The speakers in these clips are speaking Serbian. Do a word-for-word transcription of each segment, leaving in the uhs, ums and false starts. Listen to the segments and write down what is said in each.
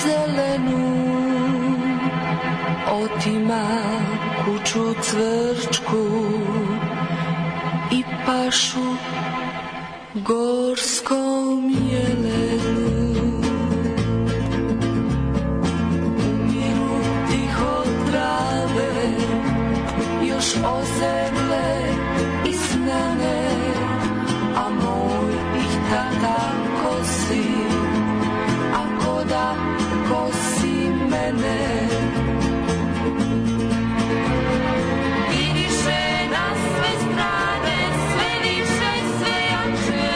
zelenu, otima kuću cvrčku i pašu gorskom jelenu. Umiru tiho trave, još ozemle i snane, a moj ih tata kosi, ako da kosi mene. Miriše na sve strane, sve više, sve jače,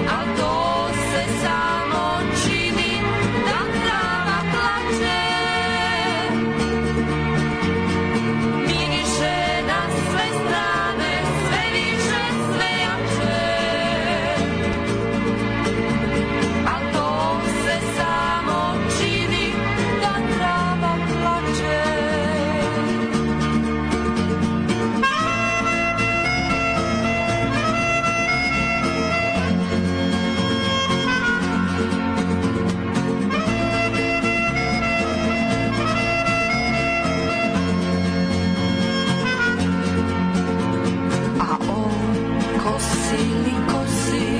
a to se samo čini da trava plače. Miriše na sve strane, sve više, sve jače, a to se samo čini da trava plače. A on kosi li kosi,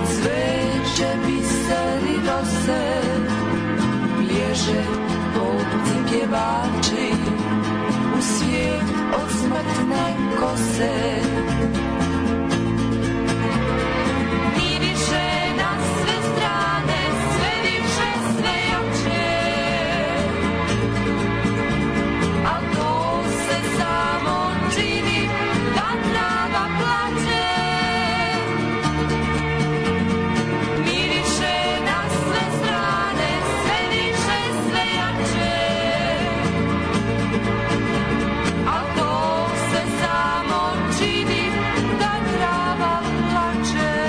cveće, biseri, rose, bježe popci pjevači u svijet od smrtne kose. Miriše na sve strane, sve više, sve jače, a to se samo čini da trava plače. Miriše na sve strane, sve više, sve jače, a to se samo čini da trava plače.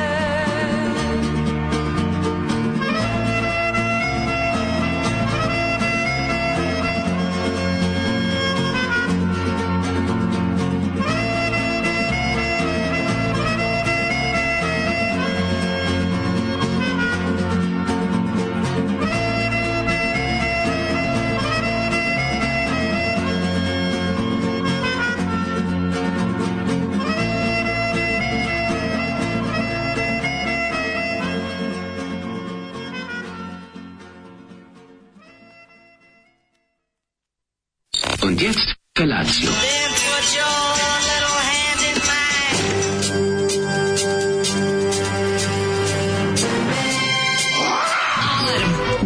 Und jetzt Felatio. Then put your little hand in mine.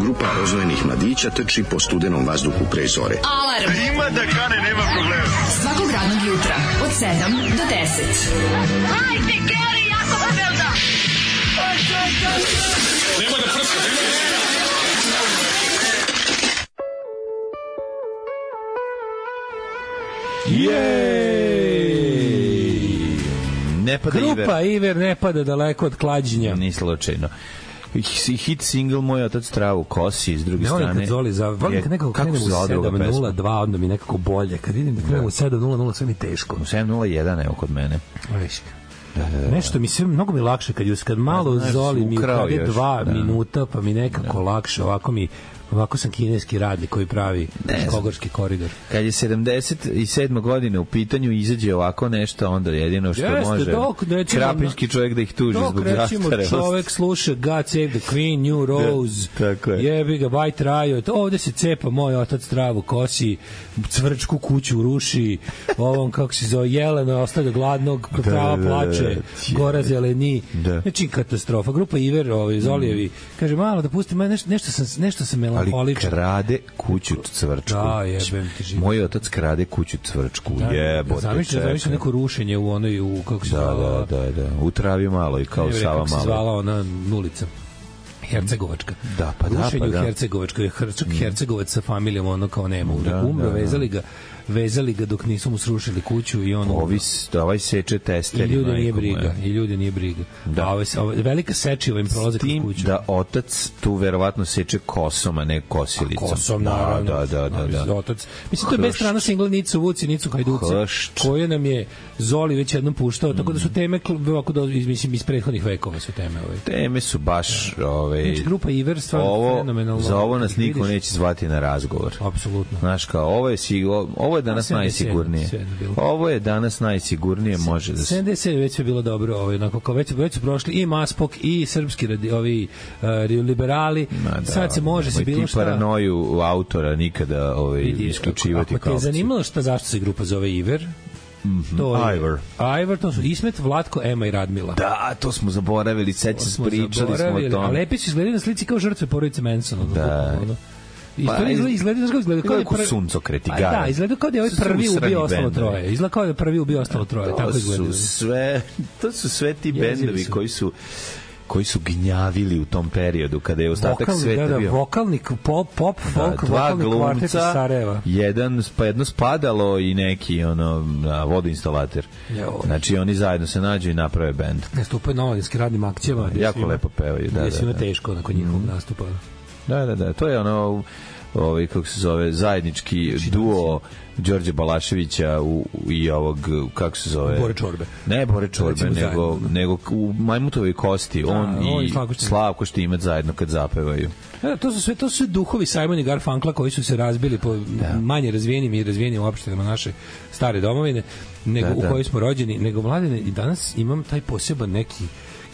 Grupa rozvojenih mladića trči po studenom vazduhu pre zore. Alarm. Ima da kane, nema problema. Svakog radnog jutra od sedam do deset. Hajde, Geri, jako se velda. Nema da prska, nema da prska. Jej! Ne pada Iver. Grupa Iver ne pada daleko od klađenja. Ni slučajno. Hit single Moj otac travu kosi, s druge ne strane. Ne volim kad Zoli za... Volim kad nekako krenemo u sedam nula dva, onda mi nekako bolje. Kad vidim da krenemo u sedam nula nula, sve mi teško. U sedam nula jedan, evo kod mene. Viš. Da, da, da. Nešto mi sve, mnogo mi lakše kad, just, kad malo znaš, Zoli mi ukrade dva da. minuta, pa mi nekako da. lakše, ovako mi... Ovako sam kineski radnik koji pravi Kogorski koridor. Kad je sedamdeset sedma godine u pitanju izađe ovako nešto, onda jedino što Jeste, može dok, recimo, krapinski čovjek da ih tuži zbog zastarelosti. Dok recimo čovjek sluša God Save the Queen, New Rose, da, je. jebi ga, White Riot, ovde se cepa Moj otac travu kosi, cvrčku kuću ruši, ovom kako se zove, Jelena ostavlja gladnog, trava plače, gora zeleni. Da. Znači katastrofa. Grupa Iver, ovaj, Zolijevi, kaže malo da pustim, nešto, nešto sam, nešto sam ali krade kuću cvrčku. Da, jebem ti živo. Moj otac krade kuću cvrčku. Da, jebote. Zamišljam, zamišljam neko rušenje u onoj, u, kako se da, zvala... Da, da, da. U travi malo i kao Sava malo. Kako se zvala ona nulica. Hercegovačka. Da, pa da, Rušenje pa da. u Hercegovačkoj, Hrčak mm. Hercegovac sa familijom, ono kao nema. Da, umro, da, da. vezali ga vezali ga dok nisu mu srušili kuću i on Ovi, ovaj seče testeri. I ljudi nije briga. I ljudi nije briga. Da. A ovaj, ovaj, velika sečiva im prolaze kroz kuću. Da otac tu verovatno seče kosom, a ne kosilicom. A kosom, naravno. Da, da, da. da, da. Otac. Mislim, to je bez strana singla Nicu Vuci, Nicu Hajduci, koje nam je Zoli već jednom puštao, mm. tako da su teme, ovako da, mislim, iz prethodnih vekova su teme. Ovaj. Teme su baš... Ovaj, znači, grupa Iver, stvarno ovo, fenomenalno. Za ovo nas niko vidiš? Neće zvati na razgovor. Apsolutno. Znaš kao, ovo je, ovo je danas najsigurnije. Ovo je danas najsigurnije, može da se... sedamdeset sedam već je bilo dobro, ovaj, onako, kao već, već su prošli i Maspok i srpski radi, ovi uh, liberali. Da, sad se može se bilo šta... Ti paranoju autora nikada ovaj, vidi, isključivati. Ako te je zanimalo šta, zašto se grupa zove Iver, Mm-hmm. to je Ivor. Ivor, to su Ismet, Vlatko, Ema i Radmila. Da, to smo zaboravili, seća se, pričali smo o tome. A lepi su izgledali na slici kao žrtve porodice Mansona. Da. Ono. I pa, to izgleda, izgleda, izgleda, izgleda kao da je prvi... suncokreti gara. Da, izgleda kao da je ovaj prvi ubio ostalo troje. Izgleda kao da je prvi ubio ostalo troje. To tako izgleda. Su sve, to su sve ti bendovi koji su koji su gnjavili u tom periodu kada je ostatak Vokalni, sveta da, da, bio. Vokalnik, pop, pop folk, da, dva vokalni kvartet iz Sarajeva. Jedan, pa jedno spadalo i neki ono, vodoinstalater. Jo. Znači oni zajedno se nađu i naprave bend. Nastupaju na omladinskim radnim akcijama. Jako svima, lepo pevaju. Da, gdje svima da, da. teško nakon njihovog mm. nastupa. Da, da, da. To je ono... ovaj kako se zove zajednički duo Đorđe Balaševića u, i ovog kako se zove Bore Čorbe. Ne Bore Čorbe, nego nego u Majmutovoj kosti da, on, on i Slavko Štimac zajedno kad zapevaju. Da, to su sve to su sve duhovi Simon i Garfunkla koji su se razbili po da. manje razvijenim i razvijenim opštinama naše stare domovine nego da, da. u kojoj smo rođeni, nego Mladene i danas imam taj poseban neki.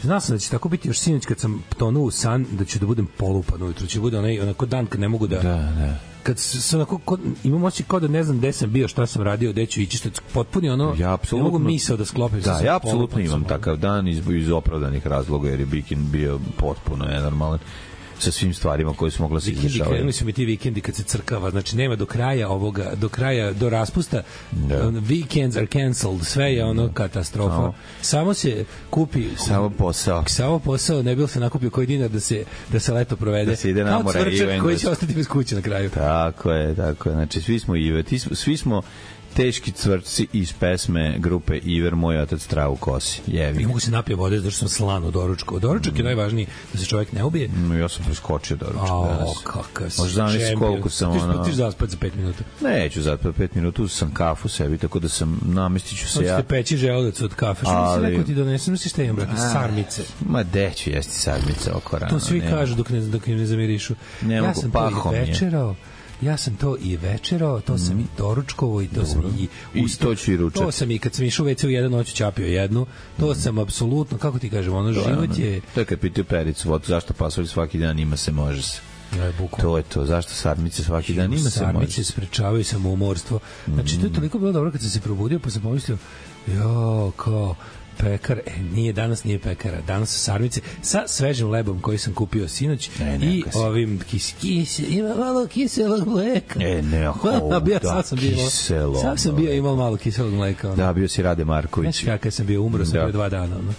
Znao sam da će tako biti još sinoć kad sam tonuo u san, da ću da budem polupan ujutru, će bude onaj, onako dan kad ne mogu da... Da, da. Kad se onako, kod, imam osjećaj kao da ne znam gde sam bio, šta sam radio, gde ću ići, što je potpuni ono, ja ne mogu misao da sklopim. Da, ja apsolutno imam takav dan iz, iz opravdanih razloga, jer je Bikin bio potpuno nenormalan sa svim stvarima koje su mogla se dešavati. Krenuli su mi ti vikendi kad se crkava, znači nema do kraja ovoga, do kraja, do raspusta, da. Weekends are cancelled, sve je ono katastrofa. Samo, samo se kupi... Samo posao. Samo posao, ne bi se nakupio koji dinar da se, da se leto provede. Da se ide na more i u koji će ostati bez kuće na kraju. Tako je, tako je. Znači, svi smo Ive, svi smo teški cvrčci iz pesme grupe Iver, moj otac travu kosi. Jevi. Ne mogu se napije vode zato što sam slan od doručka. Doručak mm. je najvažniji da se čovjek ne ubije. Mm, ja sam preskočio doručak oh, danas. Kakav si. Možda zamisli koliko sam ono... Ti ćeš zaspati za pet minuta. Neću zaspati pet minuta, sam kafu sebi, tako da sam namestit ću se ja. Hoćete peći želudac od kafe. Što ali... mi se neko ti donesem, si šta imam, brate? Sarmice. Ma deću jesti sarmice oko rano. To svi nema. Kažu dok, ne, dok im ne zamirišu. Ne ja mogu, sam pahom to i večerao. Ja sam to i večerao, to sam mm. i doručkovo i to Dobro. sam i ustao. To sam i kad sam išao u ve ce u jednu noć ćapio jednu. To mm. sam apsolutno, kako ti kažem, ono to život je... Ono, to je kad pitaju Pericu, vod, zašto pasulj svaki dan ima se, može se. Ne, to je to, zašto sarmice svaki dan ima se, može se. Sarmice sprečavaju samoumorstvo. Znači, to je toliko bilo dobro kad sam se probudio, pa sam pomislio, jo, kao... pekar, e, nije danas nije pekara, danas su sarmice sa svežim lebom koji sam kupio sinoć ne, ne, i ovim kis, kis, ima malo kiselog mleka. E, ne, ho, bio, da, sam sam bio, kiselo. Sam sam bio imao malo kiselog mleka. Ono. Da, bio si Rade Marković. Znaš kakav sam bio, umro sam da. Pre dva dana. Ono.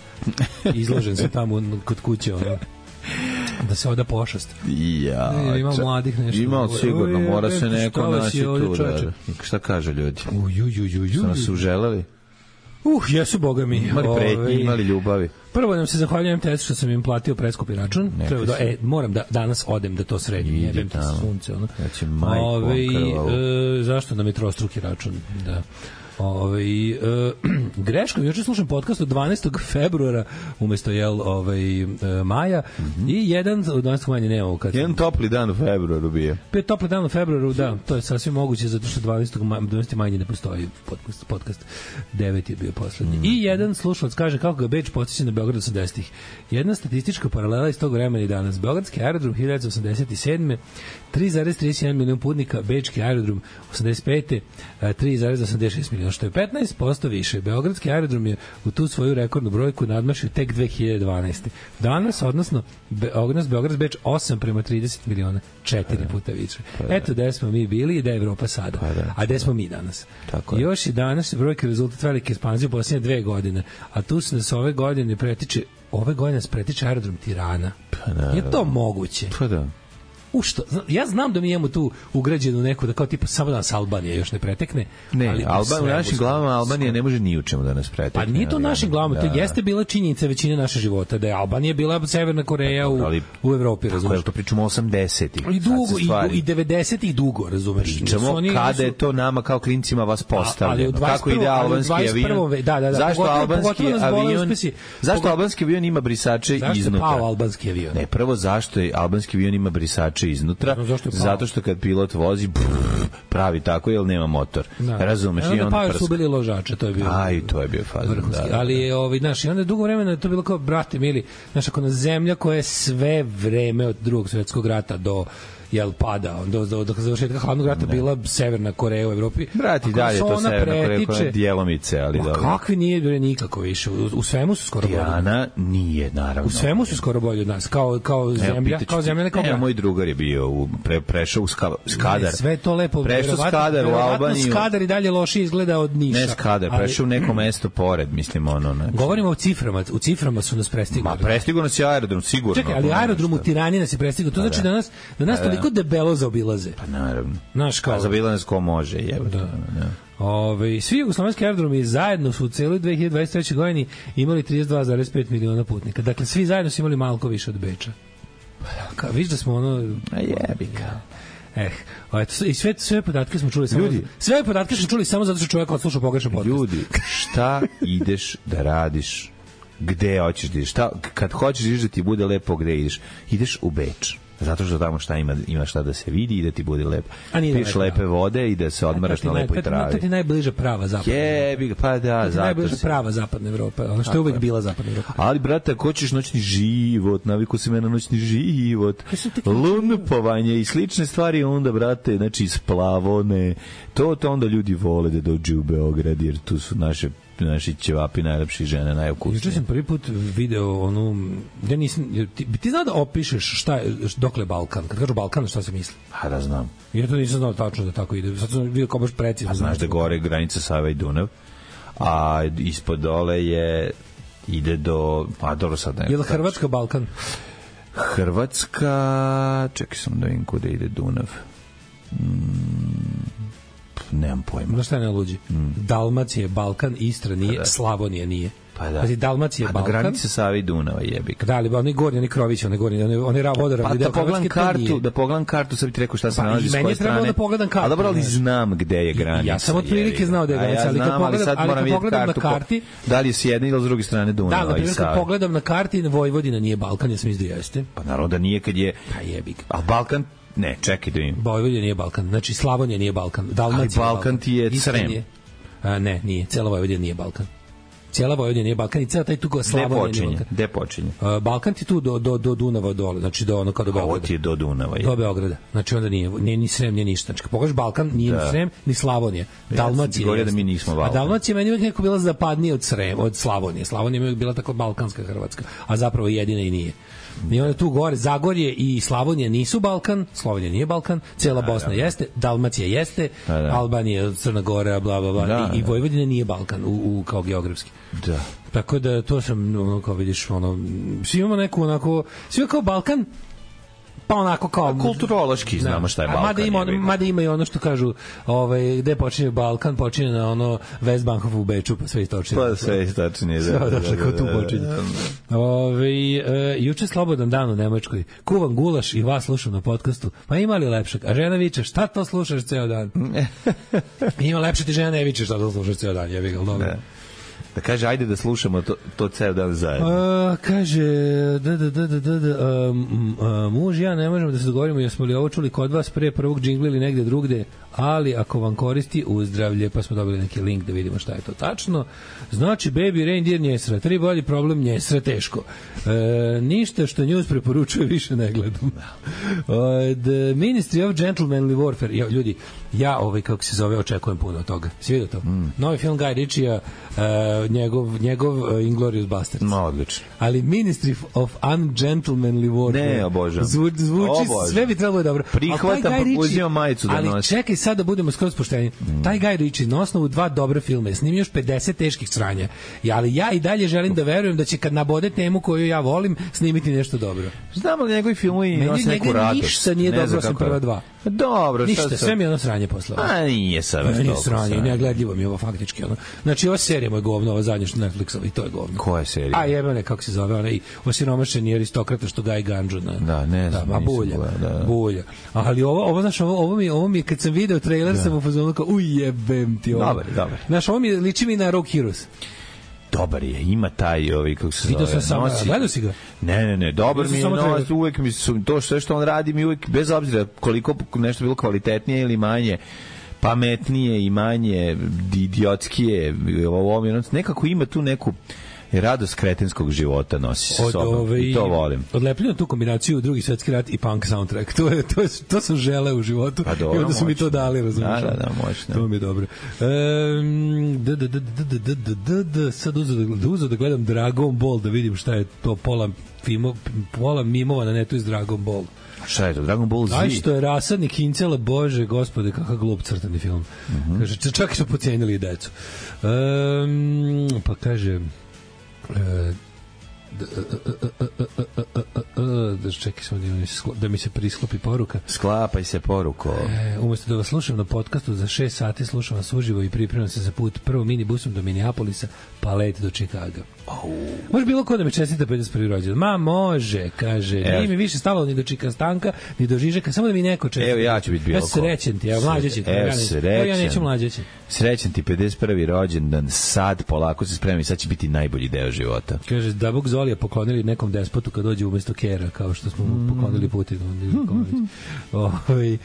Izložen sam tamo kod kuće. Ono. Da se oda pošast. Ja, ne, ima mladih nešto. Ima sigurno, mora se neko naći tu. Da, šta kaže ljudi? Uj, uj, uj, uj. Su nas uželeli? Uh, jesu, boga mi. Imali pretnje, imali ljubavi. Prvo nam se zahvaljujem testu što sam im platio preskupi račun. Treba da, e, moram da danas odem da to sredim. Jebem ti sunce. Ono. Znači, majko, Ove, e, zašto nam je trostruki račun? Da. Ovaj e, greškom juče slušam podcast od dvanaestog februara umesto jel ovaj e, maja mm -hmm. i jedan od dvanaestog maja nemamo kad jedan topli dan u februaru bio. Pet topli dan u februaru, da, to je sasvim moguće zato što dvanaestog maja ne postoji podcast, podcast devet je bio poslednji. Mm -hmm. I jedan slušalac kaže kako ga Beč podsjeća na Beograd osamdesetih. Jedna statistička paralela iz tog vremena i danas. Beogradski aerodrom hiljadu devetsto osamdeset sedme tri zarez trideset jedan milion putnika, Bečki aerodrom osamdeset pete tri zarez osamdeset šest miliona, što je petnaest posto više. Beogradski aerodrom je u tu svoju rekordnu brojku nadmašio tek dve hiljade dvanaeste. Danas, odnosno, Be, odnos Beograd-Beč osam prema trideset miliona, četiri puta više. Eto gde smo mi bili i da je Evropa sada. A gde smo mi danas? Tako je. Još i danas brojke rezultat velike ekspanzije u posljednje dve godine. A tu se nas ove godine pretiče ove godine nas pretiče aerodrom Tirana. Je to moguće? Pa da. U što? Ja znam da mi imamo tu ugrađenu neku, da kao tipa samo da nas Albanija još ne pretekne. Ne, ali Alban, u našim glavama Albanija ne može ni u čemu da nas pretekne. Pa nije to u našim glavama, da. To jeste bila činjenica većine naše života, da je Albanija bila Severna Koreja u, ali, u Evropi, razumeš? Tako, to pričamo osamdesetih. I dugo, i, i devedesetih dugo, razumeš? Pričamo oni, kada su, je to nama kao klincima vas postavljeno. A, kako ide albanski avion? Da, da, da, zašto pogotovo, albanski pogotovo avion? Uspesi, zašto pogotovo, albanski avion ima brisače zašto iznutra? Zašto je pao albanski avion? Ne, prvo zašto je albanski avion ima brisače iznutra? Zato što kad pilot vozi brrr, pravi tako jer nema motor. Da. Razumeš? I on pa su bili ložače, to je bio. Aj, to je bio fazon. Da, da. Ali je ovaj naš, i onda je dugo vremena to bilo kao brate mili, znaš, ako na zemlja koja je sve vreme od Drugog svjetskog rata do jel pada, do, do, do završetka hladnog rata ne. Bila Severna Koreja u Evropi. Brati, dalje to Severna Koreja koja djelomice, ali dobro. Kakvi nije bre nikako više. U, u svemu su skoro bolji. Diana nije, naravno. U svemu su skoro bolji od nas, kao, kao zemlja, Evo, kao zemlja nekog. Evo, moj drugar je bio, u, pre, prešao u ska, Skadar. Ne, sve to lepo. Prešao Skadar u Albaniju. Skadar i dalje loše izgleda od Niša. Ne Skadar, ali, prešao u neko mesto pored, mislim, ono. Ne. Govorimo o ciframa, u ciframa su nas prestigli. Ma, prestigao nas je aerodrom, sigurno. Čekaj, ali aerodrom u Tirani nas je prestigao. To znači da nas, da nas toliko debelo zaobilaze. Pa naravno. Naš kao. A zaobilaze ko može, jebote. Da. Da. Ove, svi jugoslovenski aerodromi zajedno su u celoj dve hiljade dvadeset trećoj godini imali trideset dva zarez pet miliona putnika. Dakle, svi zajedno su imali malko više od Beča. Ka, viš da smo ono... A jebika. Eh, eto, i sve, sve podatke smo čuli samo... Ljudi, sve podatke smo čuli samo zato što čovjek odslušao pogrešan podcast. Ljudi, šta ideš da radiš? Gde hoćeš da ideš? Šta, kad hoćeš da ti bude lepo, gde ideš? Ideš u Beč. Zato što tamo šta ima, ima šta da se vidi i da ti bude lepo. Piješ lepe vode i da se odmaraš na lepoj travi. To ti najbliža prava zapadna Jebi, pa da, zato. Najbliža prava zapadna Evropa, ono što je uvek bila zapadna Evropa. Ali brate, ako hoćeš noćni život, naviku se me na noćni život, lunupovanje i slične stvari, onda brate, znači splavone, to to onda ljudi vole da dođu u Beograd, jer tu su naše naši ćevapi najlepši, žene najukusnije. Juče sam prvi put video onu, ja nisam, ti, ti znao da opišeš šta je, dokle Balkan, kad kažu Balkan, šta se misli? Pa da znam. Ja to nisam znao tačno da tako ide, sad sam vidio kao baš precizno. A znaš da gore granica Sava i Dunav, a ispod dole je, ide do, a dobro sad ne. Je li Hrvatska Balkan? Hrvatska, čekaj sam da vidim kuda ide Dunav. Mm. Nemam pojma. Znaš šta je najluđi? Mm. Dalmacija je Balkan, Istra nije, pa Slavonija nije. Pa da. Pazi, Dalmacija je Balkan. A na granici Save i Dunava jebik. Da, ali oni gornji, oni Krovići, oni gornji, oni, oni vodoravni. Pa da pogledam kartu, da pogledam kartu, sad bi ti rekao šta se pa, nalazi s koje strane. Meni je trebalo da pogledam kartu. A dobro, ali znam gde je granica. Ja sam od prilike znao da je granica, ali kad pogledam, ali kad pogledam na karti... Da li je s jedne ili s druge strane Dunava da, i Save? Da, kad pogledam na karti, Vojvodina nije Balkan, ja sam izda jeste. Pa naravno da nije kad je... Pa jebik. A Balkan... Ne, čekaj da im. Vojvodina nije Balkan. Znači Slavonija nije Balkan. Dalmacija ali Balkan ti je Srem. A, ne, nije. Cela Vojvodina nije Balkan. Cijela Vojvodina nije Balkan i cela taj tu Slavonija nije Balkan. Gde počinje? Uh, Balkan ti tu do, do, do Dunava dole, znači do ono kao do Beograda. A ovo ti je do Dunava. Je. Do Beograda. Znači onda nije, nije ni Srem, nije ništa. Znači, pogledaš Balkan, nije da. Ni Srem, ni Slavonija. Dalmacija ja da mi nismo Balkan. A Dalmacija meni uvijek neko bila zapadnija od Srem, od Slavonije. Slavonija mi uvijek bila tako balkanska Hrvatska, a zapravo jedina i nije. I onda tu gore Zagorje i Slavonija nisu Balkan, Slovenija nije Balkan, cela Bosna da, da. Jeste, Dalmacija jeste, da, da. Albanija, Crna Gora, bla bla bla, da, i, i Vojvodina nije Balkan u, u kao geografski. Da. Tako da to sam ono kao vidiš ono svi imamo neku onako svi kao Balkan pa onako kao kulturološki znamo šta je Balkan. Mada ima, mada ima i ono što kažu, ovaj gde počinje Balkan, počinje na ono Westbankov u Beču, pa sve istočnije. Pa sve istočnije, da. Da, da, da, tu počinje. Ovaj e, juče slobodan dan u Nemačkoj. Kuvam gulaš i vas slušam na podcastu. Pa ima li lepšeg? A žena viče, šta to slušaš ceo dan? Ima lepše ti žena ne viče šta to slušaš ceo dan, jebi ga, dobro. Da kaže, ajde da slušamo to, to ceo dan zajedno. A, kaže, da, da, da, da, da, da a, a, muž i ja ne možemo da se dogovorimo, jesmo li ovo čuli kod vas pre prvog džingla ili negde drugde, ali ako vam koristi uzdravlje, pa smo dobili neki link da vidimo šta je to tačno. Znači, Baby Reindeer njesra, tri bolji problem njesra, teško. E, ništa što news preporučuje više ne gledam. The Ministry of Gentlemanly Warfare, ja, ljudi, ja ovaj, kako se zove, očekujem puno od toga. Svi vidio to? Mm. Novi film Guy Ritchie-a, njegov, njegov uh, Inglourious Basterds. No, odlično. Ali Ministry of Ungentlemanly Warfare. Ne, obožavam. Zvu, zvuči, obožavam. Sve bi trebalo dobro. Prihvatam, pa uzimam majicu da ali nosim. Ali čekaj sad da budemo skroz pošteni. Mm. Taj Guy Ritchie na osnovu dva dobra filma je snimio još pedeset teških sranja. Ja, ali ja i dalje želim da verujem da će kad nabode temu koju ja volim snimiti nešto dobro. Znamo da njegovi filmovi nose neku radost. Ništa nije dobro osim prva dva. Dobro, ništa, šta sad? sve mi je ono sranje posle. A nije sad već toliko sranje. Negledljivo mi je ovo faktički. Ono. Znači, ova serija moja govno, ova zadnja što Netflixova i to je govno. Koja serija? A jebane, kako se zove, onaj osiromašeni aristokrata što gaji ganđu. Na, da, ne znam. Da, bulja, da, da. bulja. Ali ovo, ovo, znaš, ovo, ovo, mi, ovo mi je, kad sam video trailer, da. sam u fazonu kao, ujebem ti ovo. Dobar, dobar. Znaš, ovo mi liči mi na Rogue Heroes. Dobar je, ima taj ovi kako se Video zove. Sam nosi... Gledao si ga? Ne, ne, ne, dobar mi je, no, uvek mi su to sve što on radi mi uvek bez obzira koliko nešto bilo kvalitetnije ili manje pametnije i manje idiotskije, ovo mi nekako ima tu neku radost kretenskog života nosi sa sobom ove, i to volim. Odlepljeno tu kombinaciju Drugi svetski rat i punk soundtrack. To je to je to sam želeo u životu. Pa dobro, i onda su mi to dali, razumiješ? Da, da, da, moćno. To mi je dobro. Ehm d d d d d d d sad uzeo da uzeo da gledam Dragon Ball da vidim šta je to pola filmo, pola mimova na netu iz Dragon Ball. Šta je to? Dragon Ball Z? Aj što je rasadnik Incela, bože, gospode, kakav glup crtani film. Mm-hmm. Kaže, čak i su pocenili i decu. Ehm pa kaže da čekaj samo da mi se prisklopi poruka. Sklapaj se poruko. E, umesto da vas slušam na podcastu za šest sati, slušam vas uživo i pripremam se za put prvo minibusom do Minneapolisa, pa let do Čikaga. Oh. Može bilo ko da me čestita pedeset prvi rođendan? Ma može, kaže. Evo. Nije mi više stalo ni do Čikastanka, ni do Žižeka, samo da mi neko čestita. Evo ja ću biti bilo ko. Ja srećen ti, evo mlađeći. Evo srećen. Ja neću mlađeći. Srećen ti pedeset prvi rođendan, sad polako se spremi, sad će biti najbolji deo života. Kaže, da Bog Zolija poklonili nekom despotu kad dođe umesto Kera, kao što smo mm. poklonili Putinu. Ovaj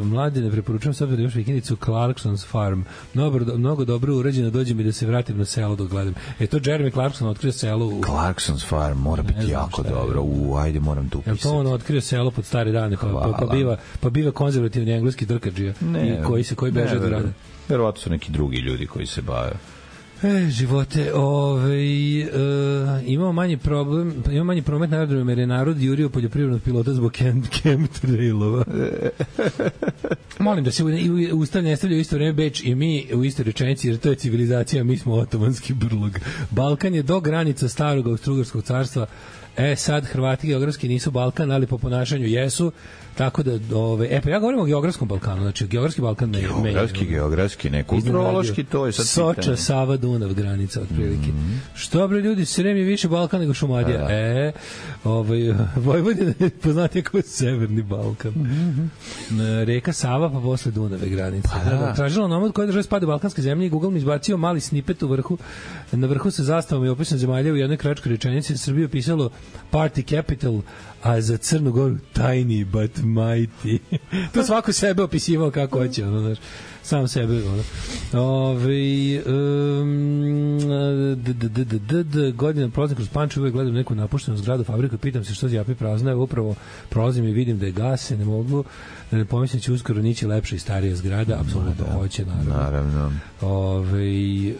mladi ne preporučujem sad da još vikendicu Clarkson's Farm. Mnogo, mnogo dobro urađeno, dođe mi da se vratim na selo dok gledam. E to Jeremy Clarkson otkrio selo u... Clarkson's Farm mora biti jako dobro. U, ajde, moram tu upisati. Je to on otkrio selo pod stare dane, pa, pa, pa, biva, pa biva konzervativni engleski drkađija i koji se koji beže od grada. Verovatno su neki drugi ljudi koji se bave. E, živote, ovaj, uh, imamo manji problem, imamo manji promet na aerodromu jer je narod jurio poljoprivrednog pilota zbog chemtrailova. Molim da se Ustav ne stavlja u isto vreme Beč i mi u istoj rečenici, jer to je civilizacija, mi smo otomanski brlog. Balkan je do granica starog Austrougarskog carstva. E, sad Hrvati geografski nisu Balkan, ali po ponašanju jesu, tako da, ove, e, pa ja govorim o geografskom Balkanu, znači geografski Balkan ne je... Geografski, geografski, ne, kulturološki, to je sad Soča, pitanje. Sava, Dunav, granica, otprilike. Mm-hmm. Što, bre, ljudi, Srem je više Balkan nego Šumadija. A, e, ovaj, Vojvodina je poznatija kao Severni Balkan. Mm-hmm. Reka Sava, pa posle Dunave granice. Pa, da. Tražila nomad koja država spada u balkanske zemlje i Google mi izbacio mali snippet u vrhu. Na vrhu sa zastavom je opisan zemalja u jednoj kratkoj rečenici. Srbije opisalo party capital, a za Crnu Goru tiny but mighty. To svako sebe opisivao kako hoće, ono, znaš, sam sebe, ono. Ove, um, d, d, d, d, d, d, godina prolazim kroz Pančevo, uvek gledam neku napuštenu zgradu fabriku i pitam se što zjapi prazno, evo upravo prolazim i vidim da je gase, ne mogu da ne pomislim će uskoro nići lepša i starija zgrada, apsolutno da, hoće, naravno. Naravno. Ove,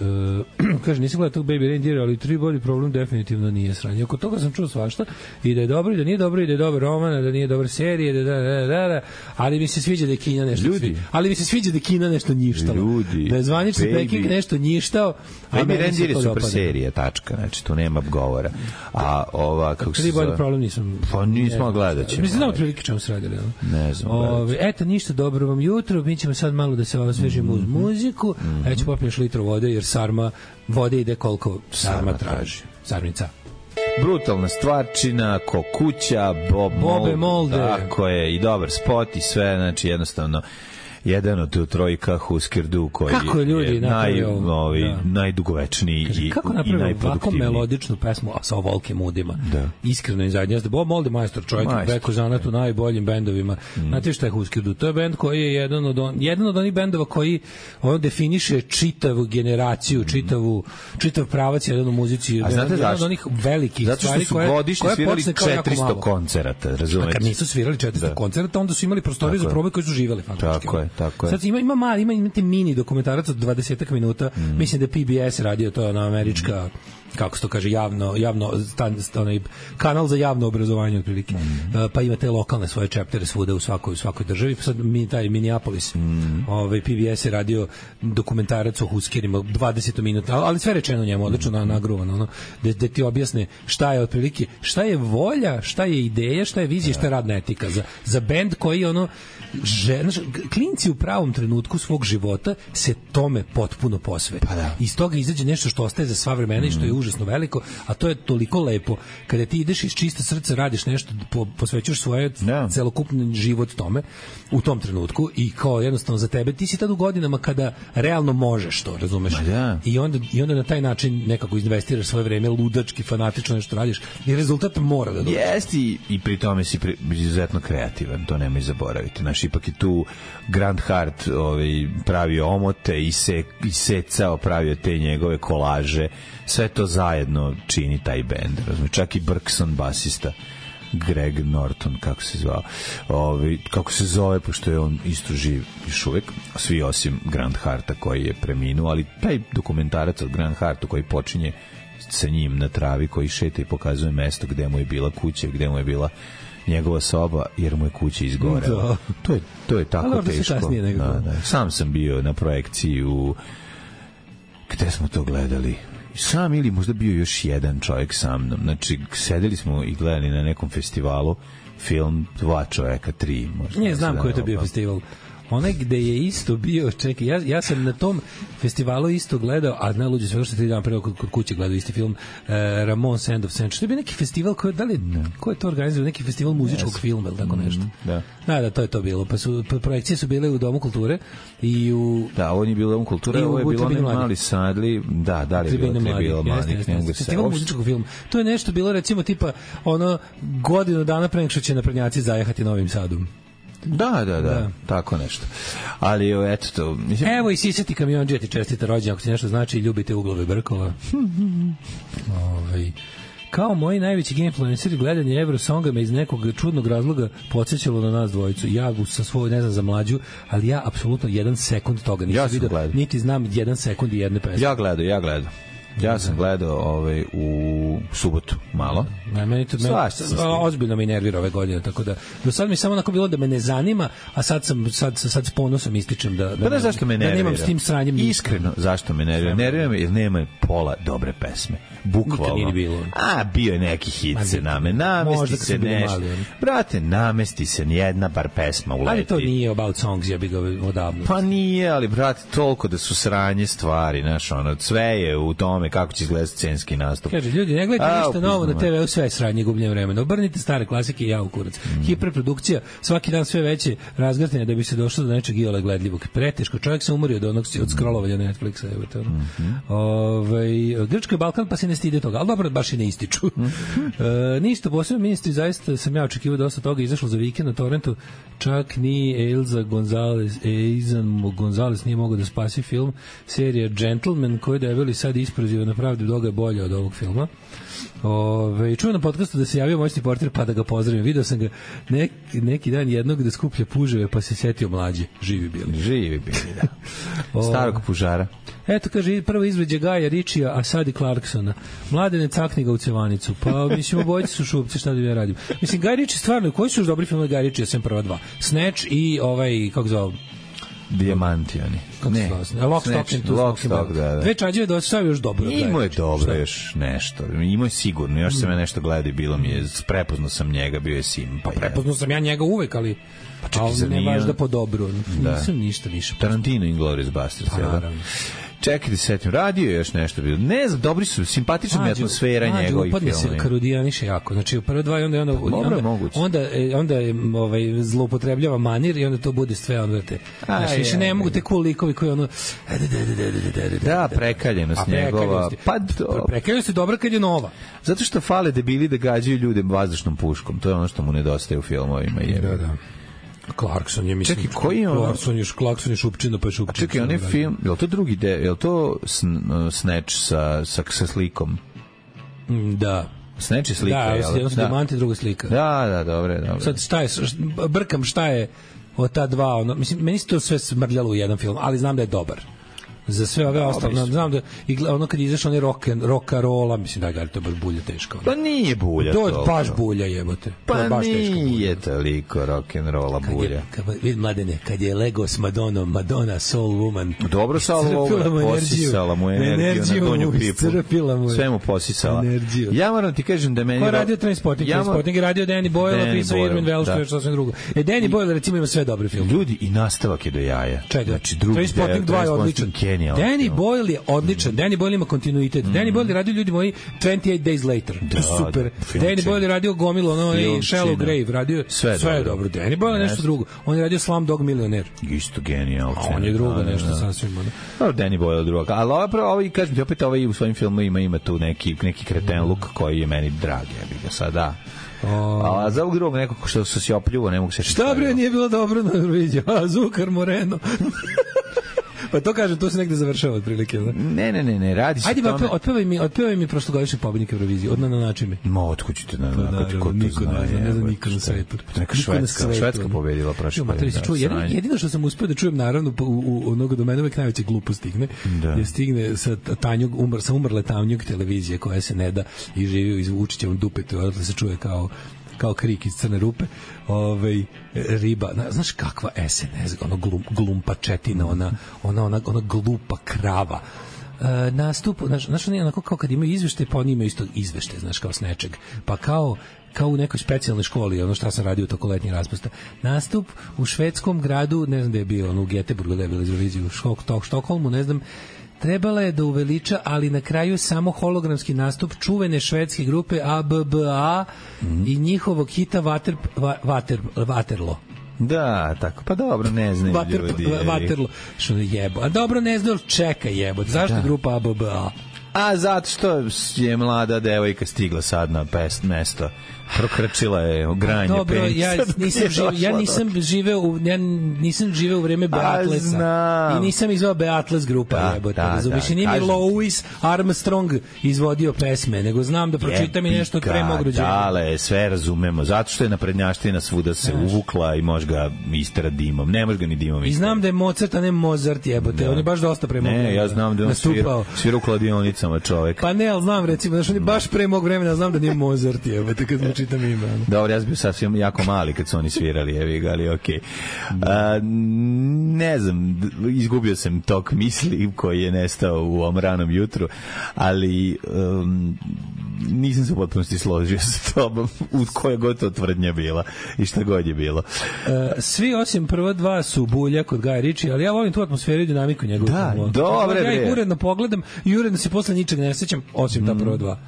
uh, kaže, nisam gledao tog Baby Reindeer, ali tri bolji problem definitivno nije sranje. Oko toga sam čuo svašta i da je dobro i da nije dobro i da je dobar roman, da nije dobar serije, da, da, da, da, da, ali mi se sviđa da je Kina nešto Ljudi. ali mi se sviđa da je Kina nešto njištalo. Ljudi. Da je zvanični Peking nešto njištao. Baby Reindeer je super dopada. Serija, tačka, znači tu nema govora. A ova, kako se zove... Tri bolji problem nisam... Pa nismo gledat ćemo. Mislim da otprilike čemu se radili. Ne znam. Ove, eto, ništa, dobro vam jutro, mi ćemo sad malo da se osvežimo uz muziku, mm-hmm. a ja ću popiješ litru vode, jer sarma, vode ide koliko sarma, sarma traži. Sarmica. Brutalna stvarčina, ko kuća, Bob Bobe Molde. Tako je, i dobar spot i sve, znači jednostavno jedan od trojka Husker Du koji kako ljudi je naj, ovi, da. najdugovečniji Kaže, i, kako i najproduktivniji. Kako ovako melodičnu pesmu sa ovolkim udima. Da. Iskreno i zadnje. Bob Molde majstor, čovjek preko zanat u najboljim bendovima. Mm. Znate šta je Husker Du? To je bend koji je jedan od, on, jedan od onih bendova koji on definiše čitavu generaciju, čitavu, čitav pravac jedan u muzici. A znate jedan od onih velikih zato stvari što su godišnje svirali četiristo koncerata, razumete? A kad nisu svirali četiristo koncerata, onda su imali prostorije za probe koji su živeli faktički. Tako je, tako je. Sad ima, ima mali, ima, imate mini dokumentarac od dvadeset minuta, mm. mislim da je P B S radio, to je ona američka, mm. kako se to kaže, javno, javno stan, onaj kanal za javno obrazovanje otprilike. Mm. Uh, pa ima te lokalne svoje chaptere svuda u svakoj, u svakoj državi. Pa sad mi, taj Minneapolis, mm. ovaj, P B S je radio dokumentarac o huskerima, dvadeset minuta, ali sve rečeno njemu, odlično mm. nagruvano, ono, da, da ti objasne šta je otprilike, šta je volja, šta je ideja, šta je vizija, šta je radna etika za, za bend koji ono, že, znaš, klinci u pravom trenutku svog života se tome potpuno posvete. Pa da. Iz toga izađe nešto što ostaje za sva vremena mm. i što je užasno veliko, a to je toliko lepo kada ti ideš iz čista srca, radiš nešto, po, posvećuješ svoje yeah. celokupni život tome u tom trenutku i kao jednostavno za tebe, ti si tad u godinama kada realno možeš to, razumeš? Yeah. I onda, i onda na taj način nekako investiraš svoje vreme, ludački, fanatično nešto radiš i rezultat mora da dođe. Jeste i, i pri tome si pri, izuzetno kreativan, to nemoj zaboraviti. Znaš, ipak je tu Grant Hart ovaj, pravio omote i, se, i secao, pravio te njegove kolaže, sve to zajedno čini taj bend, razumiješ, čak i Berkson basista Greg Norton, kako se zvao ovaj, kako se zove, pošto je on isto živ još uvek, svi osim Grant Harta koji je preminuo, ali taj dokumentarac od Grant Hartu koji počinje sa njim na travi, koji šeta i pokazuje mesto gde mu je bila kuća, gde mu je bila njegova soba, jer mu je kuća izgorela. To je, to je tako teško. Da, da. Sam sam bio na projekciji u gde smo to gledali, sam ili možda bio još jedan čovjek sa mnom. Znači, sedeli smo i gledali na nekom festivalu film dva čovjeka, tri možda. Ne znam koji je to bio festival. Onaj gde je isto bio, čekaj, ja, ja sam na tom festivalu isto gledao, a najluđe sve što tri dana prvo kod, kod kuće gledao isti film, uh, Ramones End of Century. To je bio neki festival, koji, da li, ne. ko je to organizovao, neki festival muzičkog yes. filma, ili tako nešto. Mm, da. da, da, to je to bilo. Pa su, pa projekcije su bile u Domu kulture i u... Da, ovo nije bilo u Domu kulture, ovo je bilo onaj mali sadli, da, da li je bilo Tribina mladih. Festival muzičkog filma. To je nešto bilo, recimo, tipa, ono, godinu dana pre nego što će naprednjaci zajehati Novim Sadom. Da, da, da, da, tako nešto. Ali eto to, mislim... Evo i sisati kamionđija ti čestita rođendan, ako ti nešto znači i ljubite uglove brkova. ovaj Kao moji najveći game influenceri, gledanje Eurosonga me iz nekog čudnog razloga podsjećalo na nas dvojicu. Ja sa svoj, ne znam za mlađu, ali ja apsolutno jedan sekund toga nisam ja vidio, gledao. Niti znam jedan sekund i jedne pesme. Ja gledao, ja gledao. Ja sam gledao ovaj, u subotu malo. Ne, meni to me, ozbiljno me nervira ove godine, tako da do sad mi samo onako bilo da me ne zanima, a sad sam sad sad s ponosom ističem da da, pa da, zašto me da nemam s tim sranjem ništa. Iskreno, zašto me nervira? Nervira me jer nema pola dobre pesme. Bukvalno. Bilo. A bio je neki hit se name. Namesti se nešto. Brate, namesti se nijedna bar pesma uleti. Ali to nije about songs, ja bih ga odavno. Pa nije, ali brate, toliko da su sranje stvari, znaš, ono, sve je u tome kako će izgledati scenski nastup. Kaže, ljudi, ne gledajte ništa novo na te ve u, sve je sranje, gubljenje vremena. Obrnite stare klasike i ja u kurac. Mm. Hiperprodukcija, svaki dan sve veće razgrtanje da bi se došlo do nečeg iole gledljivog. Preteško, čovjek se umorio od onog od scrollovanja Netflixa. Evo to. Mm -hmm. Ove, Grčka i Balkan pa se ne stide toga, ali dobro, baš i ne ističu. Mm -hmm. e, ništa posebno, ministri, zaista sam ja očekivao dosta toga, izašlo za vikend na torrentu, čak ni Elza Gonzalez, Eizan Gonzalez nije mogao da spasi film, serija Gentleman, koji da je bili sad isproziva na pravdu doga je bolje od ovog filma. Ove, čujem na podcastu da se javio moćni portir pa da ga pozdravim. Video sam ga nek, neki dan jednog da skuplja puževe pa se setio mlađe. Živi bili. Živi bili, da. Starog pužara. Eto, kaže, prvo izveđe Gaja Ričija, a sad i Clarksona. Mladene, cakni ga u cevanicu. Pa, mislim, obojice su šupci, šta da ja radim. Mislim, Gaj Ričija stvarno, koji su još dobri filmovi Gaja Ričija, sem prva dva? Snatch i ovaj, kako zove? Dijamanti oni. Ne, Lock, Stock and Two Smoking. Da, da. Dve čađeve da ostao još dobro. Imao je dobro još nešto. Imao je sigurno. Još sam ja nešto gledao i bilo mi je, prepoznao sam njega, bio je Sim. Pa prepoznao sam ja njega uvek, ali pa čekaj, ali ne baš da po dobru. Nisam ništa više. Tarantino i Inglourious Basterds. Pa naravno. Čekaj da setim, radio je još nešto bilo. Ne znam, dobri su, simpatična mi atmosfera njegovih filmova. Upadne se Karudijaniše jako. Znači, u prve dva i onda, onda, onda, onda, onda, onda ovaj, zloupotrebljava manir i onda to bude sve onda te. Znači, više ne mogu te cool likovi koji ono... Da, prekaljenost njegova. Pa, prekaljenost je dobra kad je nova. Zato što fale debili da gađaju ljude vazdušnom puškom. To je ono što mu nedostaje u filmovima. Da, da. Clarkson je, mislim, čekaj, koji je ono? Clarkson je, Clarkson je šupčina, pa je šupčina. Čekaj, on je film, je li to drugi deo, je li to Snatch sa, sa, sa slikom? Da. Snatch je slika, da, je li? Da, jedno su diamanti, druga slika. Da, da, dobro, dobro. Sad šta je, brkam šta je od ta dva, ono, mislim, meni se to sve smrljalo u jedan film, ali znam da je dobar. Za sve ove ostalo, znam da i ono kad izašao onaj rock and roka rola, mislim da ga to baš bulja teško. Pa nije bulja to. To je baš bulja, jebote. Pa to je baš teško. Nije toliko rock and rolla bulja. Kad je, vidi mladene, kad je Lego s Madonom, Madonna Soul Woman. Dobro Soul Woman, posisala mu energiju na donju pipu. Sve mu posisala. Energiju. Ja moram ti kažem da meni... Ko je radio Trainspotting? Trainspotting je radio Danny Boyle, napisao Irvin Welsh, to je što sve drugo. E, Danny Boyle recimo ima sve dobre filme. Ljudi, i nastavak je do jaja. Čega? Znači, Trainspotting dva je odličan. Danny Boyle je odličan. Danny Boyle ima kontinuitet. Mm. Danny Boyle je radio, ljudi moji, twenty-eight Days Later. Da, super. Da, Danny Boyle je radio gomilo, ono, i Shallow Grave. Radio, sve, sve je dobro. dobro. Danny Boyle je nešto drugo. On je radio Slumdog Millionaire. Isto genijal. A on je drugo da, nešto da. sasvim. Da. Danny Boyle je drugo. Ali ovo, ovo, kažem ti, opet ovaj u svojim filmovima ima tu neki, neki kreten luk koji je meni drag. Ja bih ga sad, da. Oh. A za ovog drugog nekog što su se opljuvo, ne mogu se... Šta bre, nije bilo dobro na Euroviziji? A, Zukar Moreno. Pa to kažem, to se negde završava otprilike. Ne, ne, ne, ne, radi se ajde, tome... Ajde, otpevaj mi, otpevaj mi prošlogodišnje pobednike Eurovizije, od na način mi. Ma, otkud ćete na način, ko to niko zna, ne, ne zna niko na svetu. Neka Švedska, Švedska pobedila prošle godine. Jedino što sam uspeo da čujem, naravno, u onoga do mene uvek najveće glupo stigne, je stigne sa Tanjog, umr, sa umrle Tanjog televizije koja se ne da i živi iz Vučićevom dupetu, odatle se čuje kao kao krik iz crne rupe, ovaj riba, znaš kakva es en es, ono glum, glumpačetina, ona, ona, ona, ona glupa krava. E, nastup, znaš, znaš, oni onako kao kad imaju izvešte, pa oni imaju isto izvešte, znaš, kao s nečeg, pa kao kao u nekoj specijalnoj školi, ono šta sam radio toko letnjih raspusta. Nastup u švedskom gradu, ne znam da je bio, ono u Göteborgu da je bilo iz Eurovizije, u Štok, Štokholmu, ne znam, trebala je da uveliča, ali na kraju samo hologramski nastup čuvene švedske grupe A B B A mm. i njihovog hita Vater, Vater, Vaterlo. Da, tako, pa dobro, ne znaju Vater, ljudi. Vaterlo, što jebo. A dobro, ne znaju, čeka jebo. Zašto da. grupa A B B A? A zato što je mlada devojka stigla sad na pest mesto. Prokrčila je granje dobro, penica. Ja nisam živ, ja nisam živeo u ja nisam živeo u vreme Beatlesa. I nisam izveo Beatles grupa, da, jebote. Da, razumiješ, nije mi Louis Armstrong izvodio pesme, nego znam da pročitam i nešto od pre mog rođenja. Dale, sve razumemo. Zato što je naprednjaština svuda se Znaš. uvukla i može ga istera dimom. Ne može ga ni dimom istera. I znam da je Mozart, a ne Mozart, jebote. Da. On je baš dosta pre mog vremena. Ne, ja znam da on svira, svira u kladionicama čovek. Pa ne, ali znam recimo, znaš, on je baš pre mog vremena, znam da nije Mozart, jebote, kad čitam ime. Dobro, ja sam bio sasvim jako mali kad su oni svirali, evi ga, ali okej. Okay. Ne znam, izgubio sam tok misli koji je nestao u ovom ranom jutru, ali um, nisam se u potpunosti složio sa tobom u koje god to tvrdnja bila i šta god je bilo. Uh, svi osim prva dva su bulja kod Gaja Ritchie, ali ja volim tu atmosferu i dinamiku njegovog. Da, dobre, ja ih uredno pogledam i uredno se posle ničeg ne sećam, osim ta prva dva.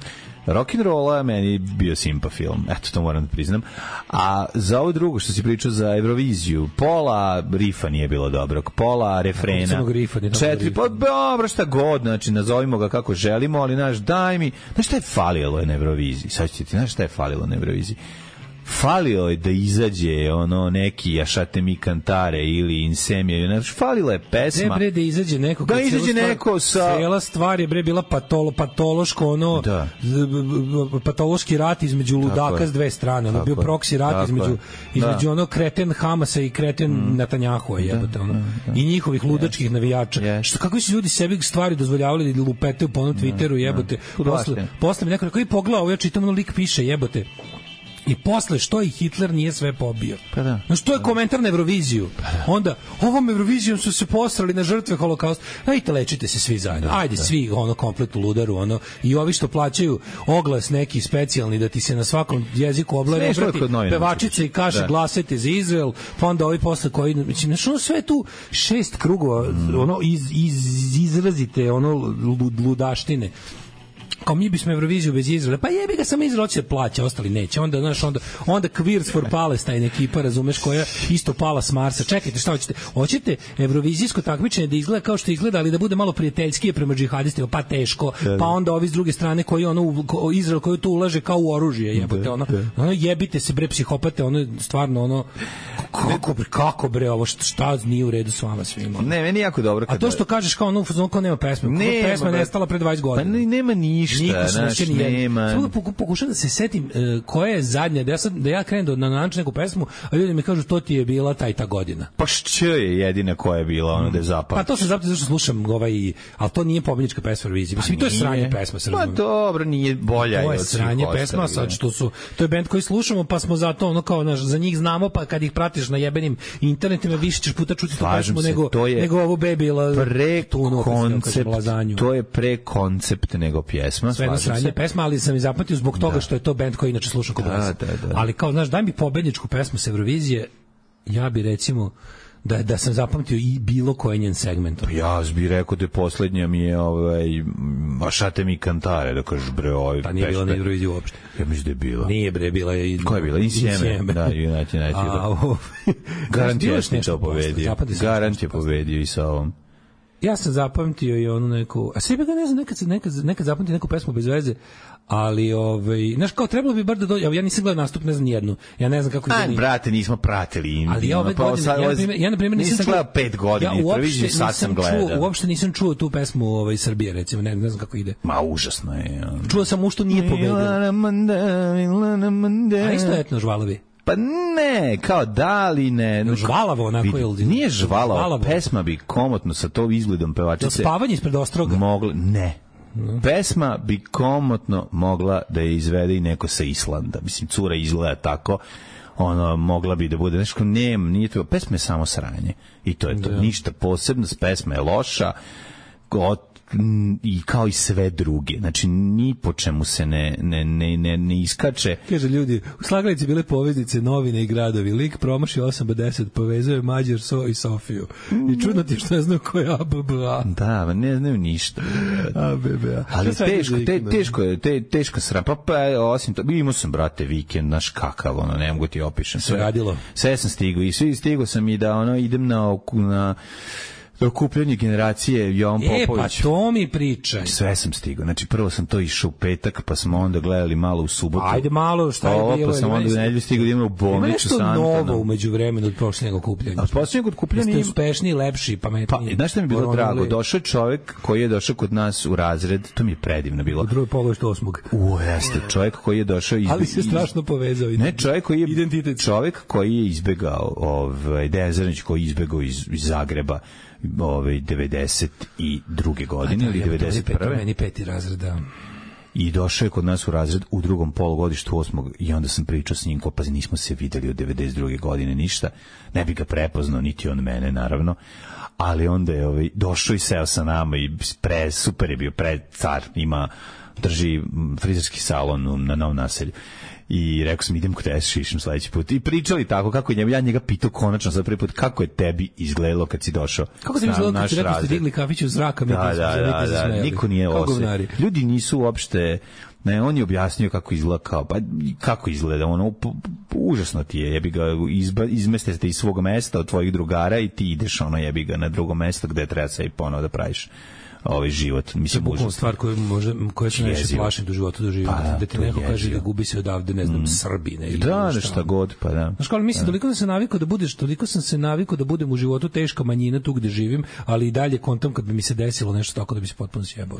Rock'n'rolla je meni bio simpa film, eto to moram da priznam. A za ovo drugo što si pričao za Euroviziju, pola rifa nije bilo dobrog, pola refrena, četiri, pa dobro šta god, znači nazovimo ga kako želimo, ali naš daj mi, znaš šta je falilo na Euroviziji, sad ćete ti, znaš šta je falilo na Euroviziji? Falilo je da izađe ono neki Jašate mi kantare ili Insemija, znači falila je pesma. Ne bre da izađe neko, da izađe neko sa cela stvar je bre bila patolo, patološko ono da. patološki rat između ludaka s dve strane, ono bio proksi rat tako između između da. ono kreten Hamasa i kreten mm. Netanjahua, jebote ono. Da, da. I njihovih ludačkih yes. navijača. Yes. Što kako su ljudi sebi stvari dozvoljavali da lupetaju po onom Twitteru, jebote. Posle posle mi neko rekao i pogledao, ja čitam ono lik piše, jebote. I posle što i Hitler nije sve pobio. Pa da. No što je komentar na Euroviziju? Pa da. Onda ovom Eurovizijom su se posrali na žrtve holokausta. Ajte lečite se svi zajedno. Da, Ajde da. svi ono komplet u ludaru ono i ovi što plaćaju oglas neki specijalni da ti se na svakom jeziku oblare pevačice i kaže da. glasajte za Izrael, pa onda ovi posle koji mislim što sve tu šest krugova mm. ono iz, iz izrazite ono ludaštine. Kao mi bismo Euroviziju bez Izraela, pa jebi ga samo Izrael će plaća, ostali neće. Onda znaš onda onda Queers for Palestine ekipa, razumeš, koja isto pala s Marsa. Čekajte, šta hoćete? Hoćete evrovizijsko takmičenje da izgleda kao što izgleda, ali da bude malo prijateljskije prema džihadistima, pa teško. Pa onda ovi s druge strane koji ono Izrael koji to ulaže kao u oružje, jebote ono. Ono jebite se bre psihopate, ono stvarno ono kako bre, kako bre ovo šta, šta nije u redu s vama svima. Ne, meni jako dobro kad. A to što kažeš kao ono kao nema pesme, ne, pesma nestala pre dvadeset godina. Pa ne, nema ništa. ništa, znaš, nema. Samo da pokušam da se setim uh, koja je zadnja, da ja, sad, da ja krenem da na način neku pesmu, a ljudi mi kažu to ti je bila taj ta godina. Pa što je jedina koja je bila, ono da je zapamtio? Pa to sam zapamtio zašto slušam ovaj, ali to nije pobednička pesma Eurovizije. Mislim, to je sranje pesma. Pa dobro, nije bolja to je sranje pesma, sad što su, to je bend koji slušamo, pa smo zato, ono kao, naš, za njih znamo, pa kad ih pratiš na jebenim internetima, više ćeš puta čuti tu pesmu nego, nego ovo Bebila. Pre koncept, to je pre koncept nego pjesma. Sve jedno sranje pesma, ali sam i zapamtio zbog toga da. što je to bend koji inače slušam kod nas. Da, da, da. Ali kao, znaš, daj mi pobedničku pesmu sa Eurovizije, ja bi recimo da da sam zapamtio i bilo koji njen segment. Ja bih rekao da je poslednja mi je ovaj Mašate mi kantare, da kažeš bre, ovaj. Pa nije bila na Euroviziji uopšte. Ja mislim da je bila. Nije bre, bila je. Ko je bila? Insieme. Da, United United. Garant je nešto pobedio. Garant je pobedio i sa ovom. Ja sam zapamtio i onu neku, a sebi ga ne znam, nekad, nekad, nekad zapamtio neku pesmu bez veze, ali, ovaj, znaš, kao trebalo bi bar da dođe, ja nisam gledao nastup, ne znam nijednu, ja ne znam kako ide. Aj, brate, nismo pratili. Ali ja ove godine, ja, na primjer, ja na primjer nisam, nisam gledao pet godina, ja uopšte sad sam gledao. Čuo, uopšte nisam čuo tu pesmu ovaj, Srbije, recimo, ne, ne znam kako ide. Ma, užasno je. Ja. Čuo sam u što nije pobedio. A isto etno žvalovi. Pa ne, kao da li ne. No, žvalavo onako je. Nije žvalavo, žvalavo, pesma bi komotno sa to izgledom pevačice. Spavanje ispred Ostroga. Mogla, ne. No. Pesma bi komotno mogla da je izvede i neko sa Islanda. Mislim, cura izgleda tako, ono, mogla bi da bude nešto, ne, nije to, pesma je samo sranje. I to je to, da. Ništa posebno, pesma je loša, od i kao i sve druge. Znači, ni po čemu se ne, ne, ne, ne, ne iskače. Kaže ljudi, u Slagalici bile poveznice, novine i gradovi. Lik promaši osam do deset, povezuje Mađar, So i Sofiju. I čudno ti što ne znam ko je A B B A. Da, ne znaju ništa. A B B A. Ali teško, te, teško je, te, teško sram. Pa, pa, osim to, imao sam, brate, vikend, naš kakav, ono, ne mogu ti opišem. Sve radilo. Sve sam stigao i svi stigao sam i da, ono, idem na, na okupljanje generacije Jovan Popović. E, pa to mi pričaj. Sve sam stigao. Znači, prvo sam to išao u petak, pa smo onda gledali malo u subotu. Ajde malo, šta je Ovo, bilo? Pa sam onda u nedelju stigao da imamo u bolnicu sa Antonom. Ima nešto novo umeđu vremenu od posljednjeg okupljanja. Od posljednjeg okupljanja... Jeste uspešniji, lepši, pametniji. Pa, znaš šta mi je bilo drago? Došao je čovjek koji je došao kod nas u razred, to mi je predivno bilo. U drugoj polovištu osmog. U, jeste, čovjek koji je došao iz... Ali se strašno povezao. Ne, čovjek koji je... Identitet. Čovjek koji je izbegao, ovaj, Dejan Zrnić koji je izbegao iz, iz Zagreba, ovaj devedeset druge godine ili devedeset prve meni peti razred, da. I došao je kod nas u razred u drugom polugodištu osmog i onda sam pričao s njim, ko pa nismo se videli od devedeset druge godine ništa, ne bi ga prepoznao niti on mene naravno, ali onda je ovaj došao i seo sa nama i pre super je bio, pre car, ima drži frizerski salon na Novom Naselju. I rekao sam, idem kod tebe, šišim sledeći put. I pričali tako, kako je njega, ja njega pitao konačno za prvi put, kako je tebi izgledalo kad si došao. Kako ti izgledalo kad si rekao ste digli kafić u zraka, mi da, da, da, da, da, niko nije osve. Ljudi nisu uopšte, ne, on je objasnio kako izgleda, kao, pa kako izgleda, ono, p, p, užasno ti je, jebi ga, izba, izmeste te iz svog mesta od tvojih drugara i ti ideš, ono, jebi ga, na drugo mesto gde treba se i ponovo da praviš ovaj život, mislim, to je stvar koju može, koja se najviše plašim do života doživim, pa, da ti neko jezivo. Kaže da gubi se odavde, ne znam, mm. Srbine ili da, nešto god, pa da. Znaš, kao, mislim, toliko sam se navikao da budeš, toliko sam se navikao da budem u životu teška manjina tu gde živim, ali i dalje kontam kad bi mi se desilo nešto tako da bi se potpuno sjebao.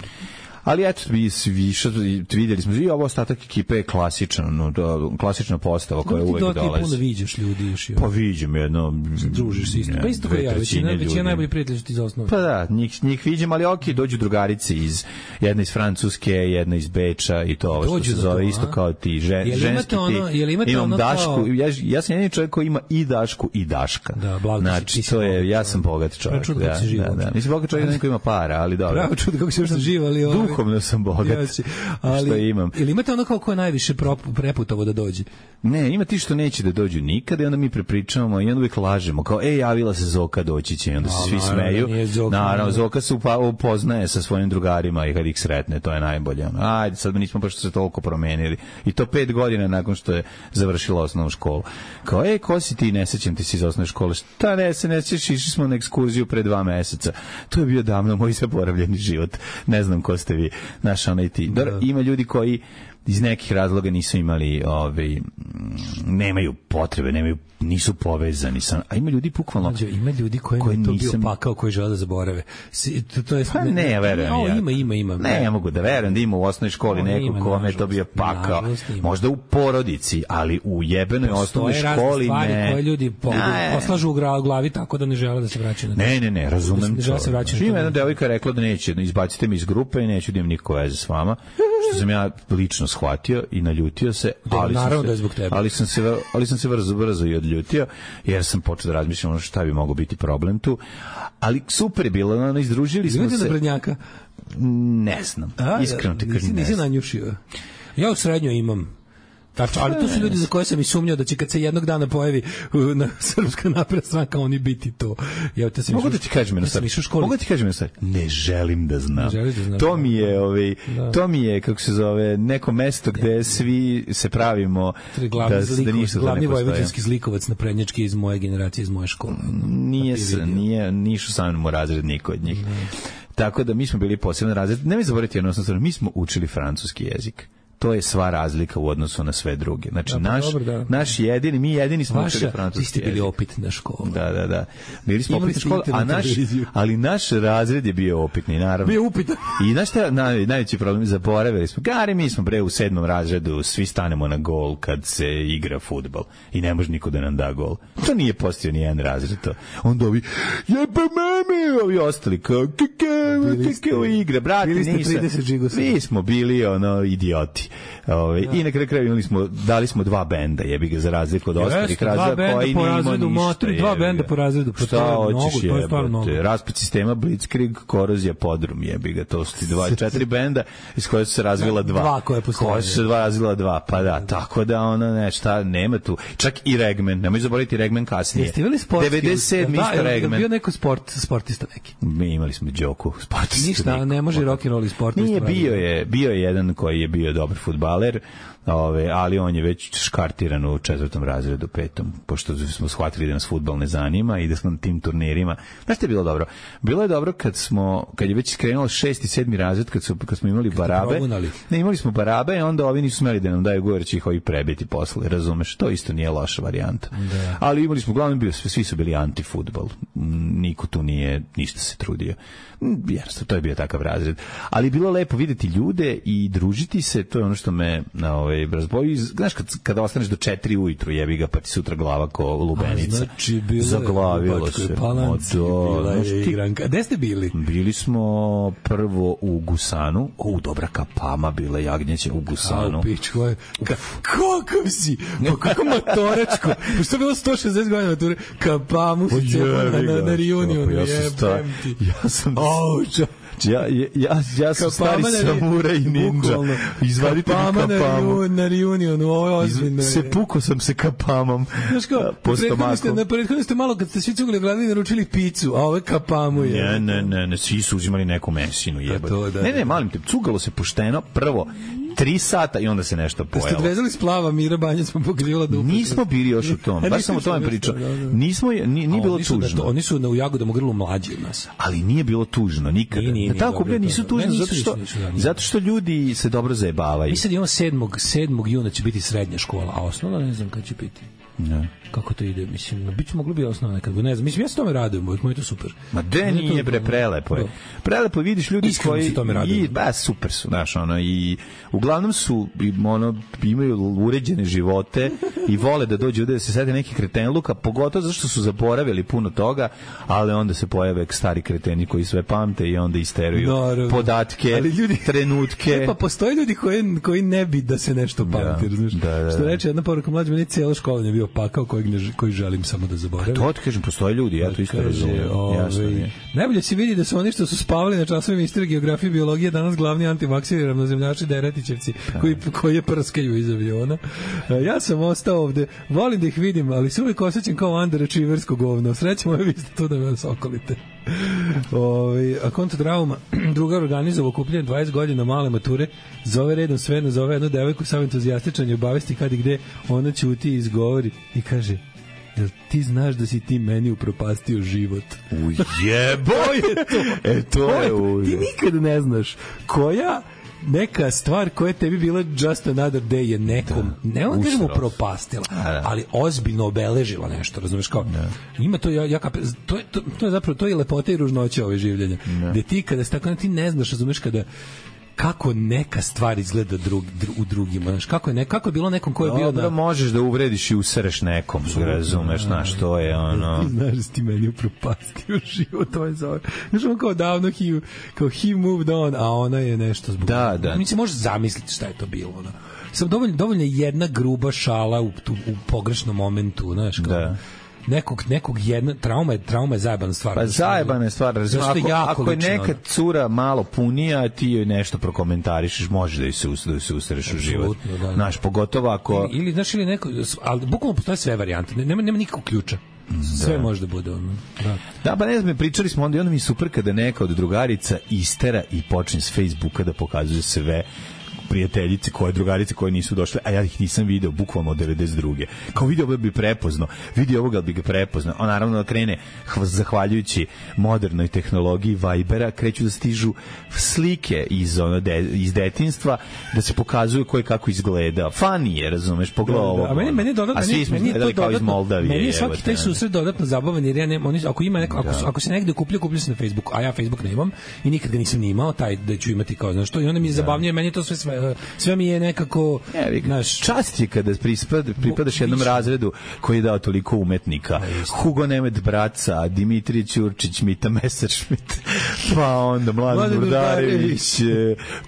Ali eto, vi više vidjeli smo i ovo ostatak ekipe je klasičan, no, klasična postava koja uvek dolazi. Ti puno viđaš ljudi još i pa viđem jedno, družiš se isto. Pa isto kao ja, većina, većina najbolji prijatelji ti za osnovu. Pa da, njih, njih viđem, ali ok, dođu drugarice iz, jedna iz Francuske, jedna iz Beča i to ovo što se zove isto kao ti, žen, ženski ono, ti. Imam ono Dašku, kao... ja, ja sam jedini čovjek koji ima i Dašku i Daška. Da, blago znači, to je, ja sam bogat čovjek. Da, da, da. Mislim, bogat čovjek neko ima para, ali dobro. Pravo čudo kako se još živa, ali ovo. Duhovno sam bogat. Jasi, ali, što imam. Ili imate ono kao ko je najviše preputovo da dođe? Ne, ima ti što neće da dođu nikada i onda mi prepričavamo i onda uvijek lažemo. Kao, ej, javila se Zoka, doći će. I onda se no, svi naravno, smeju. Zoka, naravno, Zoka se upa, upoznaje sa svojim drugarima i kad ih sretne, to je najbolje. Ajde, sad nismo baš se toliko promenili. I to pet godina nakon što je završila osnovnu školu. Kao, ej, ko si ti, ne sećam ti si iz osnovne škole. Šta ne se ne sećaš, išli smo na ekskurziju pre dva meseca. To je bio davno moj zaboravljeni život. Ne znam ko ste vi, naš onaj ti. Da. Ima ljudi koji iz nekih razloga nisu imali ovaj nemaju potrebe, nemaju nisu povezani sa, a ima ljudi bukvalno ima ljudi koji, koji to nisam... bio pakao koji žele da zaborave. Si, to, to je pa ne, ne verujem no, ja. Ima, ima, ima. Ne, ne mogu da verujem da ima u osnovnoj školi no, neko kome je to bio pakao. Možda u porodici, ali u jebenoj osnovnoj školi ne. Stvari koje ljudi poslažu u glavi tako da ne žele da se vraćaju na. Ne, ne, ne, razumem. Ne žele se vraćati. Ima jedna devojka rekla da neće, izbacite me iz grupe i neću da imam nikakve veze s vama. Što sam ja lično shvatio i naljutio se, ali naravno sam da je zbog tebe. Ali sam se ali sam se brzo brzo i odljutio jer sam počeo da razmišljam šta bi mogao biti problem tu. Ali super je bilo, ono izdružili smo se. Vidite na Brnjaka? Ne znam. Iskreno ti kažem. Nisi nanjušio. Ja u srednjoj imam. Tačno, ali to su ljudi za koje sam i sumnjao da će kad se jednog dana pojavi na Srpska napredna stranka oni biti to. Ja te sam mogu da ti kažem jedno stvar. Mogu da ti kažem jedno stvar. Ne želim da znam. Da znam to mi je, ovaj, da. to mi je kako se zove neko mesto gde ja. svi se pravimo glavni da, zlikovac, da ništa glavni vojvođanski zlikovac na prednjački iz moje generacije, iz moje škole. Nije se, nije ništa sa mnom u razred niko od njih. Ne. Tako da mi smo bili poseban razred. Ne mi zaboraviti jedno stvar, mi smo učili francuski jezik. To je sva razlika u odnosu na sve druge. Znači, da, naš, dobro, da. naš jedini, mi jedini smo Vaša, učili francuski jezik. Vi ste bili opitna škola. Da, da, da. Bili smo opitna škola, a naš, ali naš razred je bio opitni, naravno. Bio upitan. I znaš šta, naj, najveći problem, zaboravili smo. Gari, mi smo bre u sedmom razredu, svi stanemo na gol kad se igra fudbal i ne može niko da nam da gol. To nije postao ni jedan razred to. Onda ovi, jebe mame, ovi ostali, kao, kako igra, brate, nisam. Mi smo bili, ono, idioti. Ove, ja. I na kraju kraju imali smo, dali smo dva benda, jebi ga, za razliku od ostalih razreda koji nije imao ništa. Matri, dva benda po razredu. Pa šta hoćeš jebote? Raspad sistema, Blitzkrieg, Korozija, Podrum, jebi ga. To su ti dva, četiri benda iz koje su se razvila dva. Dva koje postoje. Koje su se dva razvila dva, pa da, tako da ona, ne, šta, nema tu. Čak i Regmen, nemoj zaboraviti Regmen kasnije. Jeste imali sportski? devedeset sedam Da, isto Regmen. Bio neko sport, sportista neki. Mi imali smo Đoku, sportista. Ništa, ne može rock and roll sportista. Nije, bio je, bio je jedan koji je bio dobar fudbaler. Ove, ali on je već škartiran u četvrtom razredu, petom, pošto smo shvatili da nas fudbal ne zanima i da smo na tim turnirima. Znaš što je bilo dobro? Bilo je dobro kad smo, kad je već krenulo šesti, sedmi razred, kad, su, kad smo imali barabe. Ne, imali smo barabe i onda ovi nisu smeli da nam daju govor, će ih ovi prebiti posle, razumeš? To isto nije loša varijanta. Da. Ali imali smo, uglavnom bio, svi su bili anti-fudbal. Niko tu nije ništa se trudio. Jasno, to je bio takav razred. Ali bilo lepo videti ljude i družiti se, to je ono što me na ovaj razboji. Znaš, kad, kada ostaneš do četiri ujutru, jebi ga, pa ti sutra glava ko lubenica. A, znači, bilo zaglavilo se. Palanci, bila je igranka. Gde ste bili? Bili smo prvo u Gusanu. U, dobra kapama bila jagnjeća u Gusanu. A, pič, koje... Ka, kakav si? Pa kako motoračko? Pa što je bilo sto šezdeset godina mature? Kapamu si cepao na, na, na reunionu. Ja sam sta... Ja sam... Oh, Ja, ja, ja sam stari samuraj ninja. Izvadite mi kapamu. Na reunionu, ovo je ozbiljno. Se puko sam se kapamom. Znaš kao, na prethodno ste malo, kad ste svi cugli gledali, naručili picu, a ovo je kapamu. Je. Ne, ne, ne, ne, svi su uzimali neku mesinu. Jebati. Ne, ne, malim te, cugalo se pošteno, prvo, tri sata i onda se nešto pojelo. Ste odvezali splava, Mira Banja smo pokrivala dupe. Nismo bili još u tom, baš sam o tome pričao. Nismo, nije, nije bilo tužno. Oni su na u Jagodama grlu mlađi od nas. Ali nije bilo tužno, nikada. Nije, nije, tako bili, nisu tužni, zato što, zato što ljudi se dobro zajebavaju. Mi sad imamo sedmog juna će biti srednja škola, a osnovna ne znam kad će biti. Ne. Kako to ide, mislim, biće moglo bi osnovno nekad, ne znam, mislim, ja se tome radujem, moj je to super. Ma de nije, bre, prelepo je. Prelepo vidiš ljudi iskreno koji... se tome radujem. I, ba, super su, znaš, ono, i uglavnom su, ono, imaju uređene živote i vole da dođu da se sede neki kretenluka, pogotovo zato što su zaboravili puno toga, ali onda se pojave stari kreteni koji sve pamte i onda isteruju no, podatke, ali ljudi, trenutke. E, pa postoje ljudi koji, koji ne bi da se nešto pamti, da, znaš. Da, da, što reče jedna poruka mlađa, meni cijela škola je bio pakao kojeg ne, koji želim samo da zaboravim. To ti kažem, postoje ljudi, ja to isto razumijem. Najbolje se vidi da su oni što su spavali na časovima istorije, geografije, biologije danas glavni antivakseri, ravnozemljači, deretićevci koji, koji je prskaju iz aviona. Ja sam ostao ovde, volim da ih vidim, ali se uvijek osjećam kao underachieversko govno. Sreće moje, vi ste tu da me sokolite. Ove, a konto drauma, drugar organizovao okupljanje dvadeset godina male mature, zove redom sve, zove jednu devojku sam entuzijastičan i obavesti kad i gde, ona ćuti i izgovori i kaže: jel ti znaš da si ti meni upropastio život? Ujebo je to! E, to je uj. Ti nikad ne znaš koja neka stvar koja je tebi bila just another day je nekom, da. ne on kažemo propastila, da. ali ozbiljno obeležila nešto, razumeš, kao, da. ima to, ja, ja kap, to, je, to, to je zapravo, to je lepota i ružnoća ove življenja, da. gde ti kada se tako, ti ne znaš, razumeš, kada kako neka stvar izgleda drug, dru, u drugima, znaš, kako je, ne, kako je bilo nekom ko je bio na... možeš da uvrediš i usreš nekom, razumeš, znaš, to je ono... Ti znaš da si ti meni upropastio život, to je zove. Znaš, on kao davno, he, kao he moved on, a ona je nešto zbog... Da, da. Mi se možeš zamisliti šta je to bilo, ono. Sam dovoljno, dovoljno jedna gruba šala u, tu, u pogrešnom momentu, znaš, kao... Da. nekog nekog jedna trauma je trauma je zajebana stvar. Pa zajebana je stvar. Ako, ako je neka cura malo punija, ti joj nešto prokomentarišeš, možeš da joj se da se usreš u život. Da, znaš, pogotovo ako ili, ili znaš ili neko, ali bukvalno postoje sve varijante. Nema nema nikakvog ključa. Sve da. može da bude ono. Da. Da, pa ne znam, pričali smo onda i onda mi super kada neka od drugarica istera i počne s Facebooka da pokazuje sve prijateljice, koje drugarice koje nisu došle, a ja ih nisam video bukvalno od devedeset druge. Kao video ovo bi prepoznao, vidi ovoga bi ga prepoznao. On naravno da krene, zahvaljujući modernoj tehnologiji Vibera, kreću da stižu slike iz, ono, de, iz detinjstva, da se pokazuju ko je kako izgleda. Funny je, razumeš, pogledaj ovo. A meni, meni dodatno, a svi smo izgledali kao iz Moldavije. Meni je svaki taj susret dodatno zabavan, jer ja ne, oni, ako ima neko, ako, ako se negde kupljaju, kupljaju se na Facebooku, a ja Facebook ne imam i nikad ga nisam ni imao, taj da ću imati kao, znaš što, i onda mi je zabavnije, meni to sve sve sve mi je nekako ne, naš čast je kada prispad, pripadaš jednom razredu koji je dao toliko umetnika. Hugo Nemet Braca, Dimitrij Ćurčić, Mita Messerschmidt, pa onda Mladen Burdarević,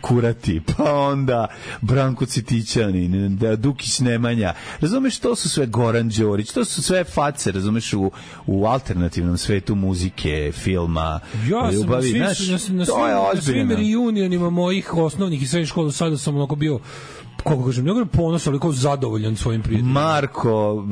Kurati, pa onda Branko Citićanin, Dukić Nemanja. Razumeš, to su sve Goran Đorić, to su sve face, razumeš, u, u alternativnom svetu muzike, filma, ja ljubavi. Svim, znaš, na, na, to je ozbiljno. Na svim reunionima mojih osnovnih i srednjih škola sada sam onako bio, kako kažem, ne govorim ponos, ali kao zadovoljan svojim prijateljima. Marko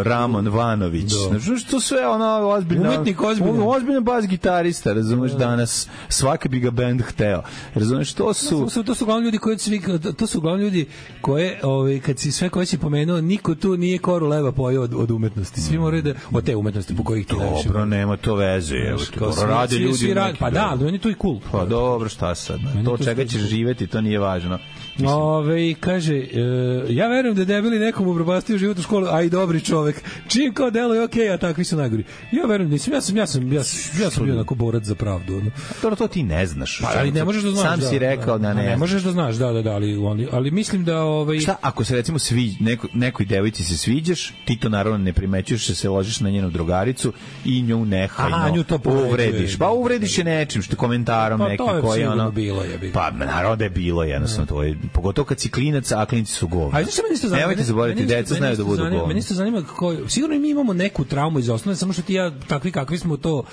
Ramon Vanović. Znači, to sve ono ozbiljno. Umetnik ozbiljno. Ozbiljno bas gitarista, razumeš, da. danas svaki bi ga band hteo. Razumeš, to su... To su, to su uglavnom ljudi koji svi, to su uglavnom ljudi koje, ovaj, kad si sve koje si pomenuo, niko tu nije koru leba pojao od, od umetnosti. Svi moraju da, od te umetnosti po kojih ti najviše. Dobro, nema to veze. Evo, to rade ljudi. Svi radi, pa da, ali on je to i cool. Pa dobro, šta sad? To čega ćeš živeti, to nije važno. Ove, kaže, e, ja verujem da je debeli nekom upropastio život u školu, a i dobri čovek. Čim kao delo je okej, okay, a takvi su najgori. Ja verujem, nisam, ja sam, ja sam, ja sam, ja sam bio onako borac za pravdu. Ono. To, to ti ne znaš. Pa, ali ne možeš da znaš. Sam da, si rekao da, da ne, ne, ne možeš da znaš, da, da, da, ali, ali, ali mislim da... Ovaj... Šta, ako se recimo svi, neko, nekoj devojci se sviđaš, ti to naravno ne primećuješ, se ložiš na njenu drugaricu i nju nehajno Aha, nju to uvrediš. Pa uvrediš je nečim, što komentarom pa, nekim koji je ono... Bilo je, pa naravno da je bilo, jednostavno, to je, pogotovo kad si klinac, a klinci su govna. Ajde, što meni isto zanima. Nemojte zaboraviti, deca znaju da budu govna. Meni isto zanima kako, sigurno mi imamo neku traumu iz osnove, samo što ti ja, takvi kakvi smo to,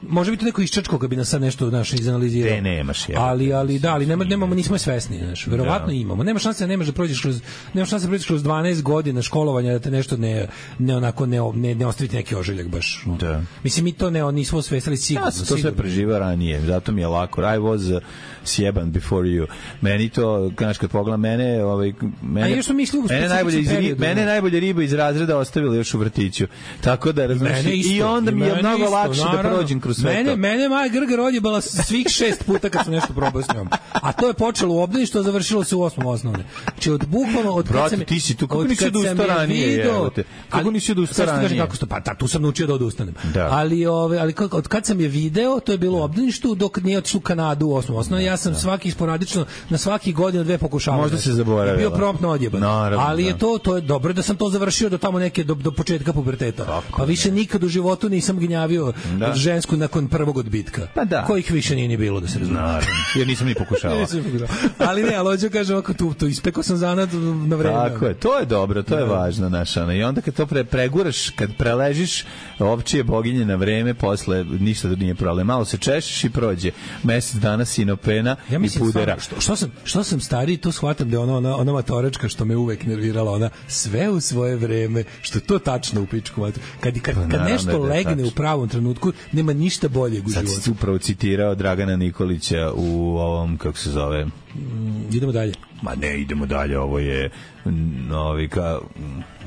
može biti neko iščačko kad bi nas sad nešto naše izanalizirao. Te nemaš, je. Ali, ali, da, ali nema, nemamo, nismo svesni, znaš. Verovatno da. imamo. Nema šanse da nemaš da prođeš kroz, nema šanse da prođeš kroz dvanaest godina školovanja da te nešto ne, ne onako, ne, ne, ne ostaviti neki ožiljak baš. Da. Mislim, mi to ne, nismo osvestili sigurno. Ja sam to sve preživao ranije, zato mi je lako. I was uh, sjeban before you. Meni to, znaš, kad pogledam mene, ovaj, mene, A mislio, mene, najbolje, iz, periodu, mene najbolje riba iz razreda ostavili još u vrtiću. Tako da, razumiješ, i onda mi je mnogo isto, lakše naravno, da prođem kroz sve mene, to. Mene Maja Grgar odjebala svih šest puta kad sam nešto probao s njom. A to je počelo u obdaništu, a završilo se u osmom osnovne. Znači, od bukvalno, od Brate, kad sam... ti si tu, kako nisi odustao ranije, jebote? Kako nisi odustao ranije? Kako sto, pa ta, tu sam naučio da odustanem. Da. Ali, ove, ali od kad sam je video, to je bilo u obdaništu, dok nije otišao u Kanadu u osmom osnovne. Ja sam svaki sporadično, na svaki godinu dve pokušavao. Možda se zaboravila. Bio promptno odjeban. Naravno, ali je da. to, to je dobro da sam to završio do tamo neke, do, do početka puberteta. Tako, pa više ne. nikad u životu nisam gnjavio da. žensku nakon prvog odbitka. Pa da. Kojih više nije ni bilo, da se razume. Naravno, jer nisam ni pokušavao. Ali ne, ali hoću kažem, ako tu, tu ispekao sam zanad na vreme. Tako je, to je dobro, to je da. važno, znaš, ono. I onda kad to pre, preguraš, kad preležiš ovčije boginje na vreme, posle ništa da nije problem. Malo se češiš i prođe. Mesec dana sinopena ja i pudera. Što, što, sam, što sam stariji, to shvatam da je ona, ona, ona matoračka što me uvek nervirala, ona sve u svoje vreme, što je to tačno u pičku matu. Kad, kad, kad, kad nešto legne u pravom trenutku, nema ništa boljeg u životu. Sad si upravo citirao Dragana Nikolića u ovom, kako se zove... Mm, idemo dalje. Ma ne, idemo dalje, ovo je novi ka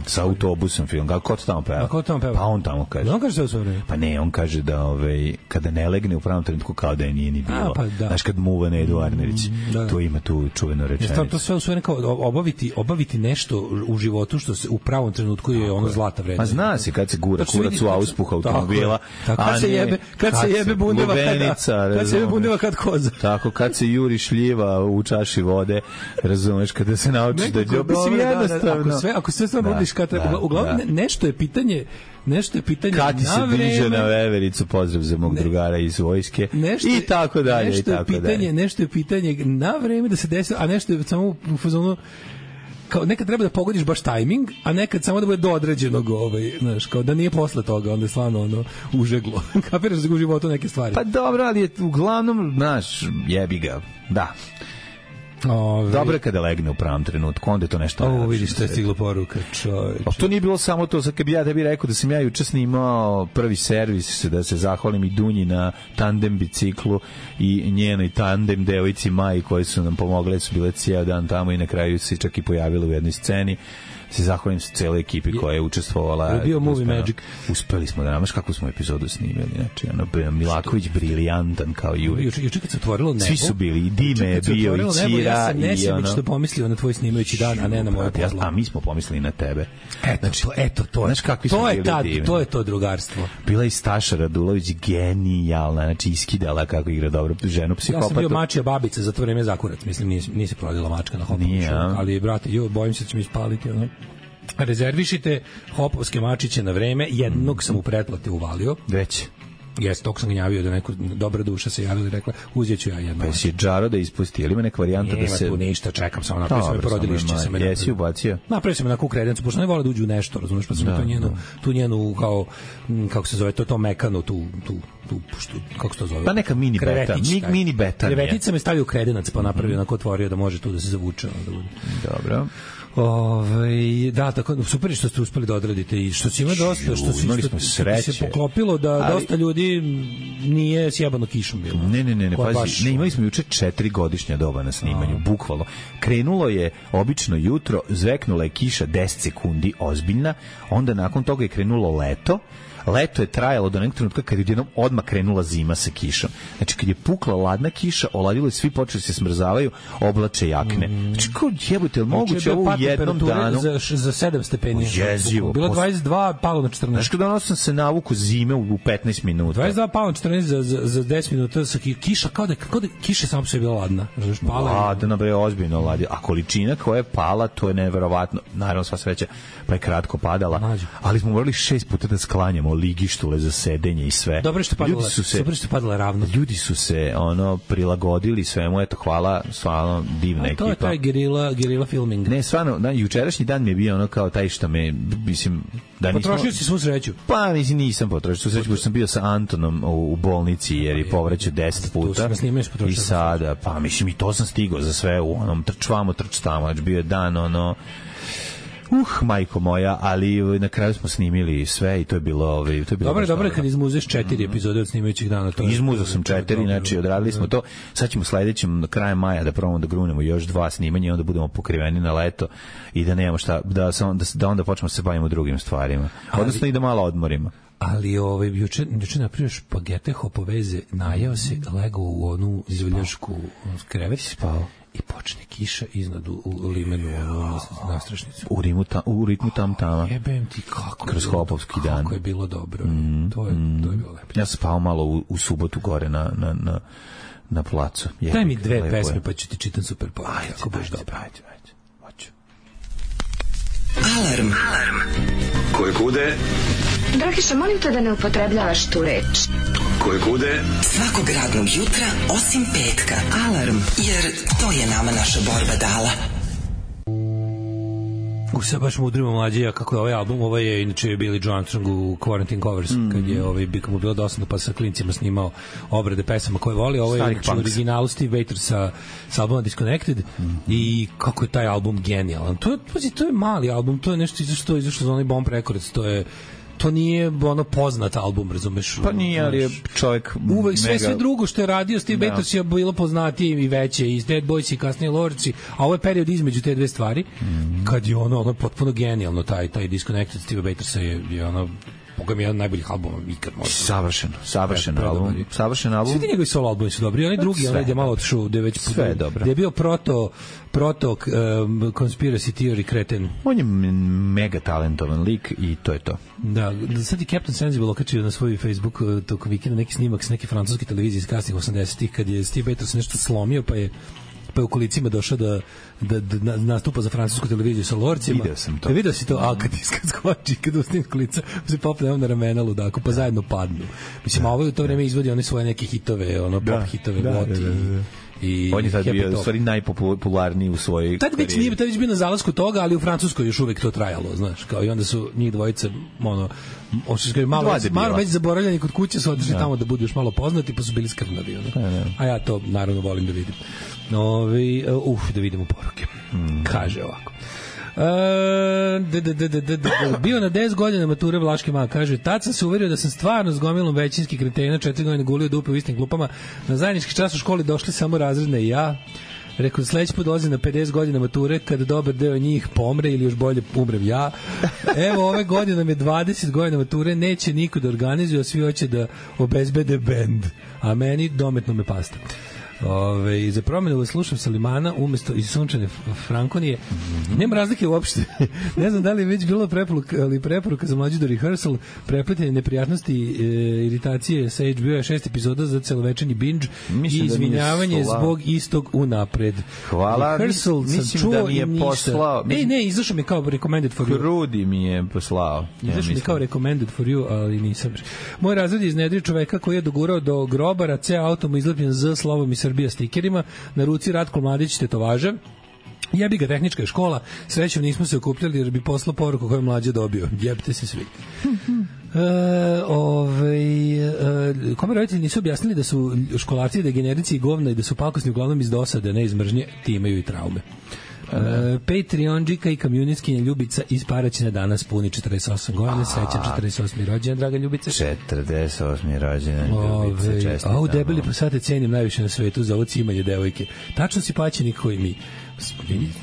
sa autobusom film. Kako ko to tamo peva? A ko tamo peva? Pa on tamo kaže. On kaže sve u svoje vreme. Pa ne, on kaže da ovaj, kada ne legne u pravom trenutku kao da je nije ni bilo. A, pa da. Znaš, kad muva Nedu Arnerić, da, da. to ima tu čuvenu rečenicu. To, to sve u svoje kao obaviti, obaviti nešto u životu što se u pravom trenutku je ono zlata vredno. Ma zna se kad se gura kurac u auspuh automobila. Tako, kad se jebe, kad, kad se jebe bundeva, lubenica, kad se jebe bundeva kad koza. Tako, kad se juri šljiva u čaši vode, razumeš, kada se naučiš da je mislim jednostavno. Ako sve, ako sve stvarno uradiš kad treba, da, uglavnom da. nešto je pitanje nešto je pitanje kad ti se na vreme, diže na vevericu, pozdrav za mog ne, drugara iz vojske nešto, i tako dalje nešto i tako je pitanje, dalje. Nešto je pitanje na vreme da se desi, a nešto je samo u fazonu kao nekad treba da pogodiš baš tajming, a nekad samo da bude do određenog, ovaj, znaš, kao da nije posle toga, onda je stvarno ono užeglo. Kapiraš da u životu neke stvari. Pa dobro, ali je uglavnom, znaš, jebi ga. Da. Ove... Dobro je kada legne u pravom trenutku, onda je to nešto. Ovo vidiš što je stiglo poruka, čovječe. A to nije bilo samo to, sad kad bi ja tebi rekao da sam ja juče snimao prvi servis, da se zahvalim i Dunji na tandem biciklu i njenoj tandem devojci Maji koje su nam pomogle, su bile cijel dan tamo i na kraju se čak i pojavile u jednoj sceni. Se zahvalim se celoj ekipi koja je učestvovala. Je bio Movie uspeli, Magic. Uspeli smo da namaš kakvu smo epizodu snimili. Znači, ono, Milaković briljantan kao i uvijek. Juče kad se otvorilo nebo. Svi su bili, i Dime je bio, i Cira. Ja sam i nesebično ono... pomislio na tvoj snimajući dan, a ne na moje pozlo. A mi smo pomislili na tebe. Eto, znači, to, eto, to, znaš kakvi to smo je bili tad, divni. to je to drugarstvo. Bila i Staša Radulović genijalna, znači iskidala kako igra dobro ženu psihopatu. Ja sam bio mačija babica za to vreme zakurac, mislim, nije, nije se prodila mačka na Hopovu šumu, ali, brate, jo, bojim se da će mi ispaliti, ono. Rezervišite hopovske mačiće na vreme, jednog sam u pretplate uvalio. Već. Jes, tog sam gnjavio da neko dobra duša se javila i rekla, uzet ću ja jedno. Pa si džaro da ispusti, ili ima neka varijanta da se... Nema tu ništa, čekam samo, napravio sam je porodilišće. Sam je jesi ubacio? Napravio sam je na ku kredencu, pošto ne vole da uđu u nešto, razumiješ, pa sam da, tu njenu, da. tu njenu, kao, kako se zove, to, to mekano, tu, tu, tu, tu, kako se to zove? Pa neka mini beta, mi, mini beta. Krevetica me stavio u kredenac, pa napravio, onako otvorio da može tu da se zavuče. Da bude. Dobro. Ove, da, tako, super je što ste uspeli da odradite i što si ima dosta, što si, što, što se poklopilo da ali, dosta ljudi nije sjebano kišom bilo. Ne, ne, ne, ne, pazi, baš, ne, imali smo juče četiri godišnja doba na snimanju, a. bukvalno. Krenulo je obično jutro, zveknula je kiša deset sekundi, ozbiljna, onda nakon toga je krenulo leto, leto je trajalo do nekog trenutka kad je jednom odmah krenula zima sa kišom. Znači, kad je pukla ladna kiša, oladilo je, svi počeli se smrzavaju, oblače jakne. Znači, kao jebote, je li moguće ovo u jednom danu? Za, za sedam stepeni. Jezivo. Bilo dvadeset dva, palo na četrnaest. Znači, kada ono sam se navuku zime u petnaest minuta. dvadeset dva, palo na četrnaest za, za, za deset minuta. Sa kiša, kao da, kao da kiša samo se je bila ladna. Ladna, bre, ozbiljno ladila. A količina koja je pala, to je neverovatno. Naravno, sva sreća, pa je kratko padala. Mađu. Ali smo morali šest puta da sklanjamo ligištule za sedenje i sve. Dobro što padala, ljudi su se, dobro što padala ravno. Ljudi su se ono prilagodili svemu, eto, hvala, stvarno divna a, ekipa. To je taj gerila, gerila filming. Ne, stvarno, da, jučerašnji dan mi je bio ono kao taj što me, mislim, da nismo... Potrošio si svu sreću? Pa, mislim, nisam potrošio svu sreću, pošto sam bio sa Antonom u, u bolnici, jer je povraćao deset puta. I sada, pa, mislim, i to sam stigao za sve u onom trčvamo, trč tamo, znači bio je dan, ono... Uh, majko moja, ali na kraju smo snimili sve i to je bilo, ovaj, to je bilo. Dobro, dobro, kad izmuzeš četiri epizode od snimajućih dana, to. Izmuzao sam četiri, znači odradili smo to. Sad ćemo sledećem krajem maja da probamo da grunemo još dva snimanja i onda budemo pokriveni na leto i da nemamo šta, da da, da onda počnemo se bavimo drugim stvarima. Odnosno ali, i da malo odmorimo. Ali ovaj juče juče napravio špagete hopoveze, najeo se, legao u onu izviljašku krevet, spao. I počne kiša iznad u, u limenu ono, na strašnicu. U, rimu ta, u ritmu tam tama. Jebem ti kako kroz hopovski dan. Kako je bilo dobro. Mm, to, je, mm. to je bilo lepo. Ja sam spao malo u, u subotu gore na, na, na, na placu. Jebik, daj mi dve pesme pa ću ti čitam super poruke. Ajde, ako baš dobro. Ajde, ajde. Hoću. Alarm. Alarm. Koje kude? Dragiša, molim te da ne upotrebljavaš tu reč. Koje kude? Svakog radnog jutra, osim petka. Alarm, jer to je nama naša borba dala. U se baš mudrimo mlađija kako je ovaj album, ovo je inače Billy Joe Armstrong u Quarantine Covers, mm. kad je ovaj, bi mu bilo dosadno pa sa klincima snimao obrade pesama koje voli, ovo je u originalu Steve Waiter sa, sa albuma Disconnected mm. i kako je taj album genijalan. To, to je mali album, to je nešto izašto izašlo za onaj Bomb Records, to je to nije ono poznat album, razumeš? Pa nije, ali je čovjek uvek sve, mega... sve drugo što je radio Steve Bators je bilo poznatije i veće, i Dead Boys i kasnije Lordsi, a ovo je period između te dve stvari, mm. kad je ono, ono potpuno genijalno, taj, taj Disconnected Steve Batorsa je, je ono, Boga mi je jedan najboljih albuma ikad možda. Savršeno, savršen album. Savršen album. Svi ti njegovi solo albumi su dobri, onaj drugi, onaj gde malo otišao, gde je već sve je dobro. Gde je bio proto proto um, conspiracy theory kreten. On je mega talentovan lik i to je to. Da, sad je Captain Sensible okačio na svoj Facebook tog vikenda neki snimak s neke francuske televizije iz kasnih osamdesetih kad je Steve Bators nešto slomio, pa je pa je u kolicima došao da, da, da nastupa za francusku televiziju sa Lorcima. Video sam to. Da vidio si to, a kad iskad skoči, kad ustim kolica, se popne on na ramena ludako, pa zajedno padnu. Mislim, a ovo je u to vreme izvodi one svoje neke hitove, ono pop da, hitove, da, Voti. Da, da, da. I on je sad bio u stvari najpopularniji u svojoj tad već nije, tad već bio na zalasku toga, ali u Francuskoj još uvek to trajalo, znaš, kao i onda su njih dvojice ono, ono malo, već, malo već zaboravljeni kod kuće su otišli tamo da budu još malo poznati, pa su bili skrnavi, ono. Ne, ne. A ja to naravno volim da vidim. Ovi, uf, da vidimo poruke. Mm. Kaže ovako. Uh, d, d, d, d, d, d, bio na deset godina mature Vlaške ma, kaže, tad sam se uverio da sam stvarno s gomilom većinskih kretena četiri godine gulio dupe u istim klupama, na zajednički čas u školi došli samo razredne i ja. Rekao, sledeći put dolazi na pedeset godina mature, kada dobar deo njih pomre ili još bolje umrem ja. Evo, ove godine nam je dvadeset godina mature, neće niko da organizuje, a svi hoće da obezbede bend, a meni dometno me pasta. Ove, za promjenu slušam Salimana umesto iz Sunčane Frankonije. Mm-hmm. Nema razlike uopšte. Ne znam da li je već bilo preporuka, ali preporuka za mlađu do rehearsal, prepletanje neprijatnosti, e, iritacije sa H B O, šest epizoda za celovečernji binge. Mislim i izvinjavanje da zbog istog unapred. Hvala. Rehearsal mislim da mi je poslao. Ej, ne, izašao mi kao recommended for you. Krudi mi je poslao. Izašao ja, mi kao recommended for you, ali nisam. Moj razred je iznedrio čoveka koji je dogurao do grobara, ceo auto mu izlepljen z slovom i Srbija stikerima, na ruci Ratko Mladić tetovaže. Jebi ga, tehnička je škola, srećom nismo se okupljali jer bi poslao poruku koju je mlađe dobio. Jebite se svi. E, ovaj, e, kome roditelji nisu objasnili da su školarci degenerici i govna i da su pakosni uglavnom iz dosade, ne iz mržnje, ti imaju i traume. Uh, Patreonđika i kamionistkinja Ljubica iz Paraćina danas puni četrdeset osam godina, srećan četrdeset osmi rođendan, draga Ljubica. četrdeset osmi rođendan, Ljubica, čestitam. A u debeli pasate cenim najviše na svetu za ovo cimanje devojke. Tačno si paćenik koji mi.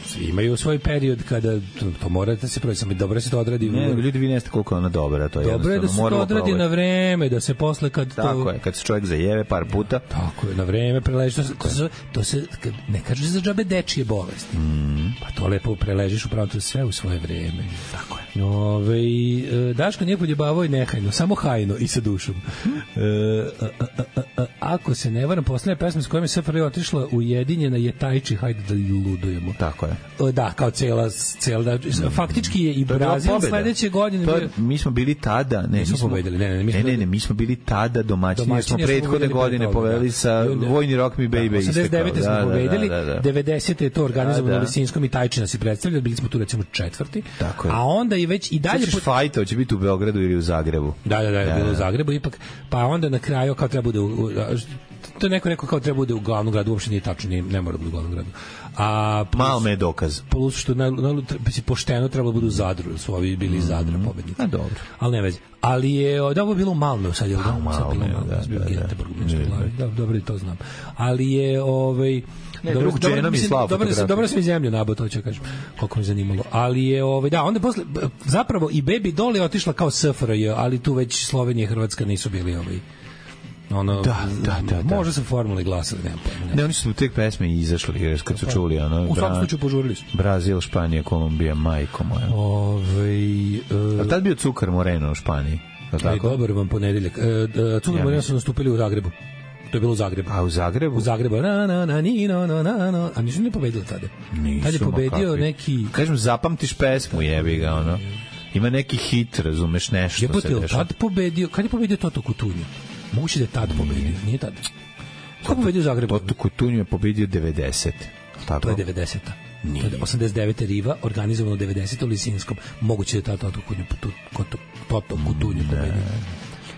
Svi imaju svoj period kada to, to morate se proći, samo dobro se to odradi. Ne, ljudi vi neste koliko je ona dobra, to je dobro je da se to odradi na vreme, da se posle kad to... Tako je, kad se čovjek zajeve par puta. Tako je, na vreme preleži, to se, to se, to se ne kaže za džabe dečije bolesti. Mm. Pa to lepo preležiš upravo to sve u svoje vreme. Tako je. Ove, Daško nije poljebavao i nehajno, samo hajno i sa dušom. E, a, a, a, a, ako se ne varam, poslednja pesma s kojom je S F R J otišla ujedinjena je Tajči, hajde da ludujemo. Tako je. Da, kao cela, cela da, faktički je i Brazil sledeće godine. To, mi smo bili tada, ne, mi smo pobedili, ne, ne, mi ne, ne, ne, mi smo bili tada domaćini, domaćini smo prethodne godine povedali sa Vojni Rock Me Baby. osamdeset devete smo pobedili, devedesete je to organizovano u Lisinskom i Tajčina se predstavlja, bili smo tu recimo četvrti, a onda i već i dalje... Sećaš fajta, će biti u Beogradu ili u Zagrebu? Da, da, da, je bilo u Zagrebu ipak, pa onda na kraju kao treba bude u... To je neko rekao kao treba bude u glavnom gradu, uopšte nije tačno, nije, ne mora da bude u glavnom gradu. A plus, malo me je dokaz. Plus što na, na, pošteno trebalo da budu u Zadru, su ovi bili iz Zadra pobednici. A dobro. Ali ne veze. Ali je, da ovo je bilo u Malmeu sad, je li da? Malmeu, da, da, da. Da, dobro da to znam. Ali je, ovaj... Ne, dobro, drug dženom i slav fotografiju. Dobro sam i zemlju nabao, to ću kažem, koliko mi zanimalo. Ali je, ovaj, da, onda posle, zapravo i Baby Doll je otišla kao S F R J, ali tu već Slovenija i Hrvatska nisu bili ovaj... Ono, da, da, da, da. Možda su formuli glasali, nema pojma. Ne. ne, oni su u tek pesme izašli, jer kad su čuli, ono... U svakom slučaju požurili su. Brazil, Španija, Kolumbija, majko moja. Ove, uh, a tad bio Cukar Moreno u Španiji? Aj, dobar vam ponedeljak. Uh, Cukar ja, Moreno su nastupili u Zagrebu. To je bilo u Zagrebu. A u Zagrebu? U Zagrebu. Na, na, na, ni, no, no, na, no. A nisu ne pobedili tada. Nisu, tad je pobedio neki... Kažem, zapamtiš pesmu, jebi ga, ono. Ima neki hit, razumeš, nešto Jebote, se dešava. Tad pobedio, kad je pobedio Toto Kutunju? Moguće da je tad pobedio, nije tad. Ko pobedio u Zagrebu? Toto Kutunju je pobedio devedeset. Tako? To je devedeseta. Nije. To je osamdeset devete Riva, organizovano devedesete u Lisinskom. Moguće da je tad Toto Kutunju, Toto Kutunju pobedio.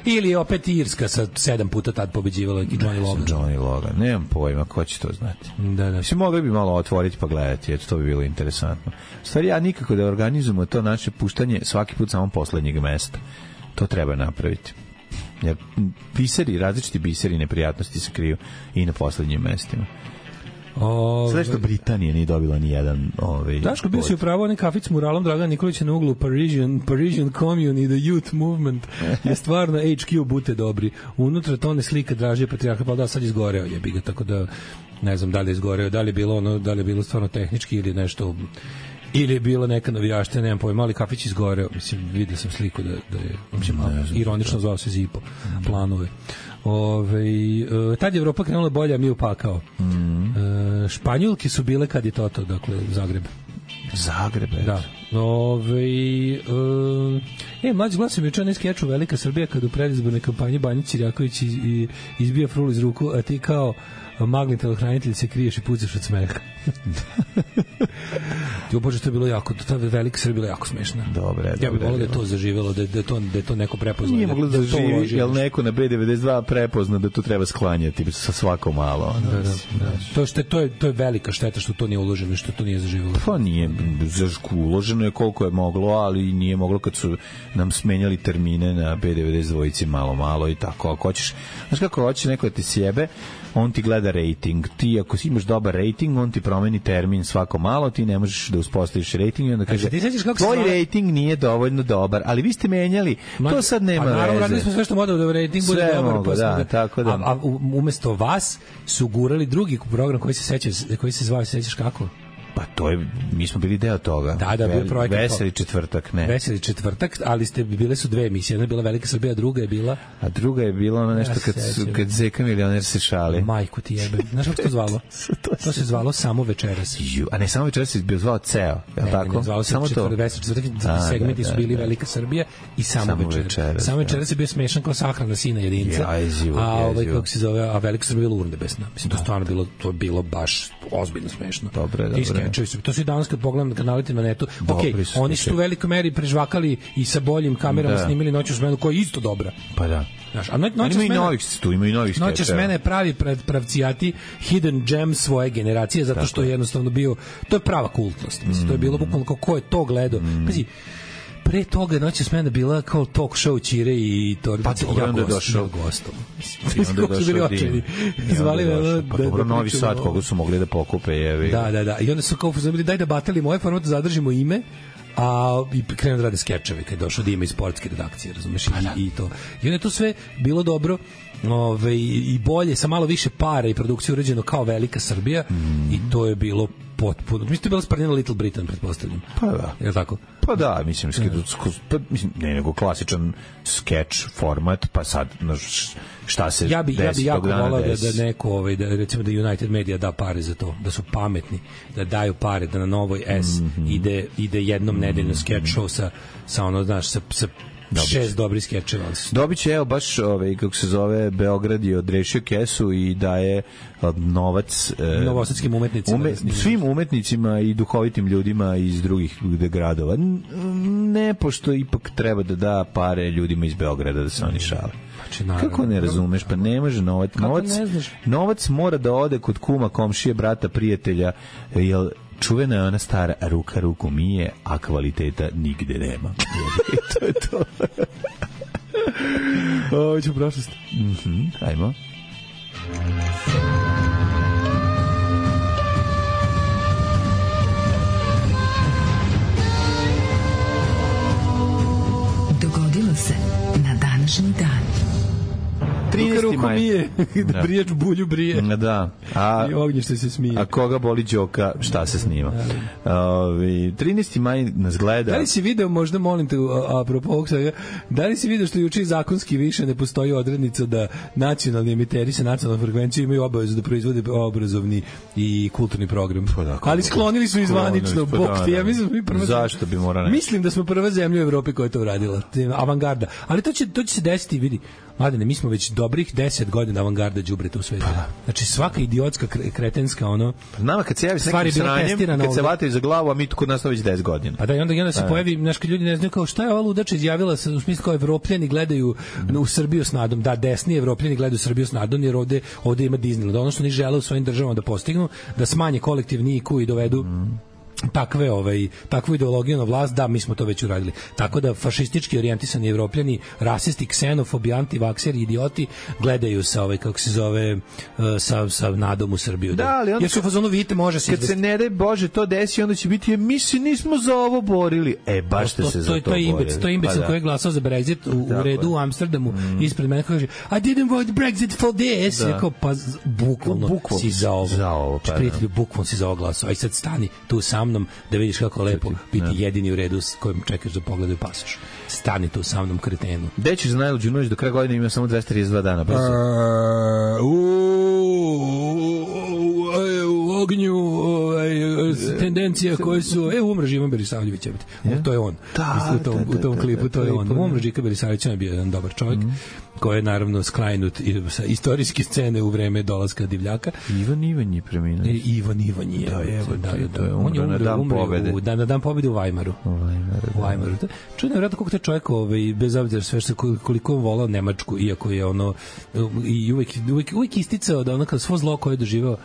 Ili je opet Irska sa sedam puta tad pobeđivala i Johnny Logan. Johnny Logan, nemam pojma, ko će to znati. Da, da. Mislim, mogli bi malo otvoriti pa gledati, eto, to bi bilo interesantno. Stvari, ja nikako da organizujemo to naše puštanje svaki put samo poslednjeg mesta. To treba napraviti. Jer biseri, različiti biseri neprijatnosti se kriju i na poslednjim mestima. Ove... Sve što Britanija nije dobila ni jedan ovaj. Daško, bio si upravo onaj kafić s muralom Dragana Nikolića na uglu Parisian, Parisian Commune i The Youth Movement je stvarno H Q bute dobri. Unutra tone slika Dražije Patrijarha, pa da, sad izgoreo jebi ga, tako da ne znam da li je izgoreo, da li je bilo ono, da li je bilo stvarno tehnički ili nešto, ili je bila neka navijaština, nemam pojma, ali kafić izgoreo, mislim, vidio sam sliku da, da je, mislim, ironično zvao se Zipo, planove. Ove, tad je Evropa krenula bolje, a mi upakao. Mm. E, Španjolke su bile kad je Toto, dakle, Zagreb. Zagreb, da. Ove, e, e, mlađi glas je učeo ne skeču Velika Srbija kad u predizbornoj kampanji Banjić Cirjaković iz, izbija frul iz ruku, a ti kao magni telohranitelj se kriješ i pucaš od smeha. Jo, bože, to je bilo jako, ta Velika Srbija bila jako smešna. Dobre, ja bih volio da je to zaživelo, da, da, je to, da je to neko prepoznao. Nije moglo da, da živi, jel neko na B devedeset dva prepozna da to treba sklanjati sa svako malo. Da, da, da. To, što, to, je, to je velika šteta što to nije uloženo i što to nije zaživelo. Pa nije, uloženo je koliko je moglo, ali nije moglo kad su nam smenjali termine na B devedeset dva malo, malo i tako. Ako hoćeš, znaš kako hoće neko da ti sjebe, on ti gleda rating. Ti ako si imaš dobar rating, on ti promeni termin svako malo, ti ne možeš da uspostaviš rating i onda kaže, tvoj sva... rating nije dovoljno dobar, ali vi ste menjali, Ma, to sad nema veze. Pa naravno, radili smo sve što model da rating bude sve dobar. Mogu, da, da, tako da. A, a umesto vas su gurali drugi program koji se seća, koji se zvao, sećaš kako? Pa to je, mi smo bili deo toga. Da, da, bio projekat. Veseli četvrtak, ne. Veseli četvrtak, ali ste bile su dve emisije. Jedna je bila Velika Srbija, a druga je bila... A druga je bila ono nešto kad, kad Zeka milioner se šali. Majku ti jebe. Znaš kako to zvalo? To se zvalo Samo večeras. Ju, a ne, Samo večeras se bio zvao ceo, je li tako? Ne, ne, zvalo se samo to. Veseli četvrtak, segmenti da, da, su bili da, da. Velika Srbija i Samo, samo večeras. večeras. Samo večeras je bio smešan kao sahrana sina jedinca. Ja, jezivo, a ovaj, kako se zove, a Velika Srbija je bila urnebesna. Mislim, to stvarno bilo, to je bilo baš ozbiljno smešno. Dobre, dobre. I skečevi su. To su i danas kad pogledam na kanalite na netu. Okej, okay, oni su u velikoj meri prežvakali i sa boljim kamerama da. snimili Noću smenu, koja je isto dobra. Pa da. Znaš, a no, Noću smena, ima i novih, tu ima i novih skečeva. Noću smena je pravi pravcijati hidden gem svoje generacije, zato što je jednostavno bio, to je prava kultnost. Mislim, mm. to je bilo bukvalno kao ko je to gledao. Mm. Pazi, pre toga Noću smena bila kao talk show Ćire i Torbica. Pa to je onda došao gostom. I onda je došao Dim. Zvali me pa dobro, Novi Sad, koga su mogli da pokupe. Jevi. Da, da, da. I onda su kao zabili, daj da batelimo ovaj format, zadržimo ime, a i krenu da rade skečeve kad je došao Dima iz sportske redakcije, razumeš, i, i to. I onda je to sve bilo dobro, ove, i bolje, sa malo više para i produkcije urađeno kao Velika Srbija, mm. i to je bilo potpuno. Mislim, to je bilo sprnjeno Little Britain, pretpostavljam. Pa da. Je li tako? Pa da, mislim, pa, mislim ne nego klasičan skeč format, pa sad šta se ja bi, desi ja bi jako volao da, des... da neko, ovaj, da, recimo da United Media da pare za to, da su pametni, da daju pare, da na Novoj S mm-hmm. ide, ide jednom nedeljno skeč show sa, sa ono, znaš, sa, sa Dobit. šest dobrih skečeva. Dobit će, evo, baš, ovaj, kako se zove, Beograd je odrešio kesu i daje novac e, novosadskim umetnicima. Ume, svim umetnicima i duhovitim ljudima iz drugih gradova. Ne, pošto ipak treba da da pare ljudima iz Beograda da se oni šale. Znači, naravno, kako ne razumeš? Pa ne može novac. Novac, novac mora da ode kod kuma, komšije, brata, prijatelja, jer čuvena je ona stara, ruka ruku mije, a kvaliteta nigde nema. To je to. Ovo ću prošlost. Mhm, ajmo. Dogodilo se na današnji dan. trinaesti maj. Mije, da brijač bulju brije. Da. A, i ognjište se smije. A koga boli đoka, šta se snima? Ovi, trinaesti maj nas gleda. Da li si video, možda molim te, apropo ovog svega, da li si video što juče zakonski više ne postoji odrednica da nacionalni emiteri sa nacionalnom frekvencijom imaju obavezu da proizvode obrazovni i kulturni program. Pa da, ali sklonili su izvanično, bok ti. Ja mislim, mi prva, zašto bi morali? Mislim da smo prva zemlja u Evropi koja je to uradila. Avangarda. Ali to će, to će se desiti, vidi. Mladene, mi smo već dobrih deset godina avangarda đubreta u svetu. Pa. Znači svaka idiotska, kretenska ono. Nama kad se javi s nekim sranjem, kad se vataju za glavu, a mi tu kod nas to već deset godina. Pa da, i onda, i onda se pa, pojavi, znaš, kad ljudi ne znaju kao šta je ova ludača izjavila, u smislu kao Evropljani gledaju mm. u Srbiju s nadom. Da, desni Evropljani gledaju Srbiju s nadom, jer ovde, ovde ima Disneyland. Ono što oni žele u svojim državama da postignu, da smanje kolektivni I Q i dovedu mm. takve ovaj takvu ideologiju na vlast, da mi smo to već uradili. Tako da fašistički orijentisani Evropljani, rasisti, ksenofobi, antivakseri, idioti gledaju sa ovaj kako se zove sa sa nadom u Srbiju. Da, ali onda, jer su u fazonu vidite može se kad izvesti. Se ne daj Bože to desi, onda će biti mi se nismo za ovo borili. E baš ste to, se to, za to, to borili. Imbec, to je imbecil pa, da. koji je glasao za Brexit u, u redu u Amsterdamu mm. ispred mene kaže I didn't vote Brexit for this. Da. Kao, pa bukvalno, bukvalno si za ovo. Za ovo pa, prijatelju, bukvalno si za ovo glasao. Aj sad stani tu sa mnom da vidiš kako lepo biti ne. jedini u redu s kojim čekaš da pogledaju pasoš. Stani tu sa mnom, kretenu. Gde ćeš za najluđu noć do kraja godine ima samo dvesta trideset dva dana? Brzo. Uh, u ognju tendencija koje su... E, umre Živan Berisavljević. To je on. Da, u tom, da, da, u tom klipu, to je on. Umre Žika Berisavljević je bio jedan dobar čovjek. Mm. koji je naravno sklajnut sa istorijske scene u vreme dolaska divljaka. Ivan Ivan je preminuo. E, Ivan Ivan je. Da, je, da, da, da, da. On je umro na dan pobede. U, da, na dan pobede u Weimaru. U Weimaru. U Weimaru. Da. Čudno je vjerojatno kako taj čovjek, ovaj, bez obzira sve što koliko on volao Nemačku, iako je ono i uvek, uvek, uvek isticao da ono kao svo zlo koje je doživao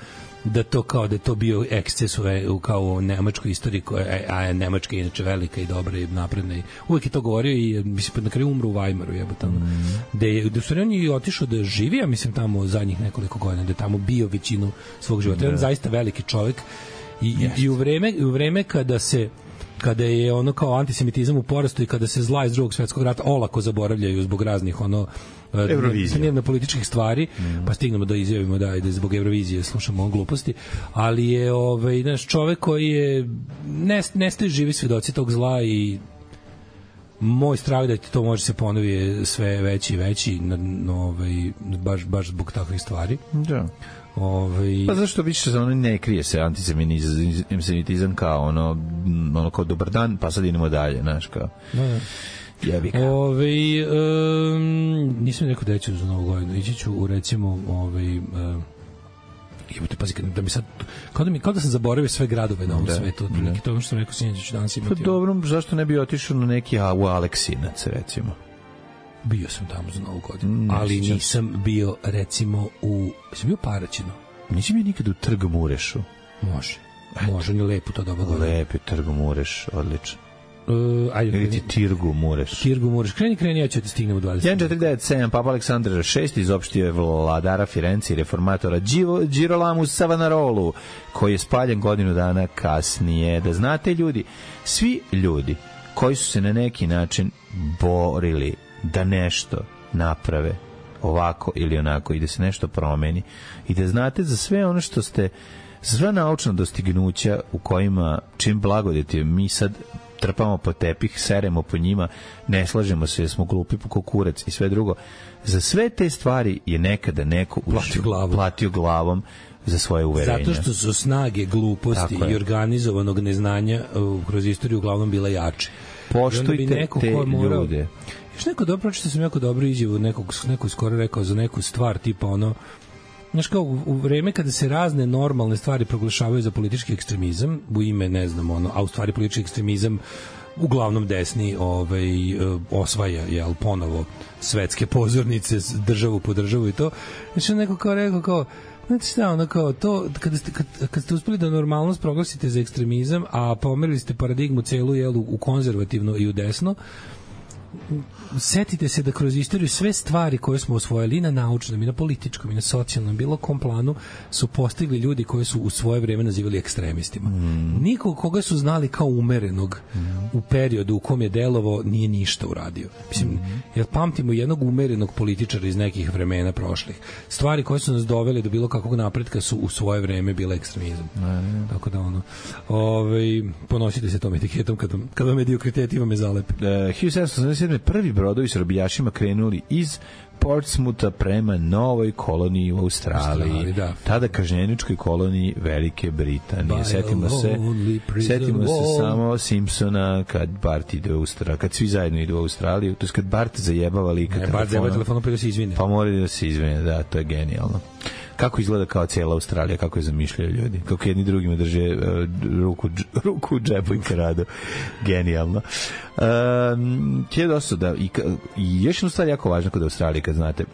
da to kao da je to bio eksces u kao u nemačkoj istoriji koja a Nemačka je inače velika i dobra i napredna i uvek je to govorio i mislim na kraju umro u Weimaru jebote tamo mm. da je da su on je otišao da živi, a mislim tamo zadnjih nekoliko godina da je tamo bio većinu svog života. On je zaista veliki čovjek i, yes. i u vreme u vreme kada se kada je ono kao antisemitizam u porastu i kada se zla iz Drugog svjetskog rata olako zaboravljaju zbog raznih ono dnevno političkih stvari, mm. pa stignemo da izjavimo da ide zbog Eurovizije slušamo on gluposti, ali je ovaj naš čovjek koji je ne, nestaje živi svedoci tog zla i moj strah da ti to može se ponovi je sve veći i veći no, ovaj, baš, baš zbog takvih stvari. Da. Ovaj pa zašto više se ono ne krije se antisemitizam kao ono ono kao dobar dan pa sad idemo dalje, znaš kao. Da. Jebika. Ovaj um, nisam rekao da ću za Novu godinu, ići ću u recimo ovaj um, jebote pazi da mi sad kao da mi kao da sam zaboravio sve gradove na ovom da, svetu, neki to što sam rekao sinoć danas imati. Pa dobro, zašto ne bi otišao na neki a u Aleksinac recimo? Bio sam tamo za Novu godinu, ne, ali nisam, nisam bio recimo u sam bio Paraćinu. Nisi bio nikad u Trg Murešu? Može. Eto. Može, on je lepo to dobro godinu. Lep je Trg Mureš, odlično. Uh, ajde, ili ti Tirgu Mureš. Tirgu Mureš. Kreni, kreni, ja ću ti stignem u dvadeset. jedan četiri devet sedam, Papa Aleksandar šesti izopštio je vladara Firenci i reformatora Girolamu Savanarolu, koji je spaljen godinu dana kasnije. Da znate, ljudi, svi ljudi koji su se na neki način borili da nešto naprave ovako ili onako i da se nešto promeni i da znate za sve ono što ste, za sva naučna dostignuća u kojima čim blagodeti mi sad trpamo po tepih, seremo po njima, ne slažemo se jer smo glupi po kurac i sve drugo. Za sve te stvari je nekada neko platio, glavu. platio glavom za svoje uverenja. Zato što su snage gluposti i organizovanog neznanja uh, kroz istoriju uglavnom bila jače. Poštujte te morao, ljude. Još neko dobro, pročito sam jako dobro izjavu, nekog, neko skoro rekao za neku stvar, tipa ono, znaš kao, u, u vreme kada se razne normalne stvari proglašavaju za politički ekstremizam, u ime, ne znam, ono, a u stvari politički ekstremizam uglavnom desni ovaj, osvaja, jel, ponovo svetske pozornice, državu po državu i to. Znači, neko kao rekao, kao, znači šta, ono kao to, kada ste, kad, kad ste uspeli da normalnost proglasite za ekstremizam, a pomerili ste paradigmu celu, jel, u konzervativno i u desno, setite se da kroz istoriju sve stvari koje smo osvojili i na naučnom, i na političkom, i na socijalnom, bilo kom planu su postigli ljudi koji su u svoje vreme nazivali ekstremistima. Mm. Nikog koga su znali kao umerenog mm. u periodu u kom je delovo nije ništa uradio. Mislim, mm. jer pamtimo jednog umerenog političara iz nekih vremena prošlih. Stvari koje su nas dovele do bilo kakvog napretka su u svoje vreme bile ekstremizam. Mm. Tako da ono, ovaj, ponosite se tom etiketom kad vam, kad vam mediokriteti vam je zalepi. Uh, hiljadu sedamsto sedamdeset sedme prvi brodovi s robijašima krenuli iz Portsmoutha prema novoj koloniji u Australiji. Australiji da. Tada kažnjeničkoj koloniji Velike Britanije. Setimo se, setimo se samo Simpsona kad Bart ide u Australiju, kad svi zajedno idu u Australiju, to je kad Bart zajebava lika telefonom. Bart zajebava telefonom pa da se izvine. Pa mora da se izvine, da, to je genijalno. Kako izgleda kao cijela Australija, kako je zamišljaju ljudi, kako jedni drugima drže uh, ruku, ruku u džepu i karadu. Genijalno. Um, je dosta da, i, i još jedna stvar jako važna kod Australije, kad znate,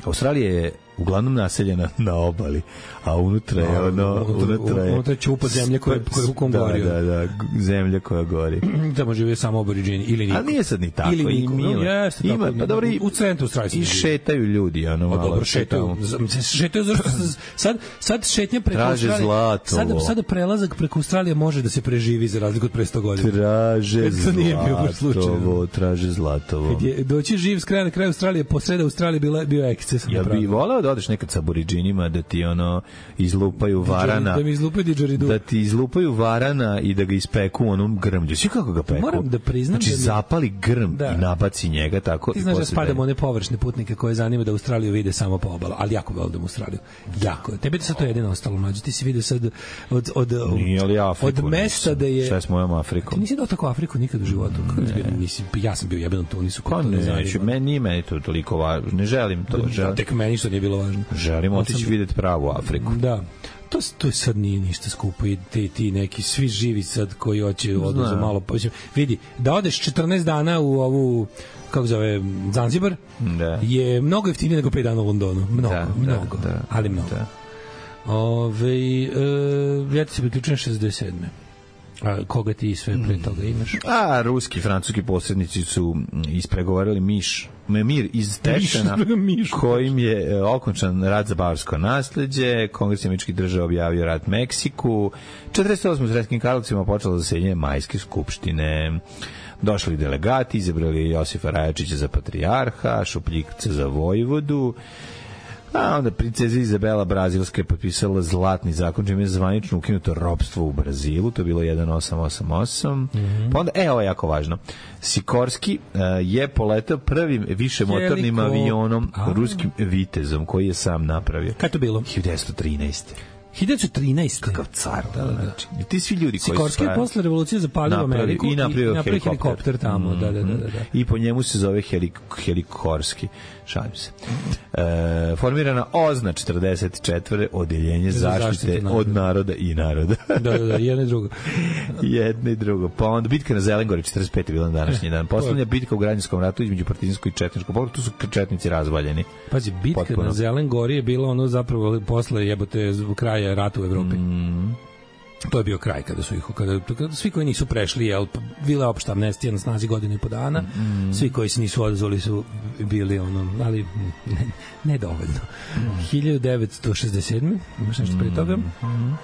Australija je uglavnom naseljena na obali, a unutra je ono... Unutra je, unutra je čupa zemlje koja je rukom da, gorio. Da, da, zemlja koja gori. Tamo žive samo aboriđini ili niko. A nije sad ni tako. Ili niko. Ima, jeste, ima, tako, pa dobro, u centru Australije. I šetaju ljudi, ono malo. Dobro, šetaju. Šetaju zašto sad, sad šetnja preko Traže Australije. Zlatovo. Sad, sad prelazak preko Australije može da se preživi za razliku od pre sto godina. Traže Zlatovo, traže Zlatovo. Kad je doći živ s kraja na kraju Australije, po sreda Australije bila, bio eksces. Ja bih voleo da odeš nekad sa aboriđinima, da ti ono izlupaju varana. Da mi izlupaju didžeridu. Da ti izlupaju varana i da ga ispeku u onom grmlju. Svi kako ga peku? Moram da priznam znači, da mi... zapali grm da. I nabaci njega tako. Ti znaš da spadamo one površne putnike koje zanima da Australiju vide samo po obalu, ali jako volim Australiju. Jako. Tebi sad to jedino ostalo mlađe. Ti si vidio sad od, od, Nije li Afriku, od mesta da je... Šta je s mojom Afrikom? Ti nisi dao tako Afriku nikad u životu. Nisi, ja sam bio jebeno tu, nisu ko to ne znači. Meni nije meni to toliko važno. Ne želim to. Da, želim. Tek meni što nije bilo važno. Želim otići sam... vidjeti pravu Afriku. Da. To, to sad nije ništa skupo i ti, ti neki svi živi sad koji hoće odlazu malo. Pa, vidi, da odeš četrnaest dana u ovu kako zove Zanzibar da. Je mnogo jeftinije nego pet dana u Londonu. Mnogo, da, mnogo. Da, da, ali mnogo. Da. Ove, e, ja ti se priključujem šezdeset sedme A koga ti sve pre toga imaš? A, ruski, francuski posrednici su ispregovarali miš, mir iz Tešena, kojim je okončan rat za bavarsko nasleđe, Kongres američkih država objavio rat Meksiku, četrdeset osme u Sremskim Karlovcima počelo zasedanje Majske skupštine. Došli delegati, izabrali Josifa Rajačića za patrijarha, Šupljikca za vojvodu, a onda princeza Izabela Brazilska je potpisala zlatni zakon, čime je zvanično ukinuto ropstvo u Brazilu, to je bilo sedam osam osam osam. Mm-hmm. Pa onda, e, ovo je jako važno, Sikorski uh, je poletao prvim višemotornim Heliko. avionom, a. ruskim Vitezom, koji je sam napravio. Kada to bilo? hiljadu devetsto trinaeste hiljadu trinaeste Kakav car, da, da, da. Znači, ti svi ljudi koji su Sikorski je posle revolucije zapalio Ameriku i napravio, i napravio helikopter. helikopter tamo, mm-hmm. da, da, da, da. I po njemu se zove helik, Helikorski. Šalim se. E, formirana OZNA četrdeset četvrte odeljenje zaštite naroda. Od naroda i naroda. da, da, da, jedno i drugo. jedno i drugo. Pa onda bitka na Zelengori četrdeset pete bila na današnji dan. Poslednja bitka u Građanskom ratu između partizanskog i četničkog pokreta, tu su četnici razvaljeni. Pazi, bitka potpuno. Na Zelengori je bila ono zapravo posle jebote kraja rata u Evropi. Mm. To je bio kraj kada su ih kada, kada svi koji nisu prešli, jel, bila opšta amnestija na snazi godinu i po dana. Mm. Svi koji se nisu odazvali su bili ono, ali ne, ne dovoljno. Mm. hiljadu devetsto šezdeset sedme imaš nešto pre toga? Mm.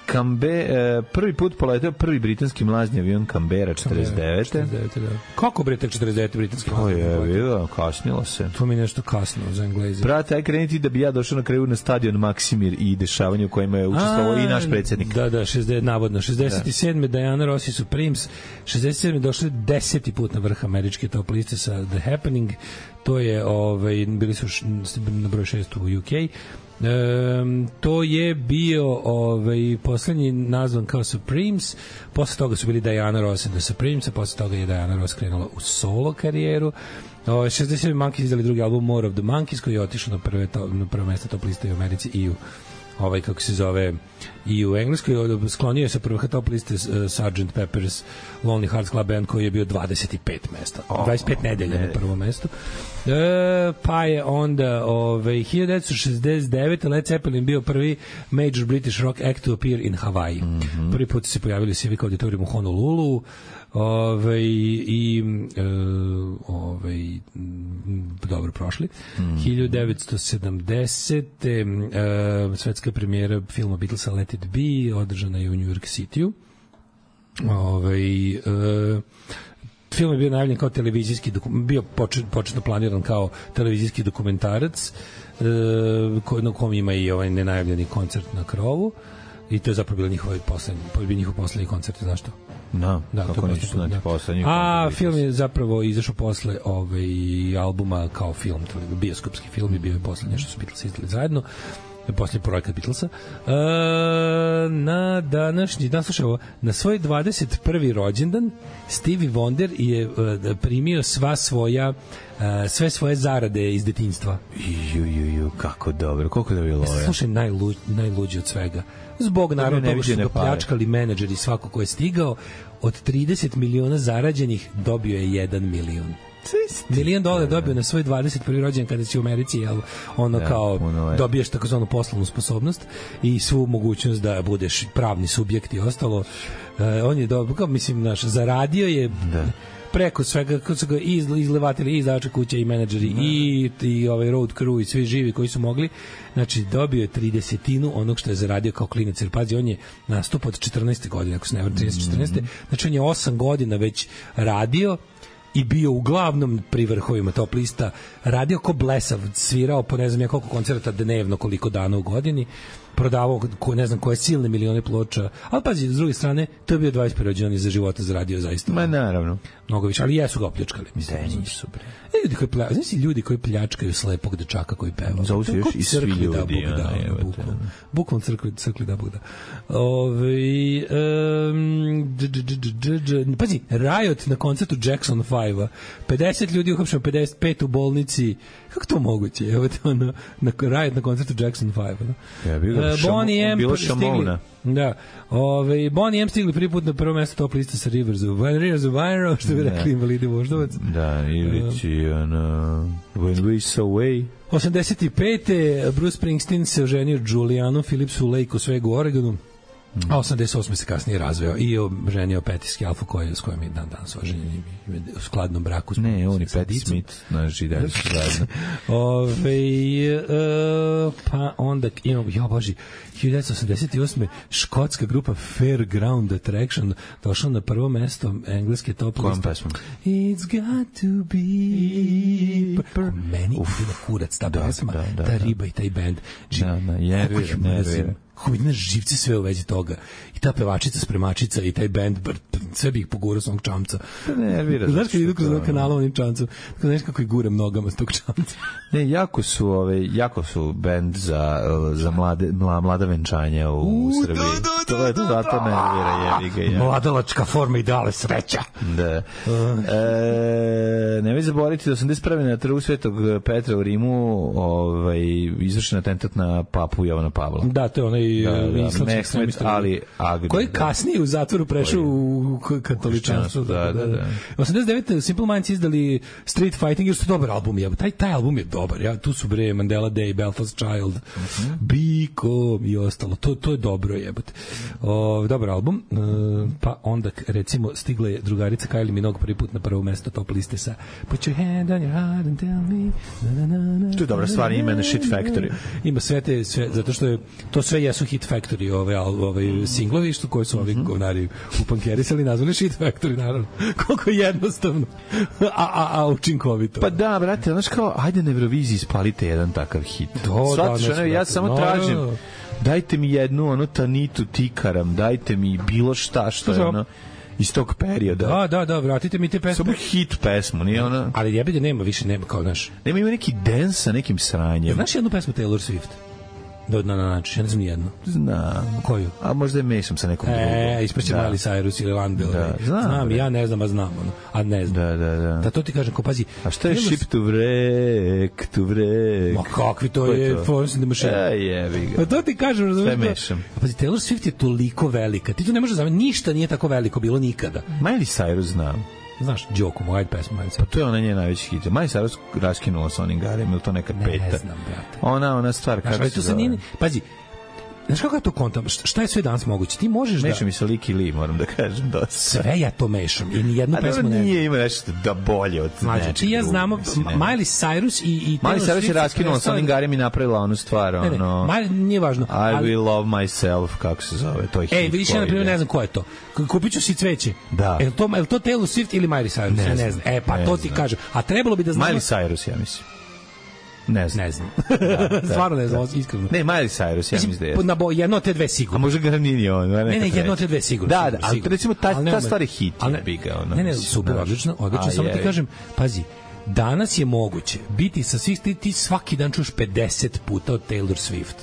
Kambe, eh, prvi put poletao prvi britanski mlazni avion Canberra četrdeset devete četrdeset devete da. Kako bre tek četrdeset devete britanski mlazni avion? To je, vidio, kasnilo se. To mi nešto kasno za Engleze. Brate, aj kreniti da bi ja došao na kraju na stadion Maksimir i dešavanje u kojima je učestvovao i naš predsjednik. Da, da, šezdeset navodno. šezdeset sedme Da. Diana Rossi Supremes, šezdeset sedme došli deseti put na vrh američke top liste sa The Happening. To je, ovaj, bili su š, na broj šest u U K. Um, to je bio ovaj poslednji nazvan kao Supremes, posle toga su bili Diana Ross and the Supremes, a posle toga je Diana Ross krenula u solo karijeru. O, šezdeset sedme Monkeys izdali drugi album More of the Monkeys, koji je otišao na prve to, na prvo mesto top liste u Americi i u ovaj kako se zove i u Engleskoj. Sklonio se prvo top liste uh, Sergeant Pepper's Lonely Hearts Club Band, koji je bio dvadeset pet mesta, oh, dvadeset pet nedelja ne. Na prvom mestu. E, pa je onda ovaj hiljadu devetsto šezdeset devete Led Zeppelin bio prvi major British rock act to appear in Hawaii. Mm-hmm. Prvi put se pojavili u Civic Auditorium u Honolulu. Ove, i e, ove, dobro prošli. Mm. hiljadu devetsto sedamdesete E, svetska premijera filma Beatlesa Let It Be održana je u New York City-u. Ove, e, film je bio najavljen kao televizijski dokument, bio počet, početno planiran kao televizijski dokumentarac, e, ko, na kom ima i ovaj nenajavljeni koncert na krovu. I to je zapravo bilo njihov poslednji, bio njihov poslednji koncert, znaš što? No, da, kako neću znati poslednji. A film je zapravo izašao posle ovaj albuma kao film, bioskopski film i bio je poslednje što su Beatlesi izdali zajedno. Posljednji projekat Beatlesa. E, na današnji dan, slušaj ovo, na svoj dvadeset prvi rođendan Stevie Wonder je uh, primio sva svoja uh, sve svoje zarade iz detinjstva. Ju, ju, ju, kako dobro, koliko da je bilo ovo. Slušaj, najlu, najluđi od svega. Zbog naravno toga što su ga pljačkali menadžeri svako ko je stigao, od trideset miliona zarađenih dobio je jedan milion. Milion dolara dobio na svoj dvadeset prvi rođendan kada si u Americi, jel, ono da, kao ono dobiješ takozvanu poslovnu sposobnost i svu mogućnost da budeš pravni subjekt i ostalo. Uh, on je dobro, kao mislim, naš, zaradio je da. Preko svega, kako su ga iz, izlevatili i izdavača kuće i menadžeri mm. i, i ovaj road crew i svi živi koji su mogli. Znači, dobio je tridesetinu onog što je zaradio kao klinac. Jer, pazi, on je nastup od četrnaeste godine, ako se ne vrlo, trinaeste četrnaeste Znači, on je osam godina već radio i bio uglavnom pri vrhovima top lista, radio ko blesav, svirao po ne znam ja koliko koncerta dnevno, koliko dana u godini, prodavao ko, ne znam koje silne milione ploča, ali pazi, s druge strane, to je bio dvadeset prvi rođendan za života zaradio zaista. Ma naravno. Mnogo više, ali jesu ga opljačkali. Mislim, da, nisu, bre. Ljudi koji, plja, znači, ljudi koji pljačkaju slepog dečaka koji peva. Zovu se još i svi ljudi. Da, Bog da, ono, bukvalno. Bukvalno crkli, crkli da Bog da. Ove, um, dž, dž, dž, dž, dž, pazi, Riot na koncertu Jackson five-a, pedeset ljudi uhapšeno, pedeset pet u bolnici. Kako to moguće? Evo te ono, na Riot na koncertu Jackson five. No? Ja bih ga šamo, bilo šamona. Da. Ove, Bonnie M stigli prvi put na prvo mesto top liste sa Rivers of Rivers of Iron, što bi rekli invalidi voždovac. Da, ili ti uh, ono, When We Saw Away. osamdeset pete Bruce Springsteen se oženio Julianom Phillipsu Lake u Svegu, Oregonu. A osamdeset osme se kasnije razveo i oženio Patti Scialfo koji, s kojom je dan danas oženjen u skladnom braku. Ne, on i Patti Smith, znači da su zajedno. Ove, uh, pa onda imamo, ja boži, hiljadu devetsto osamdeset osme škotska grupa Fairground Attraction došla na prvo mesto engleske top liste. Kojom pesmom? It's got to be... Meni ide na kurac ta pesma, da, da, ta riba i taj band. Da, da, nervira, nervira. Kako mi znaš živce sve u vezi toga. I ta pevačica, spremačica i taj band, sve bih pogurao s onog čamca. Nervira. Znaš kad idu kroz to... kanala onim čamcom, tako znaš kako ih guram nogama s tog čamca. Ne, jako su, ove, jako su band za, za mlade, mla, mlada venčanja u, u Srbiji. Da, da, to je to, zato nervira, jebi ga. Ja. Mladalačka forma i dale sreća. Da. Uh. E, nemoj zaboraviti da osamdeset prve na trgu Svetog Petra u Rimu ovaj, izvršen atentat na papu Jovana Pavla. Da, to je onaj da, da, Mehmet Ali Agri. Koji kasnije u zatvoru prešao u katoličanstvo. Da, da, da. osamdeset devete Simple Minds izdali Street Fighting, jer su dobar album. Je. Taj, taj album je dobar. Ja, tu su bre Mandela Day, Belfast Child, uh-huh. Biko i ostalo. To, to je dobro jebote. O, dobar album. E, pa onda recimo stigla je drugarica Kylie Minogue prvi put na prvo mesto top liste sa Put your hand on your heart and tell me. Na, na, na, na, to je dobra stvar, ima na Shit Factory. Ima sve te, sve, zato što je, to sve jesu Hit Factory, ove, ove singlovi što koji su ovi govnari upankerisali, nazvali Shit Factory, naravno. Koliko je jednostavno, a, a, a učinkovito. Pa da, brate, znaš kao, ajde na Euroviziji spalite jedan takav hit. To, Svatiš, da, ja samo no, tražim, dajte mi jednu, ono, Tanitu Tikaram, dajte mi bilo šta, što je ono, iz tog perioda. Da, da, da, vratite mi te pesme. Samo hit pesmu, nije ona... Ali jebi da nema, više nema, kao, znaš. Nema ima neki dance sa nekim sranjem. Znaš jednu pesmu Taylor Swift? Do dna na način, ja ne znam nijedno. Znam. Koju? A možda je mešam sa nekom drugom. E, ispreće da. Miley Cyrus ili Van Bill. Da, znam. Znam, ja ne znam, a znam. Ono. A ne znam. Da, da, da. Da to ti kažem, ko pazi. A šta je Ship to Vrek, to Vrek? Ma kakvi to je, Florence and the Machine. E, jebi ga. Pa to ti kažem, razumiješ. Sve mešam. A pazi, Taylor Swift je toliko velika. Ti to ne možeš zamisliti, ništa nije tako veliko bilo nikada. Miley Cyrus znam. Znaš, Đoko, moj pesma. Pa to je ona njen najveći hit. Miley Cyrus raskinula sa onim garem, ili to neka peta? Ne znam, brate. Ona, ona stvar, znaš, kako se zove? Nije, pazi, znaš kako ja to kontam? Šta je sve danas moguće? Ti možeš da... Mešam i sa Liki Li, moram da kažem dosta. Sve ja to mešam i nijednu pesmu ne... A nije ima nešto da bolje od znači, nečeg. Ja znamo, Miley Cyrus i... i Miley Cyrus je raskinula sa onim garem i napravila onu stvar, ne, ne, ono... Miley, nije važno. I ali... will love myself, kako se zove, to je hit. Ej, vidiš, ja na primjer ne znam ko je to. Kupit ću si cveće. Da. Je li to, je li to Taylor Swift ili Miley Cyrus? Ne, ne znam. E, pa ne to ti znam. kažem. A trebalo bi da znamo... Miley Cyrus, ja mislim. Ne znam. Ne znam. Da, da, stvarno ne znam, da. Iskreno. Ne, Miley Cyrus, ja mislim da je. Na bo, jedno od te dve sigurno. A možda ga nije on. Ne, ne, jedno od te dve sigurno. Da, da, ali recimo ta, ta stvar je hit. Ne, ne, ne, super, odlično, odlično. Samo ti kažem, pazi, danas je moguće biti sa svih, ti, ti svaki dan čuješ pedeset puta od Taylor Swift.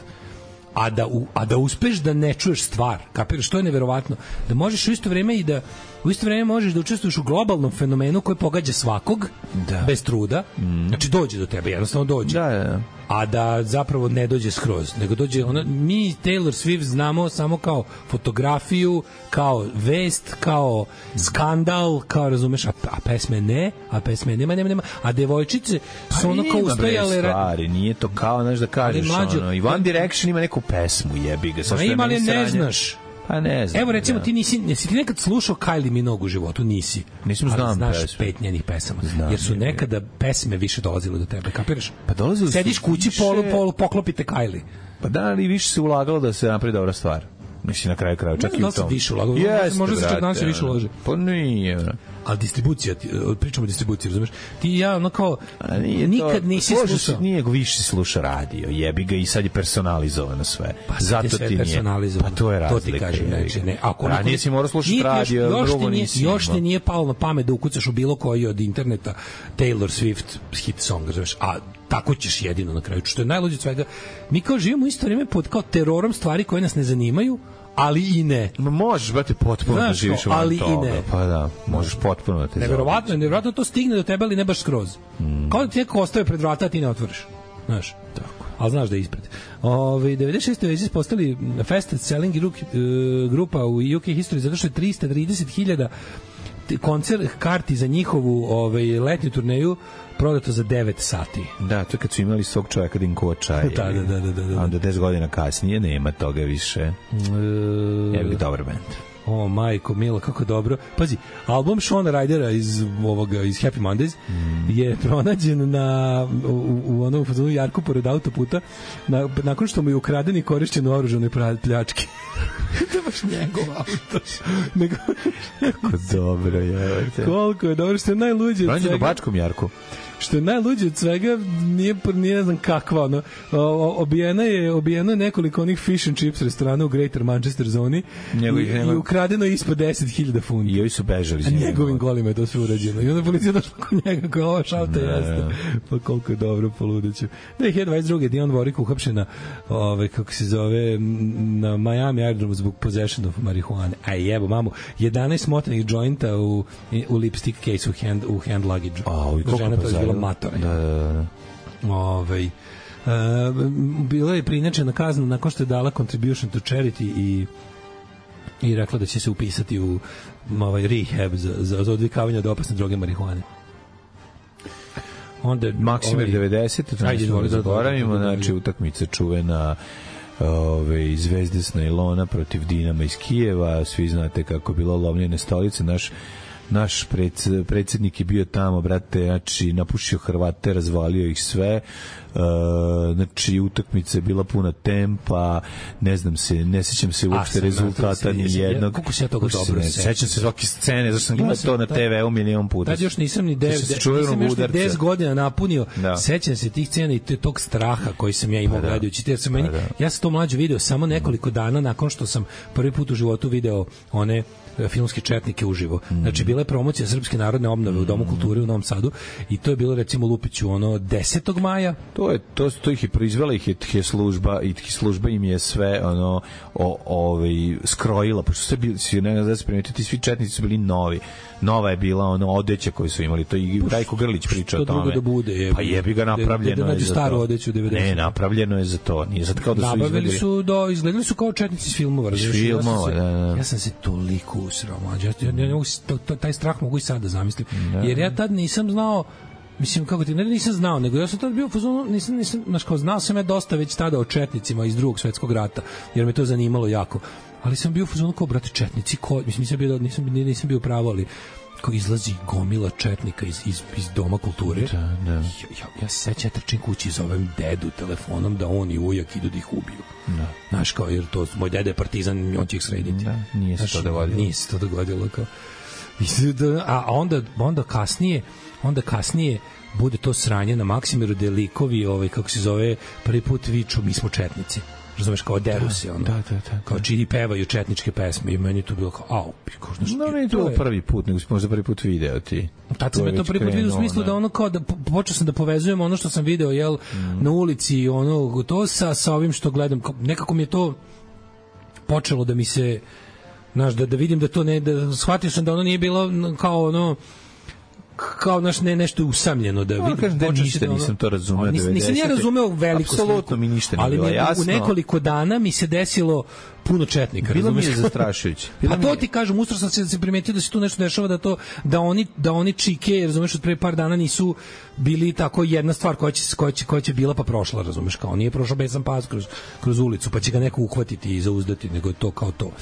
A da, u, a da uspeš da ne čuješ stvar, kapiraš, to je neverovatno. Da možeš u isto vreme i da u isto vreme možeš da učestvuješ u globalnom fenomenu koji pogađa svakog, da. Bez truda, mm. znači dođe do tebe, jednostavno dođe. Da, da, da. A da zapravo ne dođe skroz, nego dođe ona, mi Taylor Swift znamo samo kao fotografiju, kao vest, kao skandal, kao razumeš, a, a pesme ne, a pesme nema, nema, nema, a devojčice su ono kao ustajale... stvari, nije to kao, znaš da kažeš, mlađo, ono, i One Direction ima neku pesmu, jebi ga, sa što je meni sranje. Ne znaš. Pa ne znam. Evo recimo da. ti nisi, nisi ti nekad slušao Kylie Minogue u životu, nisi. Nisam znam ali znaš pesmu. Pet njenih pesama, znam, jer su nekada pesme više dolazile do tebe, kapiraš? Pa dolazile su. Sediš kući, više... polu, polu, poklopite Kylie. Pa da, ali više se ulagalo da se napravi dobra stvar. Mislim na kraju krajeva čak ne, i u tom. tom. Više ulagalo. Jeste, možda se čak danas brate, više uloži. Pa nije. Ali distribucija, pričamo o distribuciji, razumeš? Ti i ja, ono kao, nikad to, nisi slušao. Nije više sluša radio, jebi ga i sad je personalizovano sve. Pa zato sve ti nije. Pa to je razlika. To ti kažem, znači, ne. Ako ranije si morao slušati radio, još, drugo još nisi. Još ti nije palo na pamet da ukucaš u bilo koji od interneta Taylor Swift hit song, razumeš? A tako ćeš jedino na kraju. Što je najluđe od svega. Mi kao živimo u isto vrijeme pod kao terorom stvari koje nas ne zanimaju, ali i ne. Ma možeš, brate, potpuno znaš, da živiš van ali toga. I ne. Pa da, možeš potpuno da te neverovatno, neverovatno to stigne do tebe, ali ne baš skroz. Mm. Kao da ti neko ostaje pred vrata, a ti ne otvoriš. Znaš, tako. Ali znaš da je ispred. Ove, devedeset šeste već postali fastest selling grupa u U K history zato što je trista trideset hiljada koncert karti za njihovu ovaj, letnju turneju prodato za devet sati. Da, to je kad su imali svog čovjeka da im koča. da, da, da, da, da. A onda deset godina kasnije nema toga više. E... Evo je dobar band. O, majko, milo, kako dobro. Pazi, album Shona Rydera iz ovoga iz Happy Mondays mm. je pronađen na u, u onom fazonu jarku pored autoputa na, nakon što mu je ukraden i korišćen u oružanoj pljački. To je baš njegov auto. Nego... Kako dobro je. Koliko je dobro, što je najluđe. Pronađen u Bačkom jarku. Što je najluđe od svega, nije, nije ne znam kakva, ono, obijena je, obijeno je nekoliko onih fish and chips restorana u Greater Manchester zoni njegov, i, njegov... i ukradeno je ispod deset hiljada funti. I ovi su bežali. A njegovim golima je to sve urađeno. I onda policija došla kod njega, koja ova šalta jeste. Pa koliko je dobro, poludeću. dve hiljade dvadeset druge. Dion Warwick uhapšena, ove, kako se zove, na Miami aerodromu zbog possession of marihuane. Aj jebo, mamu, jedanaest smotanih jointa u, u lipstick case u hand, u hand luggage. A, i koliko pa matore. Da, da, da. Ovaj, uh, bila je prinačena kazna nakon što je dala contribution to charity i i rekla da će se upisati u ovaj rehab za, za, za odvikavanje od opasne droge marihuane. Onda Maksimer ovaj, devedeset, to ne zaboravimo, znači utakmica čuvena ove, Zvezde s najlona protiv Dinama iz Kijeva, svi znate kako je bilo lomljene stolice, naš naš predsjednik je bio tamo, brate, znači napušio Hrvate, razvalio ih sve, uh, znači utakmica je bila puna tempa, ne znam se, ne sećam se uopšte rezultata ni jednog. Kako se ja toga dobro sećam? Sećam se svake scene, zašto sam gledao to na te ve u milion puta. Tad još nisam ni deset godina napunio, da. Sećam se tih scena i tog straha koji sam ja imao pa gledajući, jer sam meni, pa da. Ja sam to mlađe video samo nekoliko dana nakon što sam prvi put u životu video one filmske četnike uživo. Znači bila je promocija Srpske narodne obnove u Domu kulture u Novom Sadu i to je bilo recimo Lupiću ono desetog maja. To je to to ih je proizvela ih je služba i ih služba im je sve ono o ovaj skrojila, pošto sve bili si ne znam da se primetiti, svi četnici su bili novi. Nova je bila ono odeća koju su imali, to i Rajko Grlić priča o tome. Da bude, je, pa jebi ga napravljeno da, je za staru odeću devedeset. Ne, napravljeno je za to. Nije sad kao da su nabavili izgledali. su do izgledali su kao četnici iz filmova, razumiješ? Filmova, ja, da, da. Ja sam se toliko usrao, mlađe. Ja, ja, ja, ja, taj strah mogu i sad da zamislim. Da. Jer ja tad nisam znao, mislim, kako ti, ne nisam znao, nego ja sam tad bio u fazonu, nisam, nisam, znaš, kao znao sam ja dosta već tada o četnicima iz Drugog svetskog rata, jer me to zanimalo jako. Ali sam bio u fazonu kao, brate, četnici, ko, mislim, nisam bio, nisam, nisam bio pravo, ali ko izlazi gomila četnika iz, iz, iz Doma kulture. Da, da. Ja, ja, ja se sećam, trčim kući, zovem dedu telefonom da on i ujak idu da ih ubiju. Da. Znaš, kao, jer to, moj deda je partizan, on će ih srediti. Da, nije se to dogodilo. Nije se to dogodilo, kao. A onda, onda kasnije, onda kasnije bude to sranje na Maksimiru, gde likovi, ovaj, kako se zove, prvi put viču, mi smo četnici. Razumeš, kao deru se, ono. Da, da, da. Kao čini pevaju četničke pesme i meni je to bilo kao, au, kao, znaš, no, meni to je prvi put, nego si možda prvi put video ti. Tad sam je to prvi put vidio u smislu da ono kao, da počeo sam da povezujem ono što sam video, jel, mm. na ulici, ono, to sa, sa ovim što gledam, nekako mi je to počelo da mi se Znaš, da, da vidim da to ne, da shvatio sam da ono nije bilo kao ono, kao naš ne nešto usamljeno da vidim. Kažem da ništa ono, nisam to razumeo. Nisam, nisam ja razumeo veliko sliku. Apsolutno mi ništa nije bilo jasno. Ali u nekoliko dana mi se desilo puno četnika. Bilo mi je zastrašujuće. A to ti kažem, ustro sam se, se primetio da se tu nešto dešava, da to da oni da oni čike, razumeš, od pre par dana nisu bili tako jedna stvar koja će koja će koja će bila pa prošla, razumeš, kao nije prošao besan pas kroz kroz ulicu, pa će ga neko uhvatiti i zauzdati, nego je to kao to. Uh,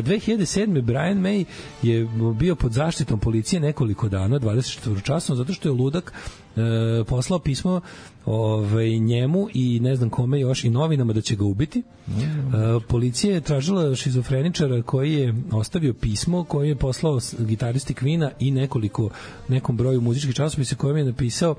dve hiljade sedme Brian May je bio pod zaštitom policije nekoliko dana, dvadeset četiri časova, zato što je ludak e, poslao pismo ovaj, njemu i ne znam kome još i novinama da će ga ubiti. E, policija je tražila šizofreničara koji je ostavio pismo koje je poslao gitaristi Queen-a i nekoliko, nekom broju muzičkih časopisa kojem je napisao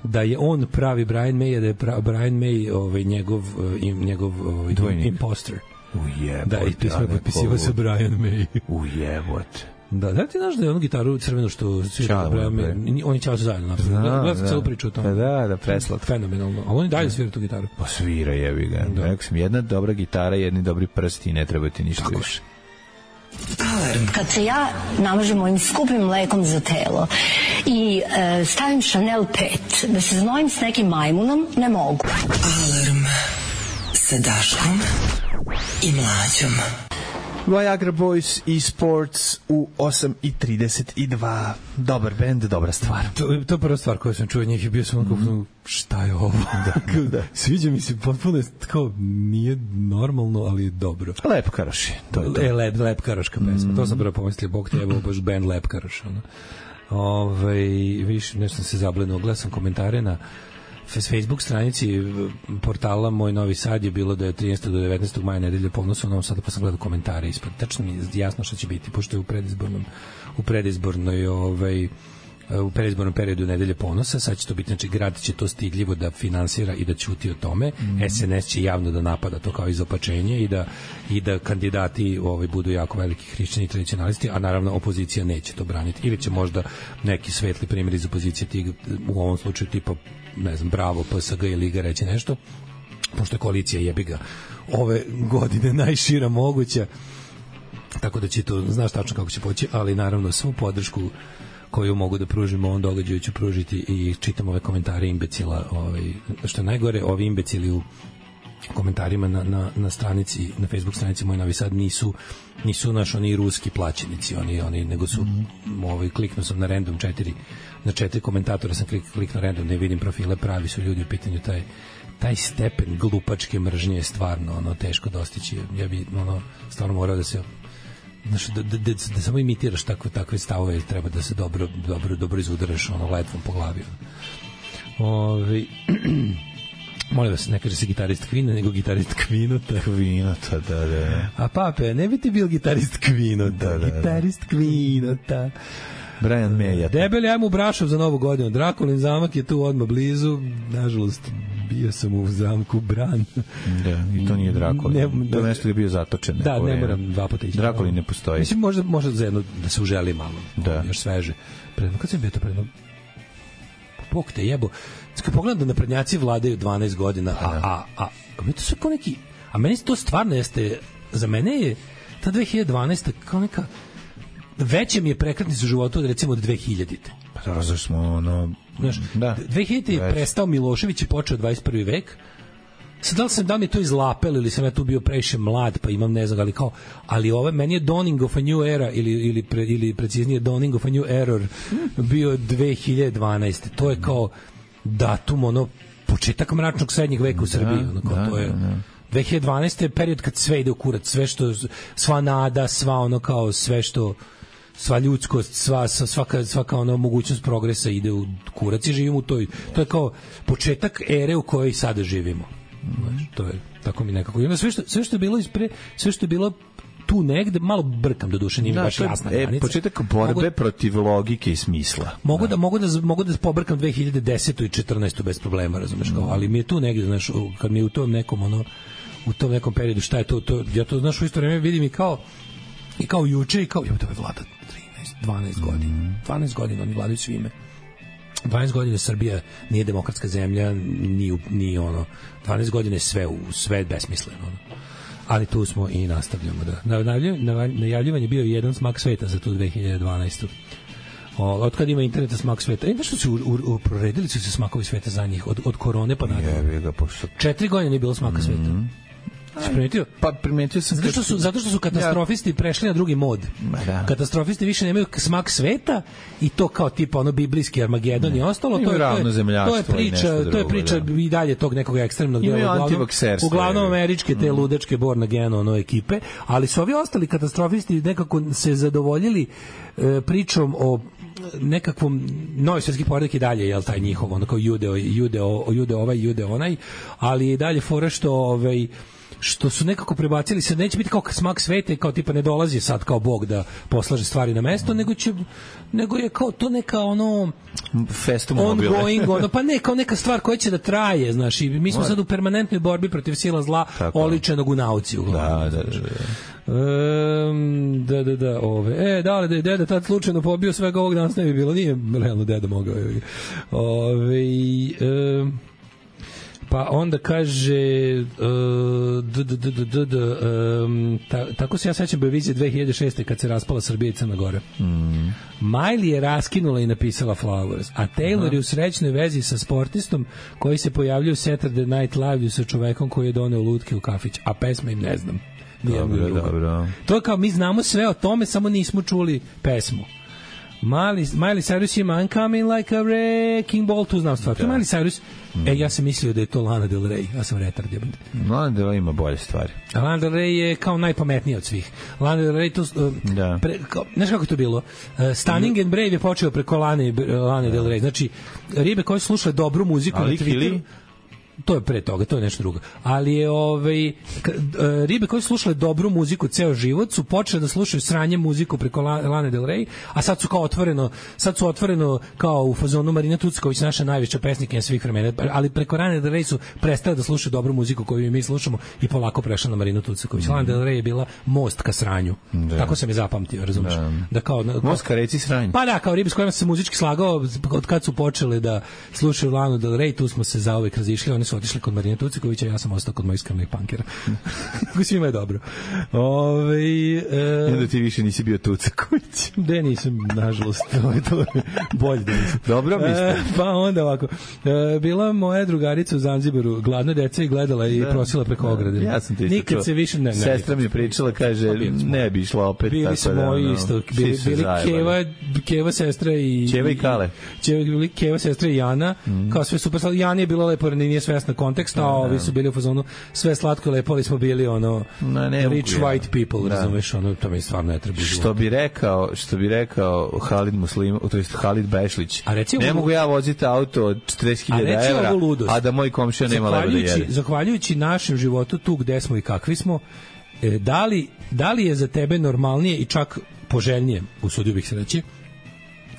da je on pravi Brian May, da je pra, Brian May ovaj, njegov, njegov ovaj, imposter. Ujebot. Da, i pismo je potpisivao sa Brian May. Ujebot. Da, da ti znaš da je onu gitaru crvenu što svira Brian, oni ćao se zajedno napravili. Gledam da, celu priču o tome. Da, da, preslatko. Fenomenalno. A oni dalje svira tu gitaru. Pa svira, jebi ga. Da. Rekao sam, jedna dobra gitara, jedni dobri prsti i ne treba ti ništa tako više. Alarm. Kad se ja namažem mojim skupim mlekom za telo i e, stavim Chanel pet, da se znojim s nekim majmunom, ne mogu. Alarm sa Daškom i Mlađom. Viagra Boys i Sports u osam i trideset dva. Dobar bend, dobra stvar. To, to je prva stvar koju sam čuo njih i bio sam mm. šta je ovo? Da, da. Sviđa mi se potpuno, kao nije normalno, ali je dobro. Lep Karoš je. To je to. E, lep, lep Karoška pesma. Mm. To sam prvo pomislio, Bog te jebao, baš band Lep Karoš. Ono. Ove, viš, nešto sam se zablenuo, gledam sam komentare na Facebook stranici portala Moj Novi Sad je bilo da je trinaestog do devetnaestog maja nedelja ponosa, ono sada pa sam gledao komentare ispred. Tačno mi je jasno šta će biti, pošto je u predizbornom u predizbornoj ovaj u predizbornom periodu nedelje ponosa, sad će to biti, znači grad će to stidljivo da finansira i da ćuti o tome, mm. S N S će javno da napada to kao izopačenje i da, i da kandidati ovaj, budu jako veliki hrišćani i tradicionalisti, a naravno opozicija neće to braniti, ili će možda neki svetli primjer iz opozicije tig, u ovom slučaju tipa, ne znam, Bravo, P S G i Liga reći nešto, pošto je koalicija jebiga ove godine najšira moguća, tako da će to, znaš tačno kako će poći, ali naravno svu podršku koju mogu da pružimo ovom događaju ću pružiti i čitam ove komentare imbecila, ovaj, što je najgore, ovi imbecili u komentarima na, na, na stranici, na Facebook stranici Moj Novi Sad nisu nisu naš oni ruski plaćenici, oni, oni nego su mm. ovaj, kliknuo sam na random četiri na četiri komentatora sam klik, kliknuo random, ne vidim profile, pravi su ljudi u pitanju, taj taj stepen glupačke mržnje je stvarno ono teško dostići, ja bi ono stvarno morao da se znaš, da, da, da, da samo imitiraš takve, takve stavove, treba da se dobro, dobro, dobro izudaraš ono letvom po glavi. Ove, molim vas, ne kaže se gitarist Queen, nego gitarist Queenota. Queenota, da, da. A pape, ne bi ti bil gitarist Queenota, da, da, gitarist Queenota. Brian May. Debeli, ajmo u Brašov za novu godinu. Drakulin zamak je tu odmah blizu. Nažalost, bio sam u zamku Bran. Da, i to nije Drakulin. To je nešto je bio zatočen. Da, ne moram dva puta ići. Drakulin ne postoji. Mislim, možda, možda za jedno da se uželi malo. Da. Još sveže. Predno, kad sam bio to predno? Bog te jebo. Kad pogledam da naprednjaci vladaju dvanaest godina, a, a, a, a mi to sve ko neki... A meni to stvarno jeste... Za mene je ta dve hiljade dvanaesta kao neka... Veće mi je prekretnica u životu od recimo od dve hiljadite. Pa da, zašto smo ono... Znaš, da. dve hiljadite je prestao Milošević i počeo dvadeset prvi vek. Sad da li sam, da mi to izlapel ili sam ja tu bio previše mlad pa imam ne znam, ali kao, ali ove, meni je dawning of a new era ili, ili, pre, ili preciznije dawning of a new error bio dve hiljade dvanaeste. To je kao datum, ono, početak mračnog srednjeg veka u Srbiji. Ono, kao, da, to je... Da, da. dve hiljade dvanaeste je period kad sve ide u kurac, sve što, sva nada, sva ono kao, sve što, sva ljudskost, sva, svaka, svaka ono mogućnost progresa ide u kurac i živimo u toj, to je kao početak ere u kojoj sada živimo. Znaš, to je, tako mi nekako. I onda sve što, sve što je bilo ispre, sve što je bilo tu negde, malo brkam do duše, nije mi baš jasna granica. E, početak borbe mogu, protiv logike i smisla. Mogu da, da, mogu da, mogu da pobrkam dve hiljade desetu i četrnaestu bez problema, razumeš, kao, ali mi je tu negde, znaš, kad mi je u tom nekom, ono, u tom nekom periodu, šta je to, to ja to, znaš, u isto vreme vidim i kao, i kao juče, i kao, jo, to je vlada trinaest, dvanaest godina, dvanaest godina, oni vladaju svime. dvanaest godina Srbija nije demokratska zemlja, ni, ni ono, dvanaest godina je sve, u, sve besmisleno, ono. ali tu smo i nastavljamo. Da. Najavljivanje bio jedan smak sveta za tu dve hiljade dvanaestu. Od kad ima interneta smak sveta. E, nešto su u, u, u, proredili su se smakovi sveta za njih, od, od korone pa nadalje. Četiri godine nije bilo smaka sveta. Mm-hmm. Si primetio? Pa primetio sam. Zato što su, zato što su katastrofisti prešli na drugi mod. Da. Katastrofisti više nemaju smak sveta i to kao tipa ono biblijski Armagedon i ostalo. To je, to, je, to je priča, to je priča da. I dalje tog nekog ekstremnog dela. Uglavnom, uglavnom američke te ludačke Born Again ono ekipe, ali su ovi ostali katastrofisti nekako se zadovoljili e, pričom o nekakvom novi svjetski poredak i dalje, jel taj njihov, ono kao judeo, judeo, judeo ovaj, judeo onaj, ali je dalje fora što ovaj što su nekako prebacili se, neće biti kao smak sveta i kao tipa ne dolazi sad kao Bog da poslaže stvari na mesto, nego će nego je kao to neka ono festum mobile. Ongoing, ono, pa ne, kao neka stvar koja će da traje, znaš, i mi smo sad u permanentnoj borbi protiv sila zla, tako, oličenog u nauci uglavnom. Da, da, da. Um, da, da, da, ove. E, da li da je deda tad slučajno pobio svega ovog danas ne bi bilo, nije realno deda mogao. Ove, um, pa onda kaže uh, d, d, d, d, d, d, um, ta, tako se ja sećam Beovizije dve hiljade šeste kad se raspala Srbija i Crna Gora. Mm. Miley je raskinula i napisala Flowers, a Taylor Aha. je u srećnoj vezi sa sportistom koji se pojavljuje u Saturday Night Live sa čovekom koji je doneo lutke u kafić, a pesme im ne znam. Dobro, dobro. To je kao mi znamo sve o tome, samo nismo čuli pesmu. Miley, Miley Cyrus ima I'm coming like a wrecking ball, tu znam stvar. Da. Miley Cyrus, mm. e, ja sam mislio da je to Lana Del Rey, ja sam retard. Lana Del Rey ima bolje stvari. Lana Del Rey je kao najpametnija od svih. Lana Del Rey, to, uh, da. pre, kao, znaš kako je to bilo? Uh, Stunning and Brave je počeo preko Lane, Lane Del Rey. Znači, ribe koje su slušale dobru muziku Ali na Twitteru, to je pre toga, to je nešto drugo. Ali je ovaj ribe koje su slušale dobru muziku ceo život su počele da slušaju sranje muziku preko Lane Del Rey, a sad su kao otvoreno, sad su otvoreno kao u fazonu Marina Tucković, naša najveća pesnikinja svih vremena, ali preko Lane Del Rey su prestale da slušaju dobru muziku koju mi slušamo i polako prešla na Marinu Tucković. Mm. Lana Del Rey je bila most ka sranju. Da. Tako sam je zapamtio, razumeš? Da, da kao, kao most ka reci sranju. Pa da, kao ribe s kojima se muzički slagao od kad su počele da slušaju Lanu Del Rey, tu smo se zauvek razišli, oni su otišli kod Marina Tuckovića, ja sam ostao kod mojih skromnih punkera. Kako svima je dobro. Ove, e, Onda ti više nisi bio Tucković. De nisam, nažalost. To bolje da nisam. Dobro mislim. E, pa onda ovako. E, bila moja drugarica u Zanzibaru, gladna deca i gledala i da, prosila preko da, ograde. Ja sam ti isto Nikad čuo. Se više ne, ne. Sestra mi je pričala, kaže, ne bi išla opet. Bili smo da, moji isto. Bili, bili Keva, Keva sestra i... Keva i Kale. Keva, Keva sestra i Jana. Mm. Kao sve super. Jana je bila lepo, nije svesna konteksta, a ovi su bili u fazonu sve slatko i lepo, ali smo bili ono no, ne, rich ne, white people, da. Razumeš, ono, to mi stvarno ne treba život. Što bi rekao, što bi rekao Halid Muslim, to jest Halid Bešlić, ne mogu ja voziti auto od četrdeset hiljada evra, a da moj komšija nema leba da jede. Zahvaljujući našem životu tu gde smo i kakvi smo, e, da, li, da li je za tebe normalnije i čak poželjnije, usudio bih se reći,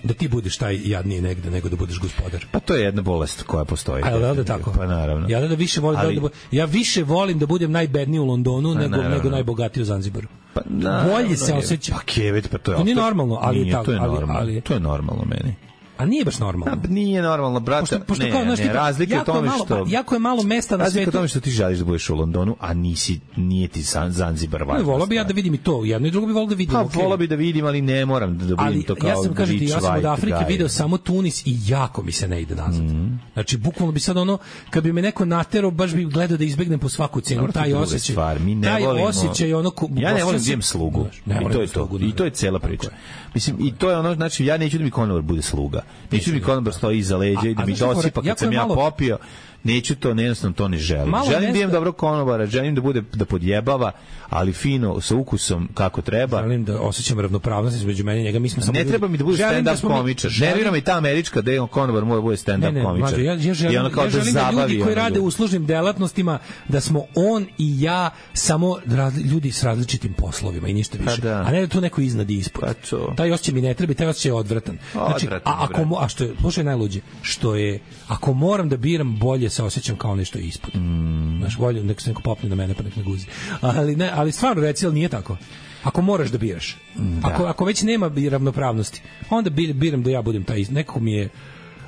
da ti budeš taj jadniji negde nego da budeš gospodar. Pa to je jedna bolest koja postoji. A da, da tako. Pa naravno. Ja da više volim Ali... da, da ja više volim da budem najbedniji u Londonu nego naravno. nego najbogatiji u Zanzibaru. Pa naravno, bolje se osjećam. Pa kevet, pa to je. To nije normalno, ali nije, tako, to je ali, normalno. ali to je normalno meni. A nije baš normalno. A, nije normalno, brate. Pošto, pošto ne, kao, znaš, ne, tipa, razlike u tome malo, što... Jako je malo mesta na razlike svetu. Razlike u tome što ti želiš da budeš u Londonu, a nisi, nije ti Zanzibar važno. Volao bi ja da vidim i to, jedno i drugo bi volao da vidim. Pa, okay. Volao bi da vidim, ali ne moram da vidim ali, to kao ja sam, kažem ti, ja sam od Afrike guy. video samo Tunis i jako mi se ne ide nazad. Mm. Znači, bukvalno bi sad ono, kad bi me neko naterao, baš bi gledao da izbegnem po svaku cenu. Taj osjećaj, taj osjećaj, ono... Ja ne volim da imam slugu. I to je to. I to je cela priča. Mislim, i to je ono, znači, ja neću da mi konobar bude sluga. Neću da mi konobar stoji iza leđa i da mi dosipa kad sam ja popio. Neću to, jednostavno to ne želim. Malo želim mesta... da imam dobro konobara, želim da bude da podjebava, ali fino, sa ukusom kako treba. Želim da osjećam ravnopravnost između mene i njega. Mi smo samo ne treba mi da bude stand-up da komičar. Mi... Nervira mi ta američka da je konobar mora bude stand-up komičar. Ja, ja želim, ja da, želim da, da ljudi koji rade u uslužnim delatnostima, da smo on i ja samo raz, ljudi s različitim poslovima i ništa više. Da. A ne da tu neko iznad i ispod. Pa taj osjećaj mi ne treba, taj osjećaj je odvratan. Znači, odvratan a, ako, a što je, slušaj najluđe, što je, ako moram da biram bolje se osjećam kao nešto ispod. Mm. Znaš, bolje, nek se neko popne na mene pa nek ne guzi. Ali, ne, ali stvarno reci, ali nije tako. Ako moraš da biraš, da. Ako, ako već nema ravnopravnosti, onda biram da ja budem taj, nekako mi je,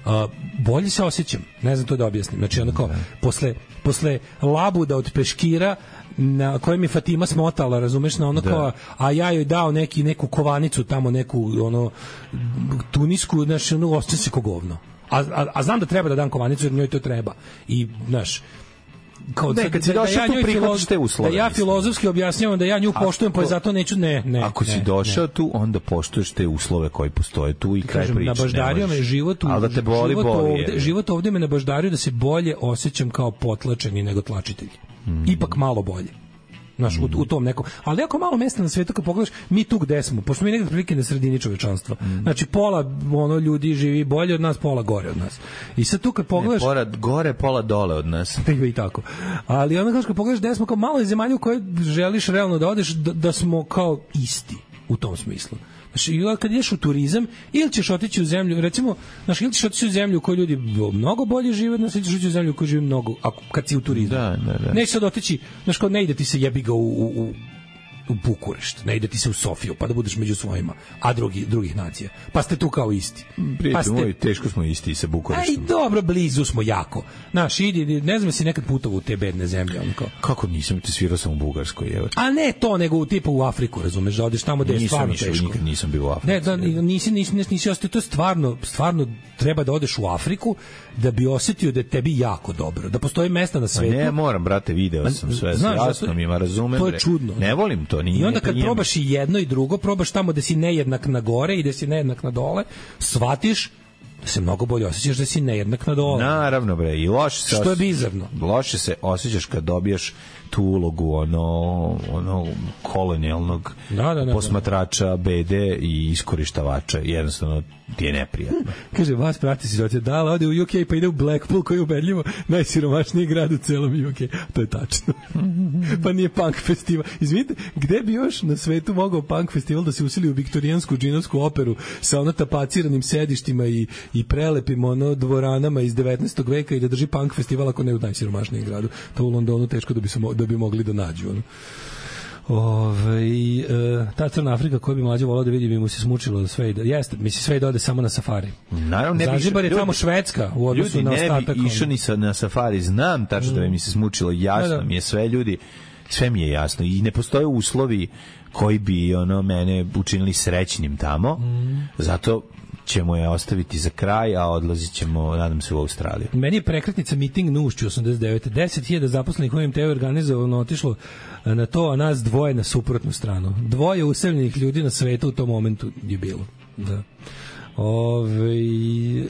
uh, bolje se osjećam, ne znam to da objasnim, znači ono kao, posle, posle labuda od peškira na kojem je Fatima smotala, razumeš, na ono da. Kao, a ja joj dao neki, neku kovanicu tamo, neku ono tunisku, znači ono osjećam se ko govno. A, a, a znam da treba da dam kovanicu jer njoj to treba. I, znaš, kao ne, kad si da, došao da ja tu prihvatiš te uslove. Da ja filozofski objašnjavam da ja nju poštujem, pa zato neću, ne, ne. Ako ne, si došao ne. tu, onda poštuješ te uslove koji postoje tu i kraj kažem, priče. Nabaždario me život u, da te boli, život, boli, ovde, život ovde me nabaždario da se bolje osjećam kao potlačeni nego tlačitelj. Mm. Ipak malo bolje. Znaš, u, u tom nekom, ali jako malo mesta na svetu kad pogledaš, mi tu gde smo, pošto mi nekada prilike na sredini čovečanstva. Mm. Znači, pola ono ljudi živi bolje od nas, pola gore od nas. I sad tu kad pogledaš... Ne, pola gore, pola dole od nas. I tako. Ali onda kad pogledaš gde smo, kao malo je zemalja u kojoj želiš realno da odeš, da, da smo kao isti u tom smislu. Znači, kad ideš u turizam, ili ćeš otići u zemlju, recimo, znači, ili ćeš otići u zemlju u kojoj ljudi mnogo bolje žive, ili ćeš otići u zemlju u kojoj živi mnogo, ako, kad si u turizmu. Da, da, da. Neće sad otići, znači, kao ne ide ti se jebi ga u, u, u u Bukurešt, ne ide ti se u Sofiju, pa da budeš među svojima, a drugi, drugih nacija. Pa ste tu kao isti. Prijatelj pa ste... moj, teško smo isti sa Bukureštom. Aj, dobro, blizu smo jako. Znaš, idi, ne znam si nekad putovao u te bedne zemlje. On kao... Kako nisam, ti svirao sam u Bugarskoj, evo. A ne to, nego u tipu u Afriku, razumeš, da odeš tamo gde je stvarno išao, teško. Nikad nisam bio u Africi. Ne, da, nisi, nisi, nisi, nisi ostao, to je stvarno, stvarno treba da odeš u Afriku da bi osetio da je tebi jako dobro, da postoji mesta na svetu. A ne, moram, brate, video sam sve, znaš, jasno mi ima, razumem. To je čudno. Ne volim to, nije. I onda kad probaš i jedno i drugo, probaš tamo da si nejednak na gore i da si nejednak na dole, shvatiš da se mnogo bolje osjećaš da si nejednak na dole. Naravno, bre, i loše se... Što je bizarno. Loše se osjećaš kad dobijaš tu ulogu ono, ono kolonijalnog da, da, da, posmatrača, bede i iskorištavača. Jednostavno ti je neprijatno. Kaže, vas prati situacija, da, ali ode u U K pa ide u Blackpool koji je ubedljivo najsiromašniji grad u celom U K. To je tačno. Pa nije punk festival. Izvinite, gde bi još na svetu mogao punk festival da se usili u viktorijansku džinovsku operu sa ono tapaciranim sedištima i, i prelepim ono dvoranama iz devetnaestog veka i da drži punk festival ako ne u najsiromašnijem gradu. To u Londonu teško da bi, se, da bi mogli da nađu. Ono. Ove, e, ta Crna Afrika koju bi mlađe volao da vidi bi mu se smučilo sve ide. Jeste, misli sve ide ode samo na safari. Naravno ne bi Zanzibar je tamo Švedska u odnosu na ostatak. Ljudi ne bi išao ni sa, na safari, znam tačno mm. da bi mi se smučilo, jasno da, da. mi je sve ljudi, sve mi je jasno i ne postoje uslovi koji bi ono mene učinili srećnim tamo. Mm. Zato ćemo je ostaviti za kraj, a odlazit ćemo, nadam se, u Australiju. Meni je prekretnica miting na Ušću osamdeset devete deset hiljada zaposlenih u M T organizovano otišlo na to, a nas dvoje na suprotnu stranu. Dvoje useljenih ljudi na svetu u tom momentu je bilo. Da. Ove, e,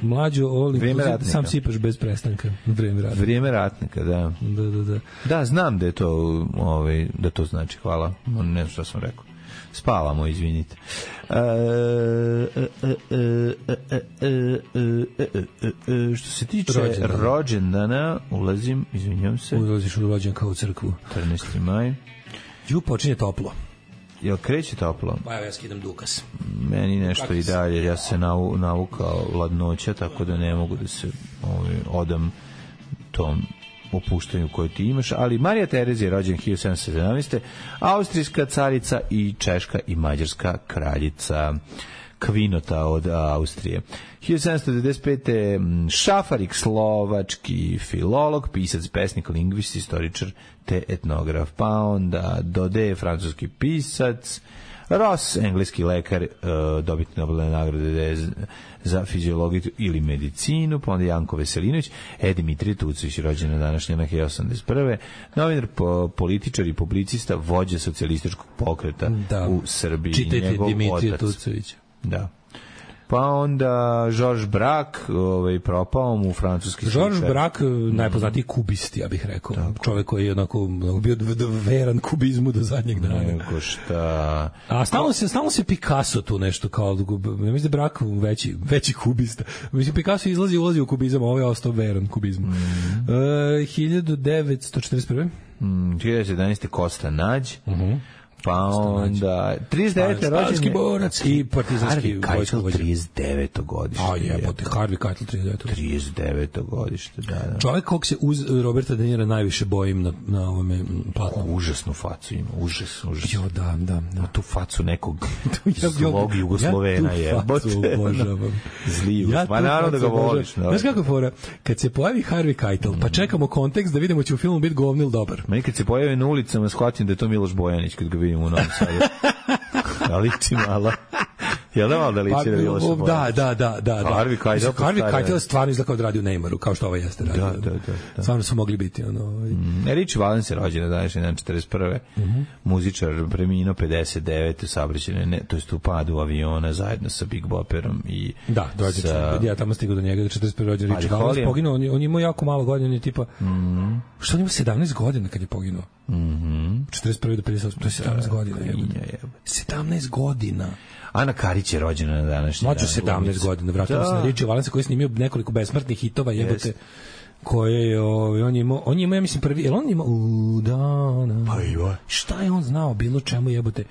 mlađo, olim, sam sipaš bez prestanka. Vreme ratnika. Vreme ratnika, da. Da, da, da. Da, znam da je to, ovaj, da to znači, hvala. Ne znam što sam rekao. Spavamo, izvinite. Što se tiče rođendana, rođendana ulazim, izvinjam se. Ulaziš u rođen kao u crkvu. trinaesti maj. Ju počinje toplo. Jel kreće toplo? Pa ja skidam dukas. Meni nešto i dalje, ja se navu, navukao ladnoća, tako da ne mogu da se ovaj, odam tom opuštanju koje ti imaš, ali Marija Terezija je rođena hiljadu sedamsto sedamnaeste. austrijska carica i češka i mađarska kraljica, kvinota od Austrije. hiljadu sedamsto devedeset pete. Šafarik, slovački filolog, pisac, pesnik, lingvist, istoričar te etnograf. Pa onda Dode, francuski pisac, Ross, engleski lekar, dobitnik Nobelove nagrade za fiziologiju ili medicinu, pa onda Janko Veselinović, E. Dimitrije Tucović, rođen na današnje na hiljadu osamdeset prve. Novinar, političar i publicista, vođa socijalističkog pokreta da. u Srbiji. Čitajte Dimitrije Tucovića. Da. Pa onda Georges Braque, ovaj, propao mu francuski sličar. Georges Braque, najpoznatiji kubist, ja bih rekao. Tako. Čovjek koji je onako bio veran kubizmu do zadnjeg dana. Nego šta... A stalno se, stalno se Picasso tu nešto kao... Ja mislim da je Braque veći, veći kubista. Mislim, Picasso izlazi i ulazi u kubizam, a ovo je ostao veran kubizmu. Mm. Uh, hiljadu devetsto četrdeset prve. Mm, hiljadu devetsto jedanaeste. Kosta Nađ. Uh -huh. Pa onda trideset devete rođendan borac i partizanski vojsko vođa. trideset deveto godište. A jebote, Harvey Keitel trideset deveto. trideset deveto godište, da, da. Čovjek kog se uz Roberta De Nira najviše bojim na na ovome platnu. Užasnu facu ima, užas, užas. Jo, da, da, da. Tu facu nekog zlog Jugoslovena je. Ja tu facu obožavam. Zli Jugosloven. Pa naravno da ga voliš. Znaš kako je fora? Kad se pojavi Harvey Keitel, pa čekamo kontekst da vidimo će u filmu biti govno ili dobar. Meni kad se pojavi na ulicama, shvatim da je to Miloš Bojanić kad ga vidim u Novom Sadu. Da liči malo. Jel da malo da liči na Miloša Bojanić? Da, da, da, da. Harvey Keitel. Harvey Keitel stvarno izgleda kao da radi u Neymaru, kao što ovaj jeste radio. Da, da, da, da. Stvarno su mogli biti ono. Ovaj. Mm, Richie Valens je rođen na današnji dan četrdeset prve. Mm-hmm. Muzičar, preminuo pedeset devete saobraćajne, ne, to jest u padu aviona zajedno sa Big Bopperom i da, dođe sa... ja tamo stigao do njega do četrdeset prve rođen Richie Valens poginuo, on, on imao jako malo godina, on je tipa mm-hmm. što on ima sedamnaest godina kad je poginuo. Mhm. četrdeset prve do pedeset osam, to je sedamnaest godina. sedamnaest godina. Ana Karić je rođena na današnji dan. Mlađu sedamnaest godina, vratimo se na Richie Valensa koji je snimio nekoliko besmrtnih hitova, jebote, koje je, on je imao, on je imao, ja mislim, prvi, jel on ima u dana, pa joj. Šta je on znao, bilo čemu, jebote,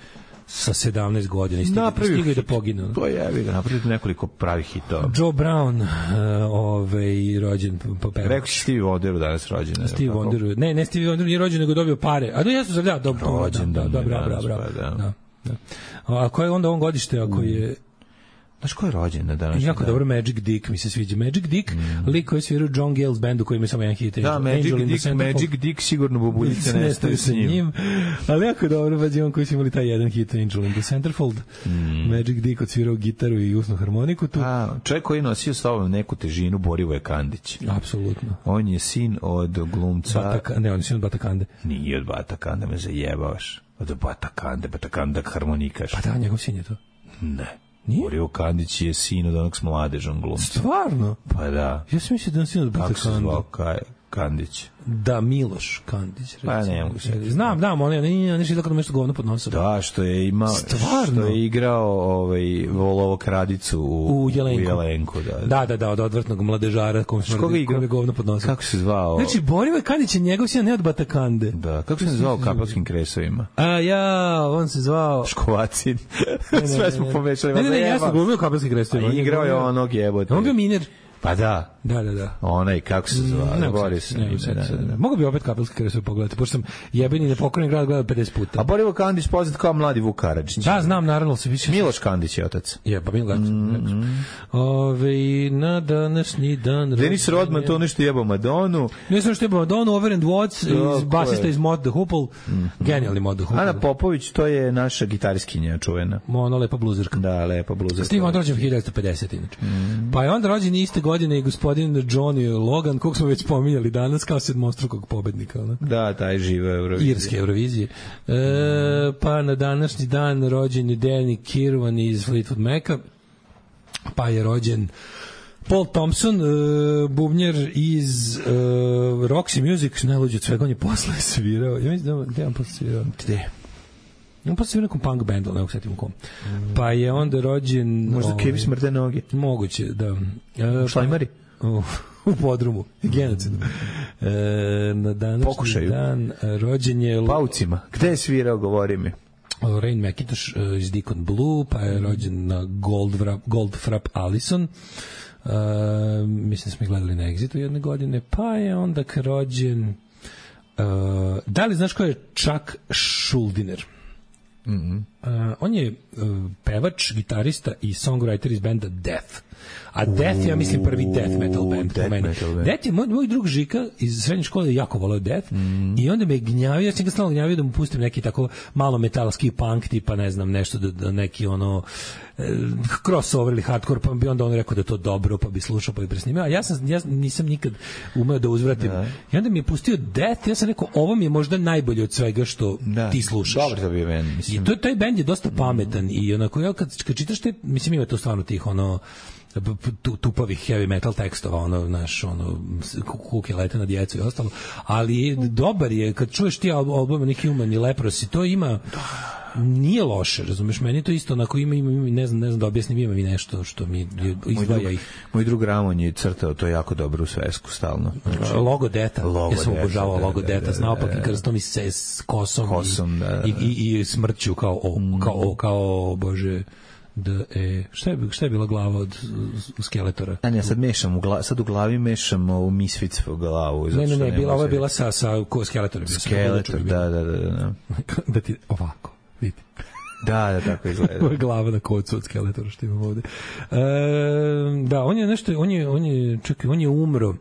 sa sedamnaest godina i stigao da poginu. To je, evi ga, napraviti nekoliko pravih hitova. Joe Brown, uh, ovaj, rođen po pevač. Rekao si Stevie Wonderu danas rođen. Stevie Wonderu, ne, ne Stevie Wonderu nije rođen, nego dobio pare. A do jesu sam, da, dobro. Rođen, da, da, bravo, bravo, da. A koje je onda on godište, ako je... Znaš ko je rođen na današnji dan? Jako dobro, Magic Dick mi se sviđa. Magic Dick, mm. lik koji je svirao John Gale's bandu koji ima samo jedan hit. Da, Magic Dick, Magic Dick sigurno bubuljice nestaju sa njim. Ali jako dobro, pa on koji su imali taj jedan hit, Angel in the Centerfold. Mm. Magic Dick odsvirao gitaru i usnu harmoniku tu. A, čovjek koji nosio s sobom neku težinu, Borivoje Kandić. Apsolutno. On je sin od glumca... Bataka, ne, on je sin od Batakande. Nije od Batakande, me zajebavaš. Od Batakande, Batakande harmonikaš. Pa da, njegov sin je to. Ne. Borivo Kandić je sin od onog s mladežom glumca. Stvarno? Pa da. Ja sam mislio da on sin od Batakande. Kako se zvao Kaj Kandić? Da, Miloš Kandić. Recimo. Pa ne mogu se. Znam, znam, on je, on je nešto nešto govno pod nosom. Da, što je imao, stvarno? Što je igrao ovaj, Volovo kradicu u, u Jelenku. U Jelenku da, da. da, da, da, od odvrtnog mladežara kom smrdi, kom je govno pod nosom. Kako se zvao? Znači, Borivo Kandić je njegov sin, ne od Batakande. Da, kako se zvao u Kapelskim kresovima? A ja, on se zvao... Škovacin. Sve smo pomešali. Ne, ne, ne, ja sam glumio u Kapelskim kresovima. Igrao je onog jebote. On bio miner. Pa da. Da, da, da. Onaj, kako se zva? Ne, Boris. Ne, ne, ne, ne. Mogu bi opet Kapelske kresove pogledati, pošto sam jebeni nepokorni grad gledao pedeset puta. A Borivo Kandić poznat kao mladi Vuk Karadžić. Da, znam, naravno se više... Miloš Kandić je otac. Je, pa Miloš. Mm-hmm. Ove, na današnji dan... Dennis Rodman to nešto jebao Madonu. Ne znam što jebao Madonu, Overend Watts, iz, basista iz Mod the Hoople. Mm-hmm. Genijalni Mod the Hoople. Ana Popović, to je naša gitariskinja čuvena. Ona lepa bluzerka. Da, lepa bluzerka. Steve Wonder rođen hiljadu devetsto pedeset inače. Mm-hmm. Pa je onda rođen iste godine i gospodin Johnny Logan, kog smo već pominjali danas, kao sedmostrukog pobednika. Ona. Da, taj živa Eurovizije. Irske Eurovizije. E, pa na današnji dan rođen je Danny Kirwan iz Fleetwood Maca, pa je rođen Paul Thompson, uh, bubnjar iz uh, Roxy Music, najluđe od svega, on je posle svirao. Ja mislim da, gde je on posle svirao? Gde? On posle svirao nekom punk bandu, ne usetim u kom. Mm. Pa je onda rođen... Možda ovaj, Kevi smrde noge. Moguće, da. Uh, Šlajmari? U, u podrumu, genocidom. E, na današnji Pokušaju. dan rođen je... Paucima. Gde je svirao, govori mi? Rain McIntosh uh, iz Deacon Blue, pa je rođen na Goldfrapp, Goldfrapp Allison. Uh, mislim smo ih gledali na Exitu jedne godine. Pa je onda rođen... Uh, da li znaš ko je Chuck Schuldiner? Mm-hmm. Uh, on je uh, pevač, gitarista i songwriter iz benda Death. A Death je, ja mislim, prvi death metal band po meni. Death je, moj, moj drug Žika iz srednje škole jako voleo Death mm. i onda me gnjavio, ja sam ga stalno gnjavio da mu pustim neki tako malo metalski punk, tipa ne znam, nešto da, da neki ono eh, crossover ili hardcore, pa bi onda on rekao da je to dobro, pa bi slušao, pa bi presnimao. A ja, sam, ja nisam nikad umeo da uzvratim. Da. I onda mi je pustio Death, ja sam rekao, ovo mi je možda najbolje od svega što da. Ti slušaš. Dobro to bi meni, mislim. I to, taj band je dosta pametan mm. i onako, ja kad, kad čitaš te, mislim, ima to stvarno tih ono tupavih heavy metal tekstova, ono, naš, ono, kuke lete na djecu i ostalo, ali dobar je, kad čuješ ti album Human i Leprosy, to ima nije loše, razumeš, meni to isto onako ima, ima, ima ne znam, ne znam da objasnim, ima mi nešto što mi izdvaja ih. Moj drug Ramon je crtao to jako dobro u svesku stalno. Znači, logo Deta, logo ja sam Deta, obožavao da, logo da, Deta, da, s naopak da, i krstom i se s kosom, kosom i, da, da, da. I, i, i smrću kao o, kao o, kao bože da e šta je šta je bila glava od Skeletora? A ne, sad mešam u glavi, sad u glavi mešam u Misfits glavu. Ne, ne, ne, bila ova je bila sa sa ko Skeletorom. Skeletor, da, da, da, da. Da ti ovako, vidi. Da, da, tako izgleda. Glava na kocu od Skeletora što imam ovde. E, da, on je nešto, on je, on je, čekaj, on je umro.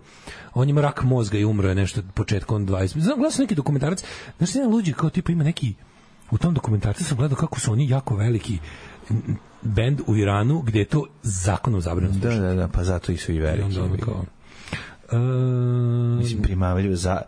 On ima rak mozga i umro je nešto početkom dvadesetih. Znam, gledao sam neki dokumentarac, znaš, jedan luđi kao tipa ima neki, u tom dokumentarcu sam gledao kako su oni jako veliki bend u Iranu, gde je to zakonom zabranjeno. Da, da, da, pa zato i su i veliki. Kao, uh, Mislim, primamljivo, za,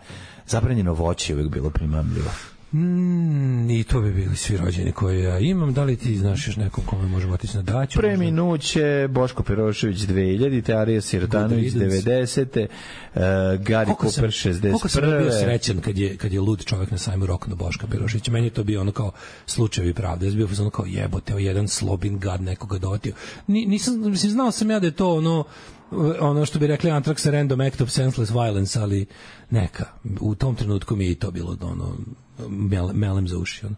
zabranjeno voće je uvijek bilo primamljivo. Mm, i to bi bili svi rođeni koje ja imam. Da li ti znaš još nekom kome možemo otići na daću? Preminuće Boško Perošević dve hiljadite, Arija Sirotanović devedesete, uh, Gari Cooper šezdeset prve. Koliko sam bio srećan kad je, kad je lud čovjek na sajmu rokno Boška Peroševića. Meni je to bio ono kao slučajevi pravde. Ja sam bio ono kao jebote, o jedan slobin gad nekoga dotio. Ni, nisam, mislim, znao sam ja da je to ono ono što bi rekli Anthrax, random act of senseless violence, ali neka. U tom trenutku mi je i to bilo ono mel, melem za uši. Ono.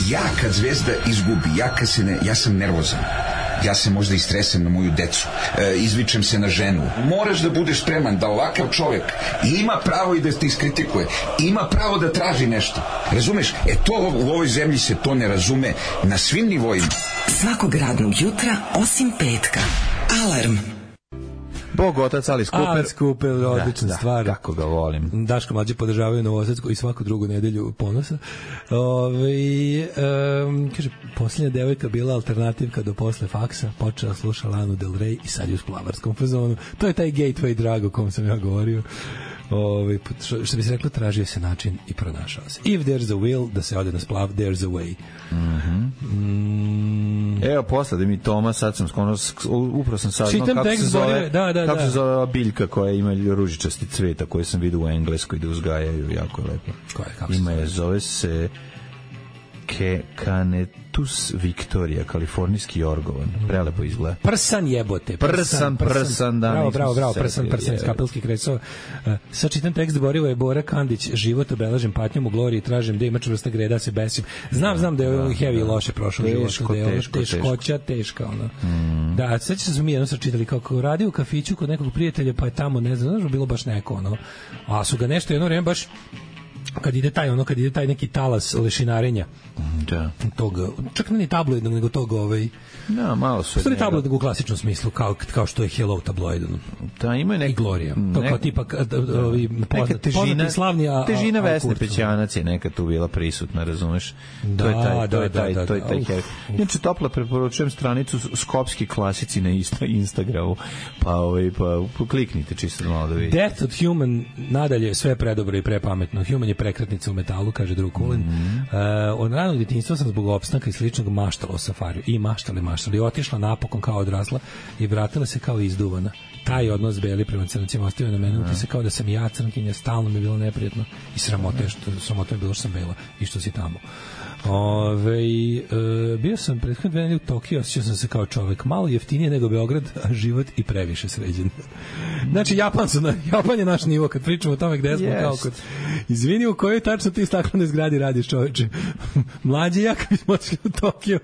Ja kad Zvezda izgubi, ja kad se ne, ja sam nervozan. Ja se možda istresem na moju decu, e, izvičem se na ženu. Moraš da budeš spreman da ovakav čovjek ima pravo i da te iskritikuje, ima pravo da traži nešto. Razumeš? E to u ovoj zemlji se to ne razume na svim nivoima. Svakog radnog jutra osim petka. Alarm. Bog, otac, Alice Cooper. Alice Cooper, odlična da, stvar. Da, kako ga volim. Daško mlađe podržavaju Novosadsku i svaku drugu nedelju Ponosa. Ove, um, kaže, posljednja devojka bila alternativka do posle faksa, počela sluša Lanu Del Rey i sad je u splavarskom fazonu. To je taj gateway drag o kom sam ja govorio. Ove, što, što bi se reklo, tražio se način i pronašao se. If there's a will, da se ode na splav, there's a way. Mm-hmm. Mm. Evo, posle da mi Toma, sad sam skoro, upravo sam saznao kako se zove, da, da, kako da. se zove ova biljka koja ima ružičasti cveta koju sam vidio u Engleskoj da uzgajaju, jako lepo. Koja je, kako ima se je, zove se Ke, Canetus Victoria, kalifornijski orgovan. Prelepo izgleda. Prsan jebote. Prsan, prsan, prsan da. Bravo, bravo, bravo, prsan, prsan iz Kapelskih kresova. Uh, sad čitam tekst Borivo je Bora Kandić, život obeležen patnjom u gloriji, tražim da ima čvrsta greda, se besim. Znam, znam da je ovo heavy i loše prošlo život, da je ovo teškoća, teška, ono. Mm. Da, sećam se da smo mi jedno sad čitali kako radi u kafiću kod nekog prijatelja, pa je tamo, ne znam, znaš, bilo baš neko, ono. A su ga nešto jedno vreme baš kad ide taj ono kad ide taj neki talas lešinarenja da tog čak ne ni tabloidnog nego tog ovaj da malo su stvari tabloidnog u klasičnom smislu kao kao što je Hello tabloid da ima neki Gloria to kao tipa ovi neka težina slavni a težina Vesne Pećanac je neka tu bila prisutna, razumeš? To je taj to je taj to je taj inače toplo preporučujem stranicu Skopski klasici na Instagramu pa ovaj pa kliknite čisto malo da vidite. Death of Human nadalje sve predobro i prepametno. Human je prekretnica u metalu, kaže drug Kulin. Mm -hmm. uh, od ranog djetinjstva sam zbog opstanka i sličnog maštala o safariju. I maštali, maštali. Otišla napokon kao odrasla i vratila se kao izduvana. Taj odnos Beli prema crncima ostavio na mene. Mm -hmm. Se kao da sam ja crnkinja, stalno mi je bilo neprijatno i sramote, što, sramote je bilo što sam bela i što si tamo. Ove, e, bio sam prethodne dve nedelje u Tokiju, osjećao sam se kao čovek malo jeftinije nego Beograd, a život i previše sređen. Znači Japan, su na, Japan je naš nivo kad pričamo o tome gde smo yes. Kao kod izvini u kojoj tačno ti staklene zgradi radiš, čoveče. Mlađi ja kad bismo otišli u Tokiju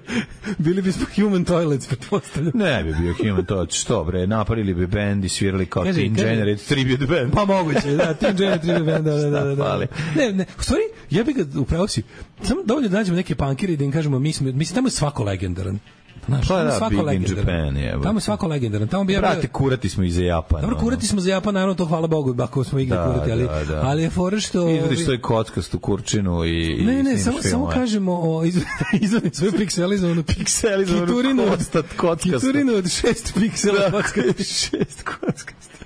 bili bismo Human Toilets, pretpostavljam. Ne bi bio Human Toilets, što bre, napravili bi band i svirali kao kaži, Teen Generate Tribute Band. Pa moguće, da, Teen Generate Tribute Band, da, da, da, da. Ne, ne, u stvari, ja bih ga upravo si, samo dovoljno da nađemo neke punkire i da im kažemo, mi smo, mislim, tamo je svako legendaran. Znaš, pa da, svako Big in Japan, je. Tamo je svako legendaran. Tamo bi ja brate, kurati smo i za Japan. Dobro, kurati smo za Japan, naravno, to hvala Bogu, ako smo igli da, kurati, ali, da, da. Ali je fora što... Izvodiš svoj kockastu kurčinu i... Ne, ne, samo, samo kažemo o izvodim svoju pikselizovanu pikselizovanu kiturinu kockastu. Kiturinu od šest piksela kockastu. Šest kockastu.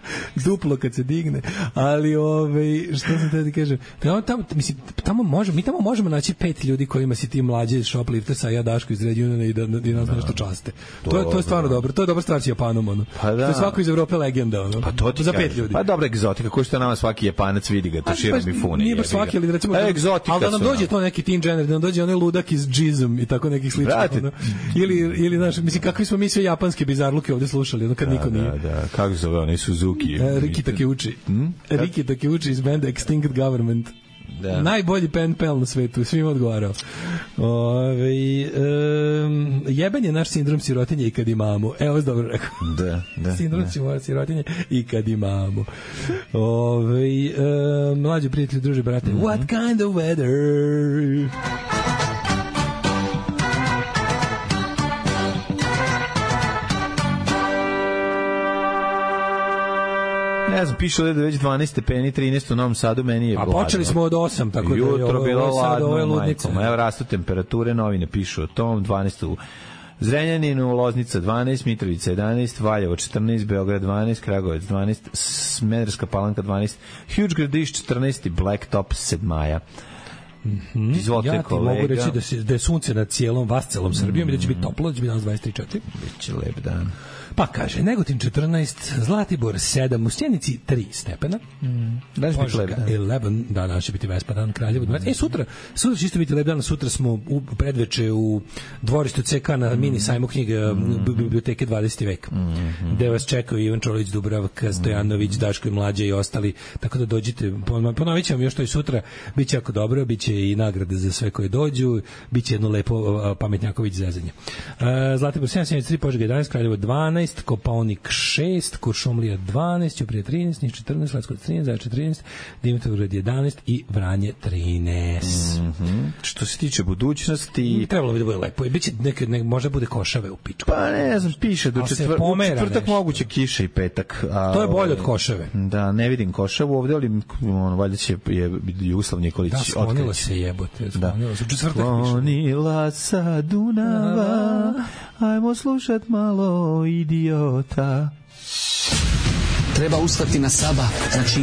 duplo kad se digne. Ali ovaj što sam te da kažem, tamo, tamo mislim tamo možemo, mi tamo možemo naći pet ljudi kojima si ti mlađi shopliftersa, a ja Daško iz Regiona i da i nas nešto časte. To je to je stvarno dobro. To je dobra stvar s Japanom, ono. Pa da. To je svako iz Evrope legenda, ono. Pa to ti za pet kažem. ljudi. Pa dobra egzotika, ko što nama svaki Japanac vidi ga, to širom mi fune. Nije baš svaki, ali recimo e, egzotika. Al da nam dođe to neki teen general, da nam dođe onaj ludak iz Jizm i tako nekih sličnih, ono. Ili ili znaš, mislim kakvi smo mi sve japanske bizarluke ovde slušali, ono kad da, niko nije. Da, da, kako zove onaj Suzuki? E, Riki Takeuchi. Hmm? Riki Takeuchi iz benda Extinct Government. Da. Najbolji pen pel na svetu, svima odgovarao. Ove, um, jeben je naš sindrom sirotinje i kad imamo. Evo je dobro rekao. Da, da. Sindrom da. sirotinje i kad imamo. Ove, um, mlađi prijatelji, druži, brate. Mm-hmm. What kind of weather? Ne znam, piše ovdje da već dvanaest stepeni, trinaest u Novom Sadu, meni je hladno. A počeli smo od osam, tako da je jutro ovo, bilo ovo sad, ovo je ladno, ludnica. majkom. Evo rastu temperature, novine pišu o tom, dvanaest u Zrenjaninu, Loznica dvanaest, Mitrovica jedanaest, Valjevo četrnaest, Beograd dvanaest, Kragujevac dvanaest, Smederska Palanka dvanaest, Huge Gradiš četrnaest i Blacktop sedmaja. Mm-hmm. Izvolite, ja ti kolega. mogu reći da, se, da je sunce nad cijelom, vas celom Srbijom mm-hmm. i da će biti toplo, da će biti danas dvadeset tri četiri. Biće lep dan. Pa kaže, Negotin četrnaest, Zlatibor sedam, u Sjenici tri stepena. Mm. Danas biti lep dan. jedanaest, da, danas će biti Vespa dan, Kraljevo dvadeset. E, sutra, sutra će isto biti lep dan, sutra smo u predveče u dvorištu C K na mm. mini sajmu knjiga mm. biblioteke dvadeseti vek, mm-hmm. gde vas čekaju Ivan Čolić, Dubravka, Stojanović, Daško i Mlađe i ostali, tako da dođite, ponovit ćemo još to i sutra, bit će jako dobro, bit će i nagrade za sve koje dođu, bit će jedno lepo pametnjaković zezanje. Uh, Zlatibor sedam, Sjenica tri, Požega jedanaest, Kraljevo dvanaest, Kopaonik šest, Kuršumlija dvanaest, Ćuprija trinaest, Niš četrnaest, Leskovac trinaest, Zaječar trinaest, Dimitrovgrad jedanaest i Vranje trinaest. Mm-hmm. Što se tiče budućnosti, trebalo bi da bude lepo. Biće neke, ne, možda bude košave u pičku. Pa ne znam, piše do četvr... četvrtak moguće kiše i petak. A, to je bolje od košave. Da, ne vidim košavu ovde, ali on, valjda će je Jugoslav Nikolić otkrići. Da, sklonila se jebote. Sklonila se. U četvrtak piše. Sklonila sa Dunava, ajmo slušat malo idiota. Treba ustati na sabah. Znači,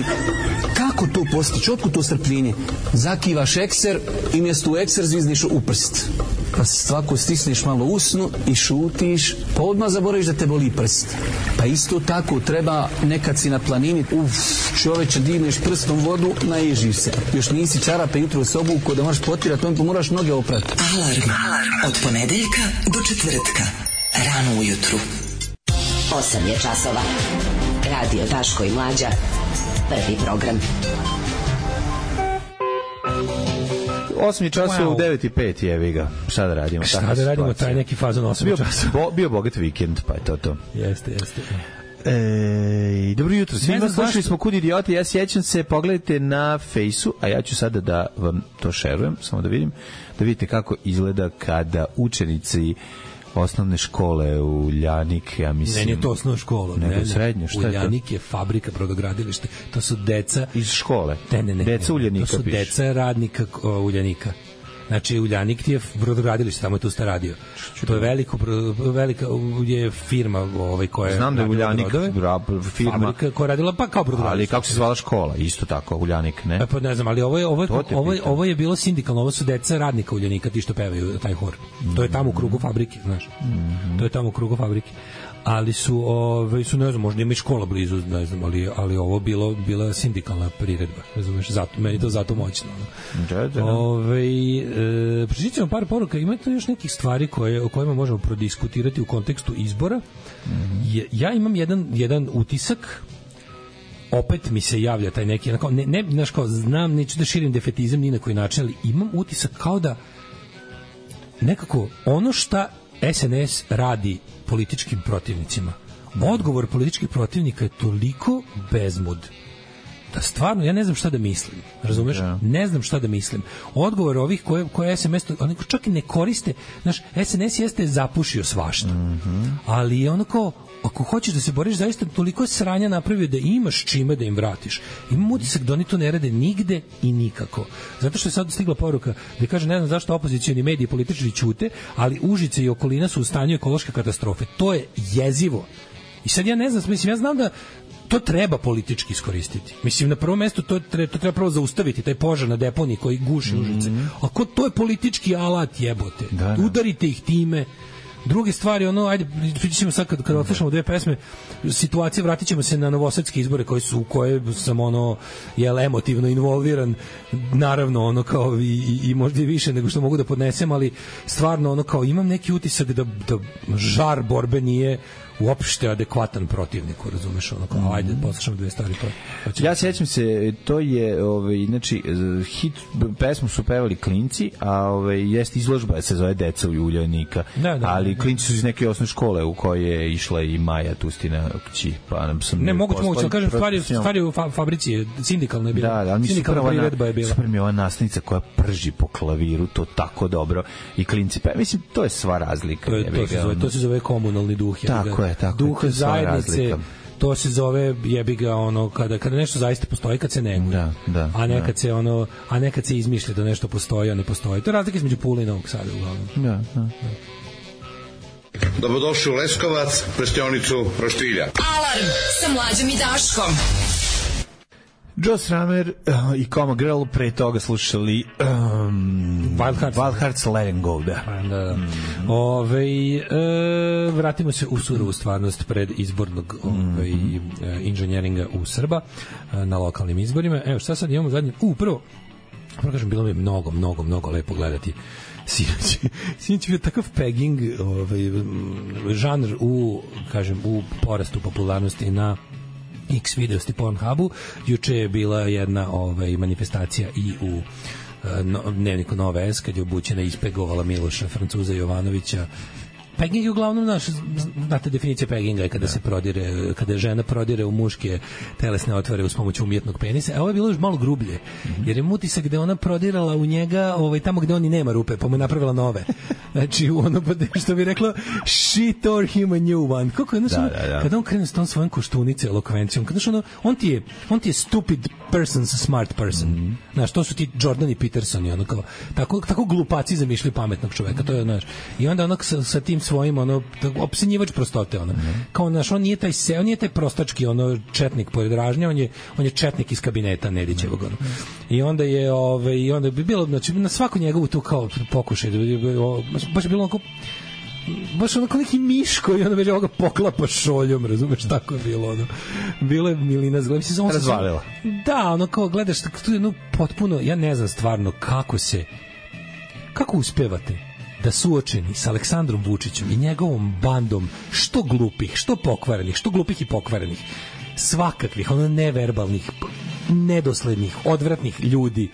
kako to postići? Otkud to strpljenje? Zakivaš ekser i mjesto u ekser zvizniš u prst. Pa svako stisneš malo usnu i šutiš, pa odmah zaboraviš da te boli prst. Pa isto tako treba nekad si na planini, uf, čoveče, divneš prstom vodu, naježiš se. Još nisi čarape jutro u sobu ko da moraš potirati, on pa moraš noge oprati. Alarm. Alarm. Od ponedeljka do četvrtka. Rano ujutru. osam je časova. Radio Daško i Mlađa. Prvi program. osam je časova wow. U devet i pet jevi ga. Šta da radimo? Šta da radimo, situacija. Taj neki fazon osam časova. Bo, bio bogat vikend, pa je to to. Jeste, jeste. E, dobro jutro svima, slušali smo Kud idioti, ja sjećam se, pogledajte na fejsu, a ja ću sada da vam to šerujem, samo da vidim, da vidite kako izgleda kada učenici osnovne škole u Uljanik, ja mislim... Ne, nije to osnovna škola. Nego ne, srednje, šta je to? Uljanik je fabrika, brodogradilište. To su deca... Iz škole? Ne, ne, ne. Deca Uljanika piše. To su piše. deca radnika Uljanika. Znači, Uljanik ti je brodogradilište, tamo je tu sta radio. To je veliko, velika je firma ovaj, koja je... Znam da je Uljanik firma... Fabrika koja je radila pa kao brodogradilište. Ali kako se zvala škola? Isto tako, Uljanik, ne? E, pa ne znam, ali ovo je, ovo je, ovo je, ovo je bilo sindikalno, ovo su deca radnika Uljanika, ti što pevaju taj hor. Mm-hmm. To je tamo u krugu fabrike, znaš. Mm-hmm. To je tamo u krugu fabrike. Ali su, ove, su ne znam, možda ima i škola blizu, ne znam, ali, ali ovo bilo, bila sindikalna priredba, ne znam, zato, meni to zato moćno. Da, da. Ove, e, Pročićemo par poruka, ima to još nekih stvari koje, o kojima možemo prodiskutirati u kontekstu izbora. Mm-hmm. Je, ja imam jedan, jedan utisak, opet mi se javlja taj neki, onako, ne, ne, znaš kao, znam, neću da širim defetizam ni na koji način, ali imam utisak kao da nekako ono šta S N S radi političkim protivnicima. Odgovor političkih protivnika je toliko bezmud da stvarno ja ne znam šta da mislim. Razumeš? Yeah. Ne znam šta da mislim. Odgovor ovih koje koje S M S oni čak i ne koriste, znaš, S N S jeste zapušio svašta. Mm-hmm. Ali je onako, ako hoćeš da se boriš, zaista toliko sranja napravio da imaš čime da im vratiš. Imam utisak da oni to ne rade nigde i nikako. Zato što je sad stigla poruka da kaže, ne znam zašto opozicioni mediji političari ćute, ali Užice i okolina su u stanju ekološke katastrofe. To je jezivo. I sad ja ne znam, mislim, ja znam da to treba politički iskoristiti. Mislim, na prvom mestu to treba, to treba prvo zaustaviti, taj požar na deponiji koji guši mm-hmm. Užice. Ako to je politički alat, jebote. Da, da. Udarite ih time. Druge stvari, ono, ajde, pričamo sad kad, kad odslušamo dve pesme, situacije, vratit ćemo se na novosadske izbore koji su, u koje sam, ono, jel, emotivno involviran, naravno, ono, kao i, i, i možda i više nego što mogu da podnesem, ali stvarno, ono, kao imam neki utisak da, da žar borbe nije uopšte adekvatan protivniku, razumeš, ono, kao, ajde, poslušamo dve stvari. Pa, ja sećam se, to je, ovaj, znači, hit, pesmu su pevali klinci, a ovaj, jeste izložba, se zove Deca u Uljanika, da, da, ali klinci su iz neke osnovne škole u koje je išla i Maja Tustina kći, pa nam sam... Ne, moguće, moguće, ali kažem, stvari, stvari u fa fabrici, sindikalna je bila. Da, da, ali mi su prva na, super mi je ova nastavnica koja prži po klaviru, to tako dobro, i klinci, pa mislim, to je sva razlika. To, je, to, se, zove, to se zove komunalni duh. Tako je, tako duh je, zajednice, to se zove, jebi ga, ono, kada, kada nešto zaista postoji, kad se neguje, da, da, a nekad da. se ono, a nekad se izmišlja da nešto postoji, a ne postoji. To je razlika između Pule i Novog Sada, uglavnom. Da, da, da. Dobrodošli u Leskovac, prštionicu Roštilja. Alarm sa Mlađom i Daškom. Joe Strummer uh, i Coma Girl, pre toga slušali um, Wild Hearts, Wild Hearts Let 'em Go, da. da. Mm. Ove, e, vratimo se u surovu stvarnost pred izbornog ove, mm. inženjeringa u Srba na lokalnim izborima. Evo šta sad imamo zadnje, u prvo, prvo kažem, bilo mi je mnogo, mnogo, mnogo lepo gledati sinoć. Sinoć je bio takav pegging, ovaj, žanr u, kažem, u porastu popularnosti na X videosti Pornhubu. Juče je bila jedna ovaj, manifestacija i u no, dnevniku Nove S, kad je obućena ispegovala Miloša Francuza Jovanovića. Pegging je uglavnom naš, znate definicija pegginga je kada se prodire, kada žena prodire u muške telesne otvore uz pomoć umjetnog penisa, a ovo je bilo još malo grublje, jer je utisak gde ona prodirala u njega ovaj, tamo gde on i nema rupe, pa mu je napravila nove. Znači, ono, što bi reklo, she tore him a new one. Kako je, znači, da, da, da. Kada on krene s tom svojom koštunice, elokvencijom, kada ono, on ti je, on ti je stupid person's smart person. Mm-hmm. Znaš, to su ti Jordan i Peterson i ono kao, tako, tako glupaci zamišljaju pametnog čoveka, to je, znaš, i onda ono sa, sa tim svojim, ono, opsenjivač prostote, ono, mm-hmm. kao, znaš, on nije taj se, on nije taj prostački, ono, četnik pored ražnja, on je, on je četnik iz kabineta Nedićevog, ono. I onda je, ove, i onda bi bilo, znači, na svaku njegovu tu kao pokušaj, baš je bilo onako, baš onako neki miš koji ono već ovoga poklapa šoljom, razumeš, tako je bilo, ono. Bilo je milina zgleda. Razvalila. Da, ono kao gledaš, tu je ono potpuno, ja ne znam stvarno kako se, kako uspevate da suočeni sa Aleksandrom Vučićem i njegovom bandom što glupih, što pokvarenih, što glupih i pokvarenih, svakakvih, ono neverbalnih, nedoslednih, odvratnih ljudi,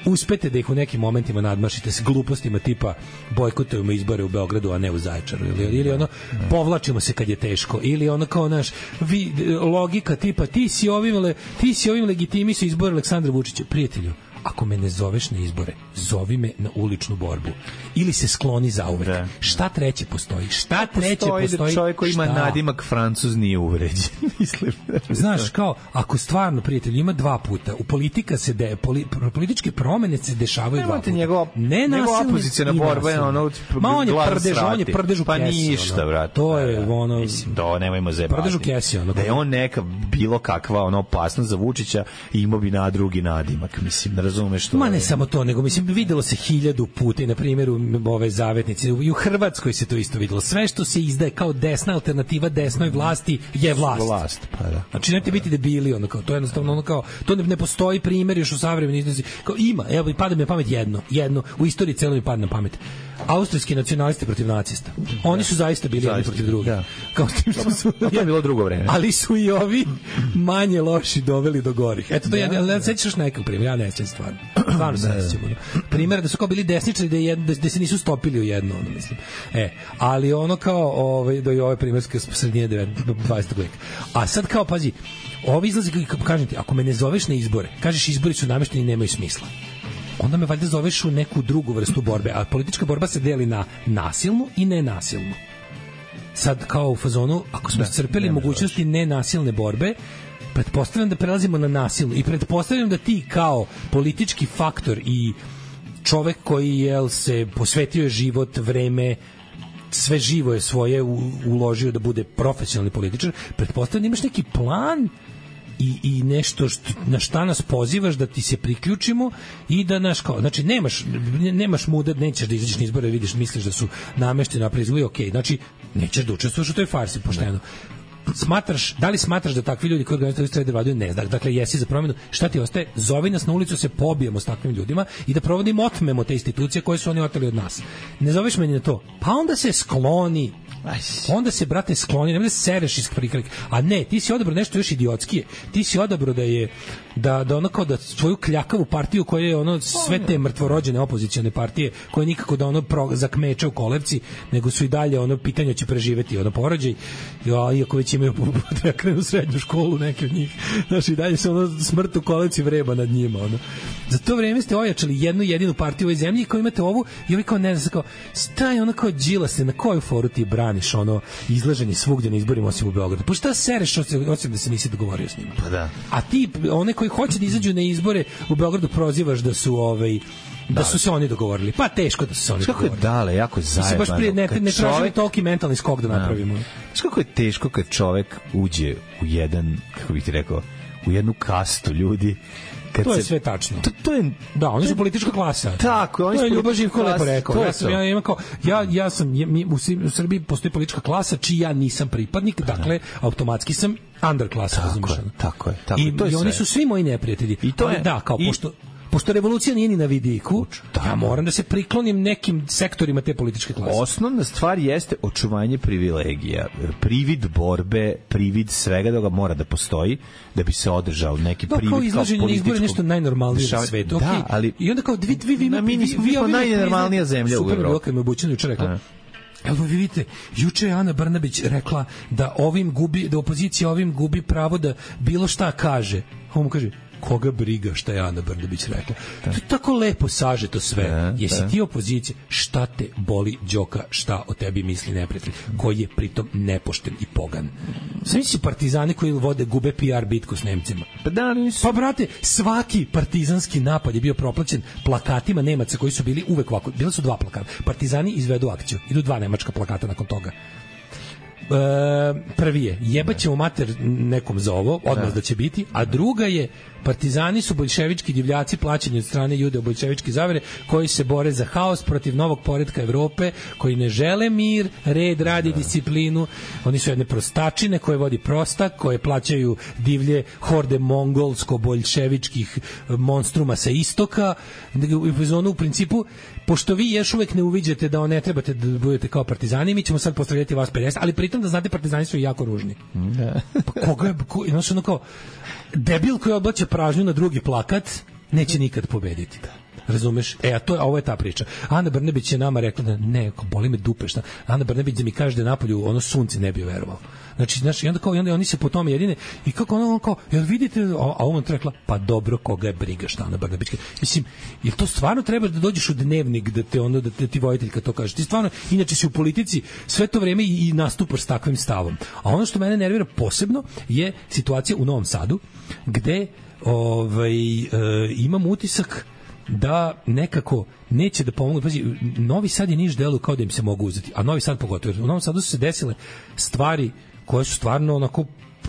uspete da ih u nekim momentima nadmašite s glupostima tipa bojkotujemo izbore u Beogradu, a ne u Zaječaru, ili, ili ono povlačimo se kad je teško, ili ono kao naš vi, logika tipa ti si ovim, ti si ovim legitimisao izbore Aleksandra Vučića. Prijatelju, ako me ne zoveš na izbore, zovi me na uličnu borbu ili se skloni zauvek. Da. Šta treće postoji? Šta treće postoji? Postoji da čovjek koji ima nadimak Francuz nije uvređen. Mislim. Znaš, kao, ako stvarno, prijatelj, ima dva puta, u politika se de, poli, političke promene se dešavaju ne dva puta. Njegova, ne njegova opozicijna borba je ono Ma on je prdež, on je prdež u pa kesi. Ništa, brate. To je ono... Mislim, to nemojmo zebati. Prdež u kesi, ono. Da je on neka bilo kakva ono opasnost za Vučića i imao bi na drugi nadimak, mislim, razumeš to. Ma ne samo to, nego mislim videlo se hiljadu puta i na primjeru ove zavetnice i u Hrvatskoj se to isto videlo. Sve što se izdaje kao desna alternativa desnoj vlasti je vlast. Vlast, pa da. Znači nemojte biti debili, ono kao to je jednostavno ono kao to ne, ne postoji primjer još u savremenoj iznosi. Kao ima, evo i pada mi na pamet jedno, jedno u istoriji celo mi pada na pamet. Austrijski nacionalisti protiv nacista. Oni su zaista bili jedni protiv drugih. Da. Kao tim što su to je bilo drugo vreme. Ali su i ovi manje loši doveli do gorih. Eto to ja ne sećaš nekog primjera, ja ne sećam stvarno. Stvarno se ne sećam. Primjer da su kao bili desničari da, je, da, da se nisu stopili u jedno, ono mislim. E, ali ono kao ovaj do i ove primerske sredine dvadesetog veka. A sad kao pazi, ovi izlazi kažem ti, ako me ne zoveš na izbore, kažeš izbori su namešteni i nemaju smisla. Onda me valjda zoveš u neku drugu vrstu borbe, a politička borba se deli na nasilnu i nenasilnu. Sad kao u fazonu, ako smo iscrpeli mogućnosti nenasilne borbe, pretpostavljam da prelazimo na nasilnu i pretpostavljam da ti kao politički faktor i čovek koji jel, se posvetio je život, vreme, sve živo je svoje uložio da bude profesionalni političar, pretpostavljam da imaš neki plan i, i nešto što, na šta nas pozivaš da ti se priključimo i da naš kao, znači nemaš nemaš muda, nećeš da izađeš na izbore, vidiš, misliš da su namešteni na proizvodi, okej, znači nećeš da učestvuješ u toj farsi pošteno. Smatraš, da li smatraš da takvi ljudi koji organizuju strede vladaju? Ne, dakle jesi za promjenu, šta ti ostaje? Zovi nas na ulicu, se pobijemo s takvim ljudima i da provodimo, otmemo te institucije koje su oni oteli od nas. Ne zoveš meni na to, pa onda se skloni. Onda se, brate, skloni, nemoj da sereš iz prikrika. A ne, ti si odabrao nešto još idiotskije. Ti si odabrao da je da da ono kao da svoju kljakavu partiju koja je ono sve te mrtvorođene opozicione partije koje nikako da ono pro, zakmeče u kolevci, nego su i dalje ono pitanje će preživeti ono porođaj. Ja, iako već imaju da krenu srednju školu neki od njih. Znači i dalje se ono smrt u kolevci vreba nad njima ono. Za to vreme ste ojačali jednu jedinu partiju u ovoj zemlji kao imate ovu i ovi kao ne znam kao staj ono kao Đilase, na koju foru ti braniš ono izlaženje svugdje na izborima osim u Beogradu. Pa šta sereš osim da se nisi dogovorio s njima? Pa da. A ti one koji hoće da izađu na izbore u Beogradu prozivaš da su ovaj da, da su se oni dogovorili. Pa teško da su se oni kako dogovorili. Kako je dale, jako zajebano. Baš prije ne, ne tražili toliki mentalni skok da napravimo. Znaš kako je teško kad čovek uđe u jedan, kako bih ti rekao, u jednu kastu ljudi. Kad to je se, sve tačno. To, to je, da, oni su politička klasa. Tako, oni su Ljubav Živko lepo rekao. Ja sam, ja, imam kao, ja, ja sam, ja, mi, u Srbiji postoji politička klasa čiji ja nisam pripadnik, dakle, automatski sam underklasa, razumiješ? Tako je, tako je. Tako, I, to je i oni sve. su svi moji neprijatelji. I to ali, je, da, kao, i, pošto, pošto revolucija nije ni na vidiku, ja moram da se priklonim nekim sektorima te političke klase. Osnovna stvar jeste očuvanje privilegija. Privid borbe, privid svega da ga mora da postoji, da bi se održao neki da, privid kao političkog... Da, kao izlaženje na izbore nešto najnormalnije na svetu. Da, okay. ali... I onda kao, vi, vi, vi, na, mi nismo, vi, vi, najnormalnija zemlja u Evropi. Super, kad me obučeno juče rekla, evo vi vidite, juče je Ana Brnabić rekla da ovim gubi, da opozicija ovim gubi pravo da bilo šta kaže. On mu kaže, koga briga šta je Ana Brnabić rekla. To je tako lepo sažeto sve. Da, Jesi da. ti opozicija, šta te boli Đoka, šta o tebi misli neprijatelj, koji je pritom nepošten i pogan. Svi si partizani koji vode gube P R bitku s Nemcima. Pa, da, pa brate, svaki partizanski napad je bio proplaćen plakatima Nemaca koji su bili uvek ovako. Bila su dva plakata. Partizani izvedu akciju. Idu dva nemačka plakata nakon toga. E, prvi je jebaćemo mater nekom za ovo, odmah da. da će biti, a druga je partizani su boljševički divljaci plaćeni od strane judeo-boljševičke zavere koji se bore za haos protiv novog poretka Evrope, koji ne žele mir, red, rad i disciplinu. Oni su jedne prostačine koje vodi prostak, koje plaćaju divlje horde mongolsko-boljševičkih monstruma sa istoka. U zonu u principu, pošto vi još uvek ne uviđate da ne trebate da budete kao partizani, mi ćemo sad postavljati vas pedeset, ali pritom da znate partizani su jako ružni. Da. Pa koga je, ko, znači ono kao debil koji odbače pražnju na drugi plakat neće nikad pobediti. Razumeš? E, a, to, a ovo je ta priča. Ana Brnabić je nama rekla da ne, boli me dupe, šta. Ana Brnabić da mi kaže da je napolju ono sunce ne bi verovao. Znači, znači, i onda kao, i onda oni se po tome jedine, i kako ono, ono kao, jel vidite, a, a on rekla, pa dobro, koga je briga šta Ana Brnabić. Mislim, jel to stvarno treba da dođeš u dnevnik, da te ono, da te ti vojiteljka to kaže. Ti stvarno, inače si u politici sve to vreme i, i nastupaš s takvim stavom. A ono što mene nervira posebno je situacija u Novom Sadu, gde ovaj, e, imam utisak da nekako neće da pomogu. Pazi, Novi Sad i Niš deluju kao da im se mogu uzeti, a Novi Sad pogotovo. U Novom Sadu su se desile stvari koje su stvarno onako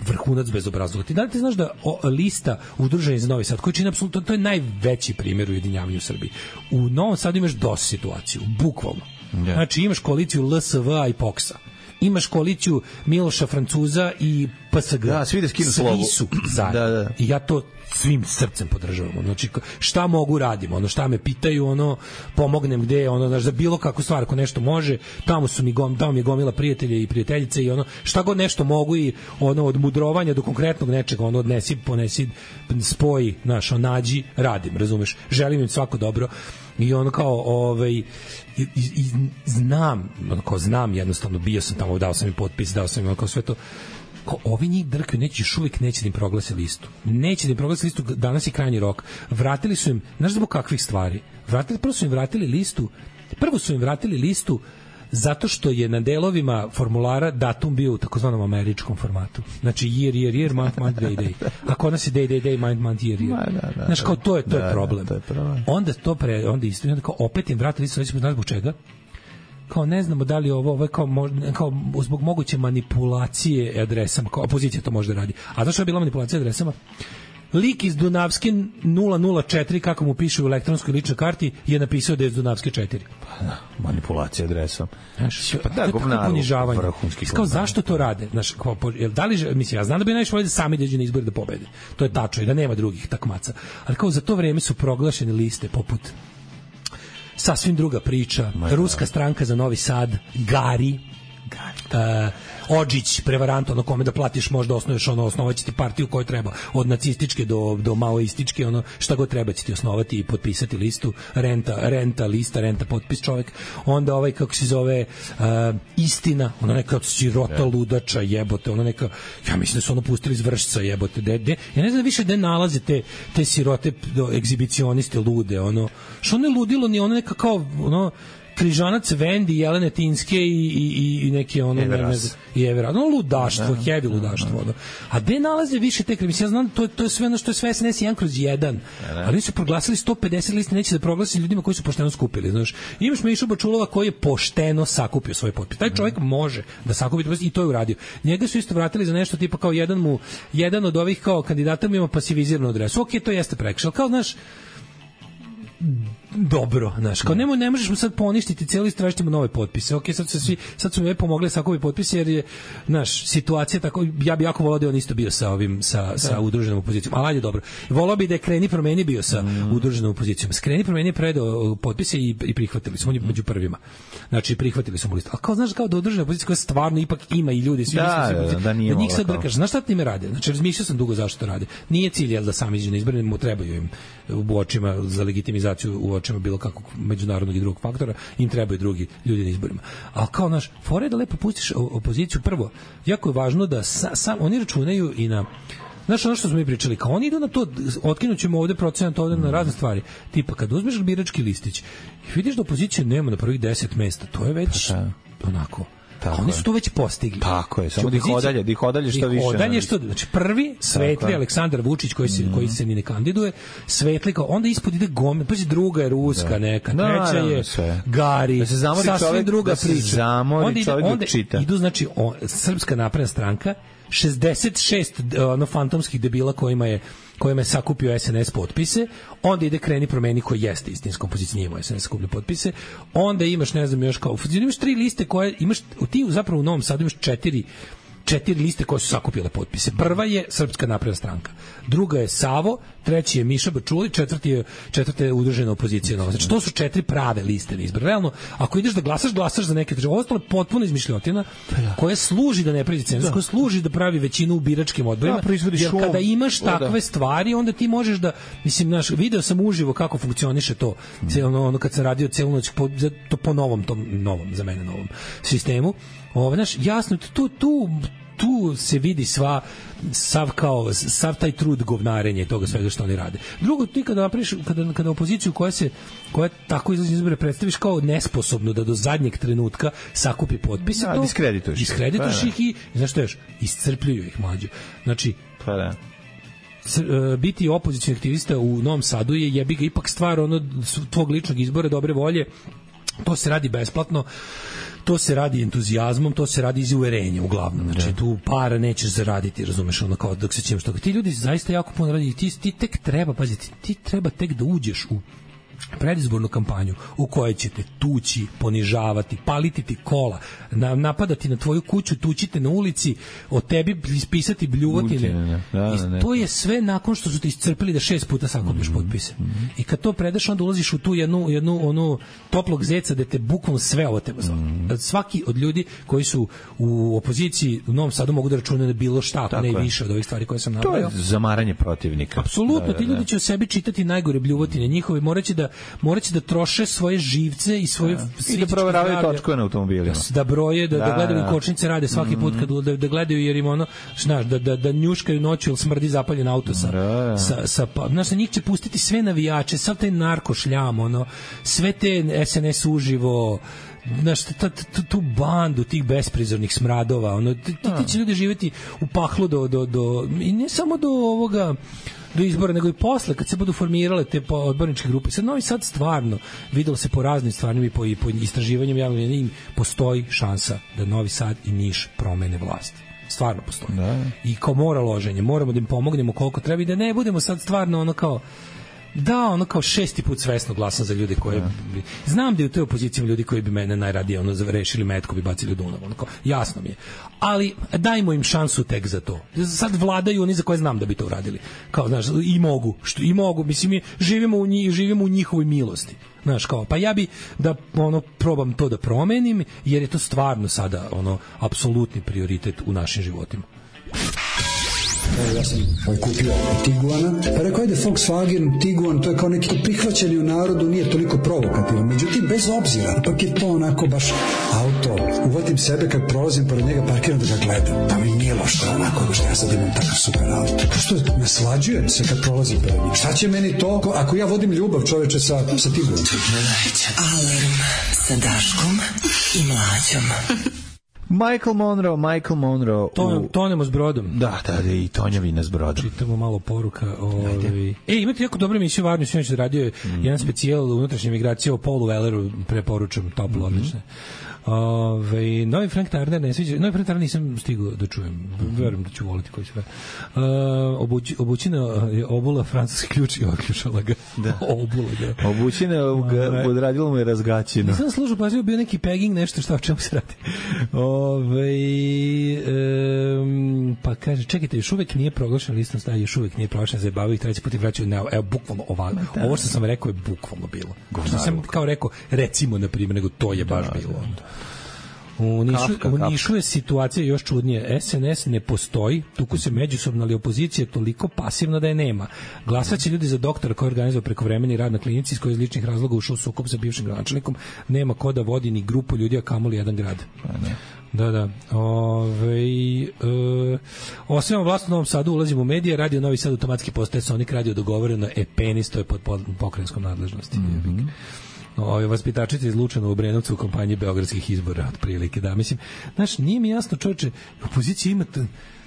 vrhunac bezobrazluka. Ti da li ti znaš da o, lista udruženja za Novi Sad, koji čini apsolutno, to je najveći primjer ujedinjavanja u Srbiji. U Novom Sadu imaš D O S situaciju, bukvalno. Yeah. Znači imaš koaliciju L S V-a i P O K S-a. Imaš koaliciju Miloša Francuza i P S G. Da, svi da skinu slovu. Svi su zajedno. Da, da. I ja to svim srcem podržavam. Znači, šta mogu radim? Ono, šta me pitaju, ono, pomognem gde, ono, znaš, za bilo kakvu stvar, ako nešto može, tamo su mi, gom, tamo mi je gomila prijatelje i prijateljice i ono, šta god nešto mogu i ono, od mudrovanja do konkretnog nečega, ono, odnesi, ponesi, spoji, znaš, on, nađi, radim, razumeš? Želim im svako dobro. I ono kao, ovaj, i, i, i znam, ono kao znam jednostavno, bio sam tamo, dao sam im potpis, dao sam im ono kao sve to, kao ovi njih drkaju, neće još uvijek neće da im proglase listu. Neće da im proglase listu, danas je krajnji rok. Vratili su im, znaš zbog kakvih stvari? Vratili, prvo su im vratili listu, prvo su im vratili listu zato što je na delovima formulara datum bio u takozvanom američkom formatu. Znači year, year, year, month, month, day, day. A kod nas je day, day, day, month, month, year, year. Da, da, znaš, kao to je, to da, je problem. Da, to je problem. Onda to pre, onda isto, onda kao opet im vratili listu, nećemo znati zbog čega. kao ne znamo da li ovo, ovo je kao, možda, kao zbog moguće manipulacije adresama, kao opozicija to može da radi. A zašto je bila manipulacija adresama? Lik iz Dunavske nula nula četiri, kako mu piše u elektronskoj ličnoj karti, je napisao da je iz Dunavske četiri. Pa da, manipulacija adresom. Znaš, pa da, govnaru, ponižavanje. Kao, zašto to rade? Znaš, kao, da li, mislim, ja znam da bi najviše voleli da sami dođu na izbore da pobede. To je tačno i da nema drugih takmaca. Ali kao za to vreme su proglašene liste poput sasvim druga priča, ruska stranka za Novi Sad, Gari, Gari. Uh, Odžić, prevarant, ono kome da platiš možda osnuješ, ono, osnovaći ti partiju koju treba, od nacističke do, do maoističke, ono, šta god treba će ti osnovati i potpisati listu, renta, renta, lista, renta, potpis čovjek, onda ovaj, kako se zove, uh, Istina, ona neka sirota ludača, jebote, ona neka, ja mislim da su ono pustili iz Vršca, jebote, de, de, ja ne znam više gde nalaze te, te sirote do, egzibicioniste lude, ono, što ne ludilo, ni ono neka kao, ono, Križanac Vendi, Jelene Tinske i, i, i neki ono Everas. i Everas. No, ludaštvo, heavy ludaštvo. Da. A gde nalaze više te krimise? Ja znam, to, to je sve ono što je sve es en es jedan kroz jedan. Ali su proglasili sto pedeset liste, neće da proglasi ljudima koji su pošteno skupili. Znaš, imaš Mišu Bačulova koji je pošteno sakupio svoj potpis. Taj čovjek može da sakupi potpis i to je uradio. Njega su isto vratili za nešto tipa kao jedan mu, jedan od ovih kao kandidata mu ima pasiviziranu adresu. Ok, to jeste prekršaj. Kao, znaš, dobro, znaš, kao ne, ne možeš mu sad poništiti cijeli list, tražiti mu nove potpise. Ok, sad su svi, sad su mi pomogli sakupi potpise jer je, znaš, situacija tako, ja bi jako volao da on isto bio sa ovim, sa, sa udruženom opozicijom, ali ajde dobro. Volao bi da je Kreni promeni bio sa mm. udruženom opozicijom. Kreni promeni je predao potpise i, i prihvatili su, on je među prvima. Znači, prihvatili su mu listu. Ali kao, znaš, kao da udružena opozicija koja stvarno ipak ima i ljudi, svi da, misle, da, da, nije njih sad drkaš. Znaš šta time rade? Znači, razmišljao sam dugo zašto to rade. Nije cilj, jel, da sami iđu na izbore, mu trebaju im u očima za legitimizaciju, u očima bilo kakvog međunarodnog i drugog faktora, im trebaju drugi ljudi na izborima. Ali kao, naš, fore da lepo pustiš opoziciju, prvo, jako je važno da sa, sam, oni računaju i na, znaš, ono što smo mi pričali, kao oni idu na to, otkinut ćemo ovde procenat, ovde na razne stvari, tipa, kad uzmeš birački listić i vidiš da opozicija nema na prvih deset mesta, to je već onako, tako oni su to već postigli. Tako je, samo da ih odalje, da ih odalje što više. Odalje što, znači prvi svetli Aleksandar Vučić koji se, mm. koji se ni ne kandiduje, svetli kao, onda ispod ide Gome, pa druga je ruska da. neka, treća je da, Gari, da se zamori čovjek, druga da se priča. zamori onda ide, čovjek onda čita. Idu, znači, on, Srpska napredna stranka, šezdeset šest ono, fantomskih debila kojima je kojima je sakupio es en es potpise, onda ide Kreni promeni koji jeste istinska opozicija, nije es en es sakupio potpise, onda imaš, ne znam, još kao, imaš tri liste koje, imaš, ti zapravo u Novom Sadu imaš četiri četiri liste koje su sakupile potpise. Prva je Srpska napredna stranka, druga je Savo, treći je Miša Bačuli, četvrti je, četvrta je udružena opozicija Nova. Znači, to su četiri prave liste na izbor. Realno, ako ideš da glasaš, glasaš za neke države. Ostalo je potpuno izmišljotina koja služi da ne pravi cenzus, koja služi da pravi većinu u biračkim odborima. Da, jer kada imaš takve stvari, onda ti možeš da, mislim, naš, video sam uživo kako funkcioniše to, ono, ono kad sam radio celu noć po, to po novom, tom novom, za mene novom sistemu. Ovo, znaš, jasno, tu, tu, tu se vidi sva, sav, kao, sav taj trud govnarenja i toga svega što oni rade. Drugo, ti kada napraviš, kada, kada opoziciju koja se, koja tako izlazi izbore predstaviš kao nesposobnu da do zadnjeg trenutka sakupi potpise, da, to, diskredituješ, diskredituješ ih i, znaš što još, iscrpljuju ih mlađe. Znači, pa da. biti opozicioni aktivista u Novom Sadu je jebi ga ipak stvar ono tvog ličnog izbora, dobre volje. To se radi besplatno, to se radi entuzijazmom, to se radi iz uverenja uglavnom. Znači, da. Tu para nećeš zaraditi, razumeš, ono kao dok se ćemo što. Ti ljudi zaista jako puno radi, ti, ti tek treba, paziti, ti treba tek da uđeš u predizbornu kampanju u kojoj ćete tući, ponižavati, paliti ti kola, na, napadati na tvoju kuću, tućite na ulici, o tebi ispisati bljuvotine. Da, da, to je sve nakon što su te iscrpili da šest puta sakupiš mm-hmm. potpise. Mm-hmm. I kad to predaš, onda ulaziš u tu jednu, jednu onu toplog zeca da te bukvalno sve ovo teba zove. Mm-hmm. Svaki od ljudi koji su u opoziciji u Novom Sadu mogu da računaju na bilo šta, ako ne i više od ovih stvari koje sam nabrojao. To je zamaranje protivnika. Apsolutno, da, da, ti ljudi će o sebi čitati najgore bljuvotine njihove, moraće da moraće da troše svoje živce i svoje da. I da proveravaju točkove na automobilima. Da broje, da, da, da gledaju kočnice rade svaki put kad da, da gledaju jer im ono, znaš, da, da, da njuškaju noću ili smrdi zapaljen auto sa, da. sa, sa pa, znaš, njih će pustiti sve navijače, sav taj narkošljam, ono, sve te es en es uživo, znaš, tu bandu tih besprizornih smradova, ono, ti, ti će ljudi živjeti u pahlu do, do, do, i ne samo do ovoga, do izbora, nego i posle, kad se budu formirale te odborničke grupe. Sad Novi Sad stvarno, videlo se po raznim stvarima i po, i po istraživanjem javnog mnjenja, postoji šansa da Novi Sad i Niš promene vlasti. Stvarno postoji. Da. I kao mora loženje, moramo da im pomognemo koliko treba i da ne budemo sad stvarno ono kao da, ono kao šesti put svesno glasam za ljude koje... Ja. Znam da je u toj opoziciji ljudi koji bi mene najradije ono rešili metko bi bacili u Dunav. Ono kao, jasno mi je. Ali dajmo im šansu tek za to. Sad vladaju oni za koje znam da bi to uradili. Kao, znaš, i mogu. Što, i mogu. Mislim, mi živimo u, njih, živimo u njihovoj milosti. Znaš, kao, pa ja bi da ono probam to da promenim, jer je to stvarno sada ono apsolutni prioritet u našim životima. Evo, ja sam kupio Tiguana, pa rekao, ajde Volkswagen, Tiguan, to je kao neki prihvaćeni u narodu, nije toliko provokativan. Međutim, bez obzira, ipak je to onako baš auto. Uvatim sebe kad prolazim pored njega, parkiram da ga gledam. Da mi nije lošto onako, što ja sad imam takav super auto. Što naslađujem se kad prolazim pored njega. Šta će meni to, ako ja vodim ljubav, čoveče, sa, sa Tiguanom? Alarm sa Daškom i Mlađom. Michael Monroe, Michael Monroe. To, tonemo s brodom. Da, da, i tonjavina s brodom. Čitamo malo poruka. Ovaj. E, imate jako dobro emisiju Varnju, sinoć radio mm. jedan specijal unutrašnje migracije o Paulu Welleru, preporučujem, toplo, mm-hmm. odlične. Ove, novi Frank Turner ne sviđa, novi Frank Turner nisam stigao da čujem, mm-hmm. verujem da ću voliti koji sve. Uh, obuć, obućina je obula francuski ključ i oključala ga. Da. Obula ga. Obućina ga odradilo mu je razgaćino. Nisam slušao, pa je bio neki pegging, nešto šta o čemu se radi. Ove, um, pa kaže, čekajte, još uvek nije proglašen listom staja, još uvek nije proglašen, zabavaju ih treći put i vraćaju, ne, evo, bukvalno ovako. Ovo što sam rekao je bukvalno bilo. Što sam kao rekao, recimo, na primjer, nego to je baš da, bilo. Da. U Nišu, kafka, u Nišu je situacija još čudnije. S N S ne postoji, tuku se međusobno, ali opozicija je toliko pasivna da je nema. Glasaće ljudi za doktora koji je organizovao prekovremeni rad na klinici iz koje iz ličnih razloga ušao u sukob sa bivšim gradonačelnikom. Nema ko da vodi ni grupu ljudi, a kamoli jedan grad. Ne. Da, da. Ove, e, osvijamo vlast u Novom Sadu, ulazimo u medije, radio Novi Sad automatski postaje Sonik radio dogovoreno, e penis, to je pod, pod pokrajinskom nadležnosti. Mm-hmm. Ovi vaspitačice iz Lučana u Brenovcu u kampanji beogradskih izbora, otprilike, da, mislim, znaš, nije mi jasno, čovječe, opozicija ima,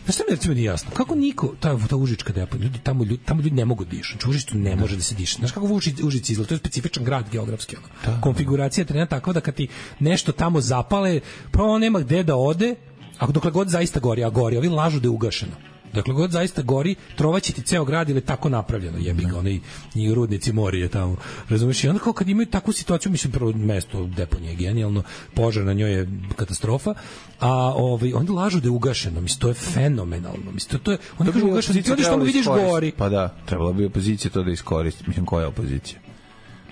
znaš šta mi recimo nije jasno, kako niko, ta, ta Užička depa, ljudi, tamo, ljudi, tamo ljudi ne mogu dišati, u Užičku ne može da se diše, znaš kako u Užici izgleda, to je specifičan grad geografski, ono, da, konfiguracija je trena takva da kad ti nešto tamo zapale, prvo nema gde da ode, a dokle god zaista gori, a gori, ovi lažu da je ugašeno. Dakle, god zaista gori, trovaće ti ceo grad ili tako napravljeno, jebi ga, onaj i rudnici Morije tamo, razumiješ? I onda kao kad imaju takvu situaciju, mislim, prvo mesto deponije je genijalno, požar na njoj je katastrofa, a ovaj, onda lažu da je ugašeno, mislim, to je fenomenalno, mislim, to je, onda kažu ugašeno, ti odiš tamo vidiš gori. Pa da, trebalo bi opozicija to da iskoristi, mislim, koja je opozicija?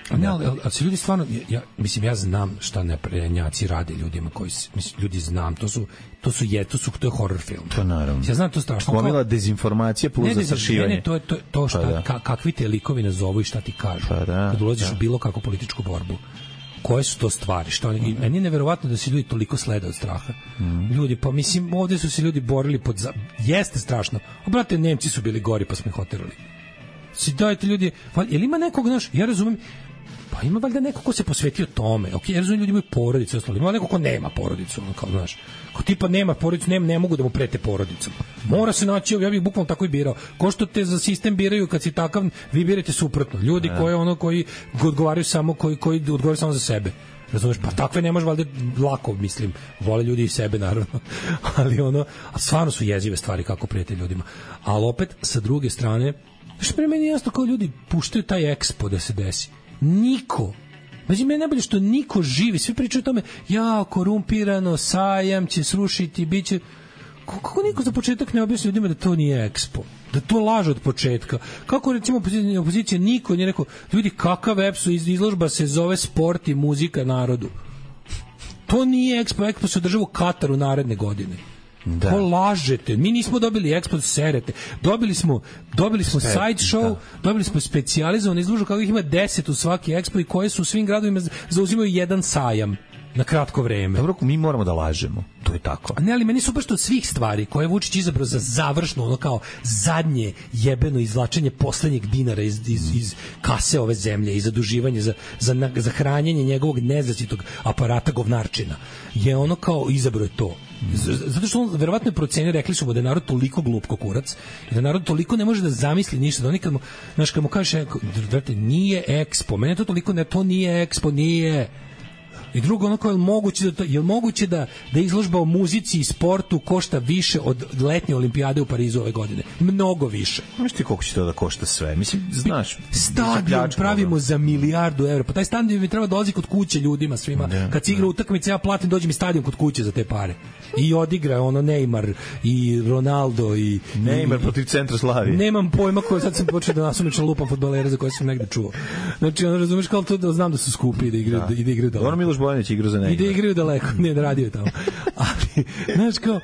A ne, ali, ali, ali se ljudi stvarno, ja, mislim, ja znam šta naprednjaci rade ljudima koji, mislim, ljudi znam, to su, to su, je, to su, to je horror film. To naravno. Ja znam to strašno. Gomila dezinformacija plus zastrašivanje. Ne, ne, to je to, to šta, pa da. ka, kakvi te likovi nazovu i šta ti kažu. Pa da, kad ulaziš da. u bilo kakvu političku borbu. Koje su to stvari? Što oni, mm. meni je neverovatno da se ljudi toliko slede od straha. Mm. Ljudi, pa mislim, ovdje su se ljudi borili pod... Za... Jeste strašno. Obrate, Nemci su bili gori pa smo ih oterali. Si dajte ljudi... Je li ima nekog, znaš, ja razumem, pa ima valjda neko ko se posvetio tome. Ok, ja razumijem, ljudi imaju porodice, ostalo. Ima neko ko nema porodicu, ono kao, znaš. Ko tipa nema porodicu, ne, ne mogu da mu prete porodicom. Mora se naći, ja bih bukvalno tako i birao. Ko što te za sistem biraju kad si takav, vi birate suprotno. Ljudi koji ono koji odgovaraju samo koji koji odgovaraju samo za sebe. Razumeš, pa takve ne može valjda lako, mislim, vole ljudi i sebe naravno. Ali ono, a stvarno su jezive stvari kako prete ljudima. Ali opet sa druge strane, što pri meni jasno kao ljudi puštaju taj Expo da se desi. Niko, znači meni najbolje što niko živi, svi pričaju o tome, ja, korumpirano, sajam će srušiti, bit će, kako niko za početak ne objasni ljudima da to nije Expo, da to laže od početka, kako recimo opozicija, opozicija niko nije rekao, ljudi, kakav Expo, izložba se zove sport i muzika narodu, to nije Expo, Expo se održava u Kataru naredne godine. Da. Ko lažete? Mi nismo dobili Expo, serete. Dobili smo, dobili smo Spe, side show, da. dobili smo specijalizovanu izložbu kako ih ima deset u svaki Expo i koje su u svim gradovima zauzimaju jedan sajam na kratko vreme. Dobro, mi moramo da lažemo. To je tako. A ne, ali meni su baš od svih stvari koje je Vučić izabrao za završno, ono kao zadnje jebeno izvlačenje poslednjeg dinara iz, iz, iz kase ove zemlje i zaduživanje za, za, za hranjenje njegovog nezasitog aparata govnarčina. Je ono kao izabrao to. Zato što on verovatno je procenio, rekli su mu da je narod toliko glup ko kurac, da narod toliko ne može da zamisli ništa, da oni kad mu, znaš, kad mu kaže, drate, nije Expo, mene to toliko ne, to nije Expo, nije. I drugo, ono kao, je li moguće da, to, je li moguće da, da izložba o muzici i sportu košta više od letnje olimpijade u Parizu ove godine? Mnogo više. Znaš ti koliko će to da košta sve? Mislim, znaš... Stadion pravimo za milijardu evra. Pa taj stadion mi treba dolazi kod kuće ljudima svima. Da, kad se igra utakmice, ja platim, dođe mi stadion kod kuće za te pare. I odigra ono Neymar i Ronaldo i... Neymar protiv Centra Slavije. Nemam pojma koji sad sam počeo da nasumično lupam fudbalere za koje sam negde čuo. Znači, ono, razumeš, kao to da znam da su skupi i da igraju, da. I da igraju daleko. Bojanić igra za Neymar. I da igraju daleko, ne, da radio je tamo. Ali, znaš, kao,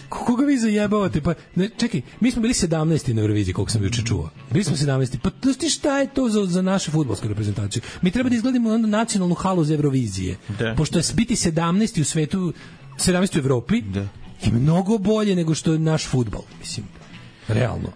koga vi zajebavate? Pa, ne, čekaj, mi smo bili sedamnaesti na Euroviziji, koliko sam juče čuo. Bili smo sedamnaesti. Pa, ti šta je to za, za našu fudbalsku reprezentaciju? Mi treba da izgledamo onda nacionalnu halu za Eurovizije. Da. Pošto je biti sedamnaesti u svetu, sedamnaesti u Evropi, da. Je mnogo bolje nego što je naš fudbal, mislim, realno.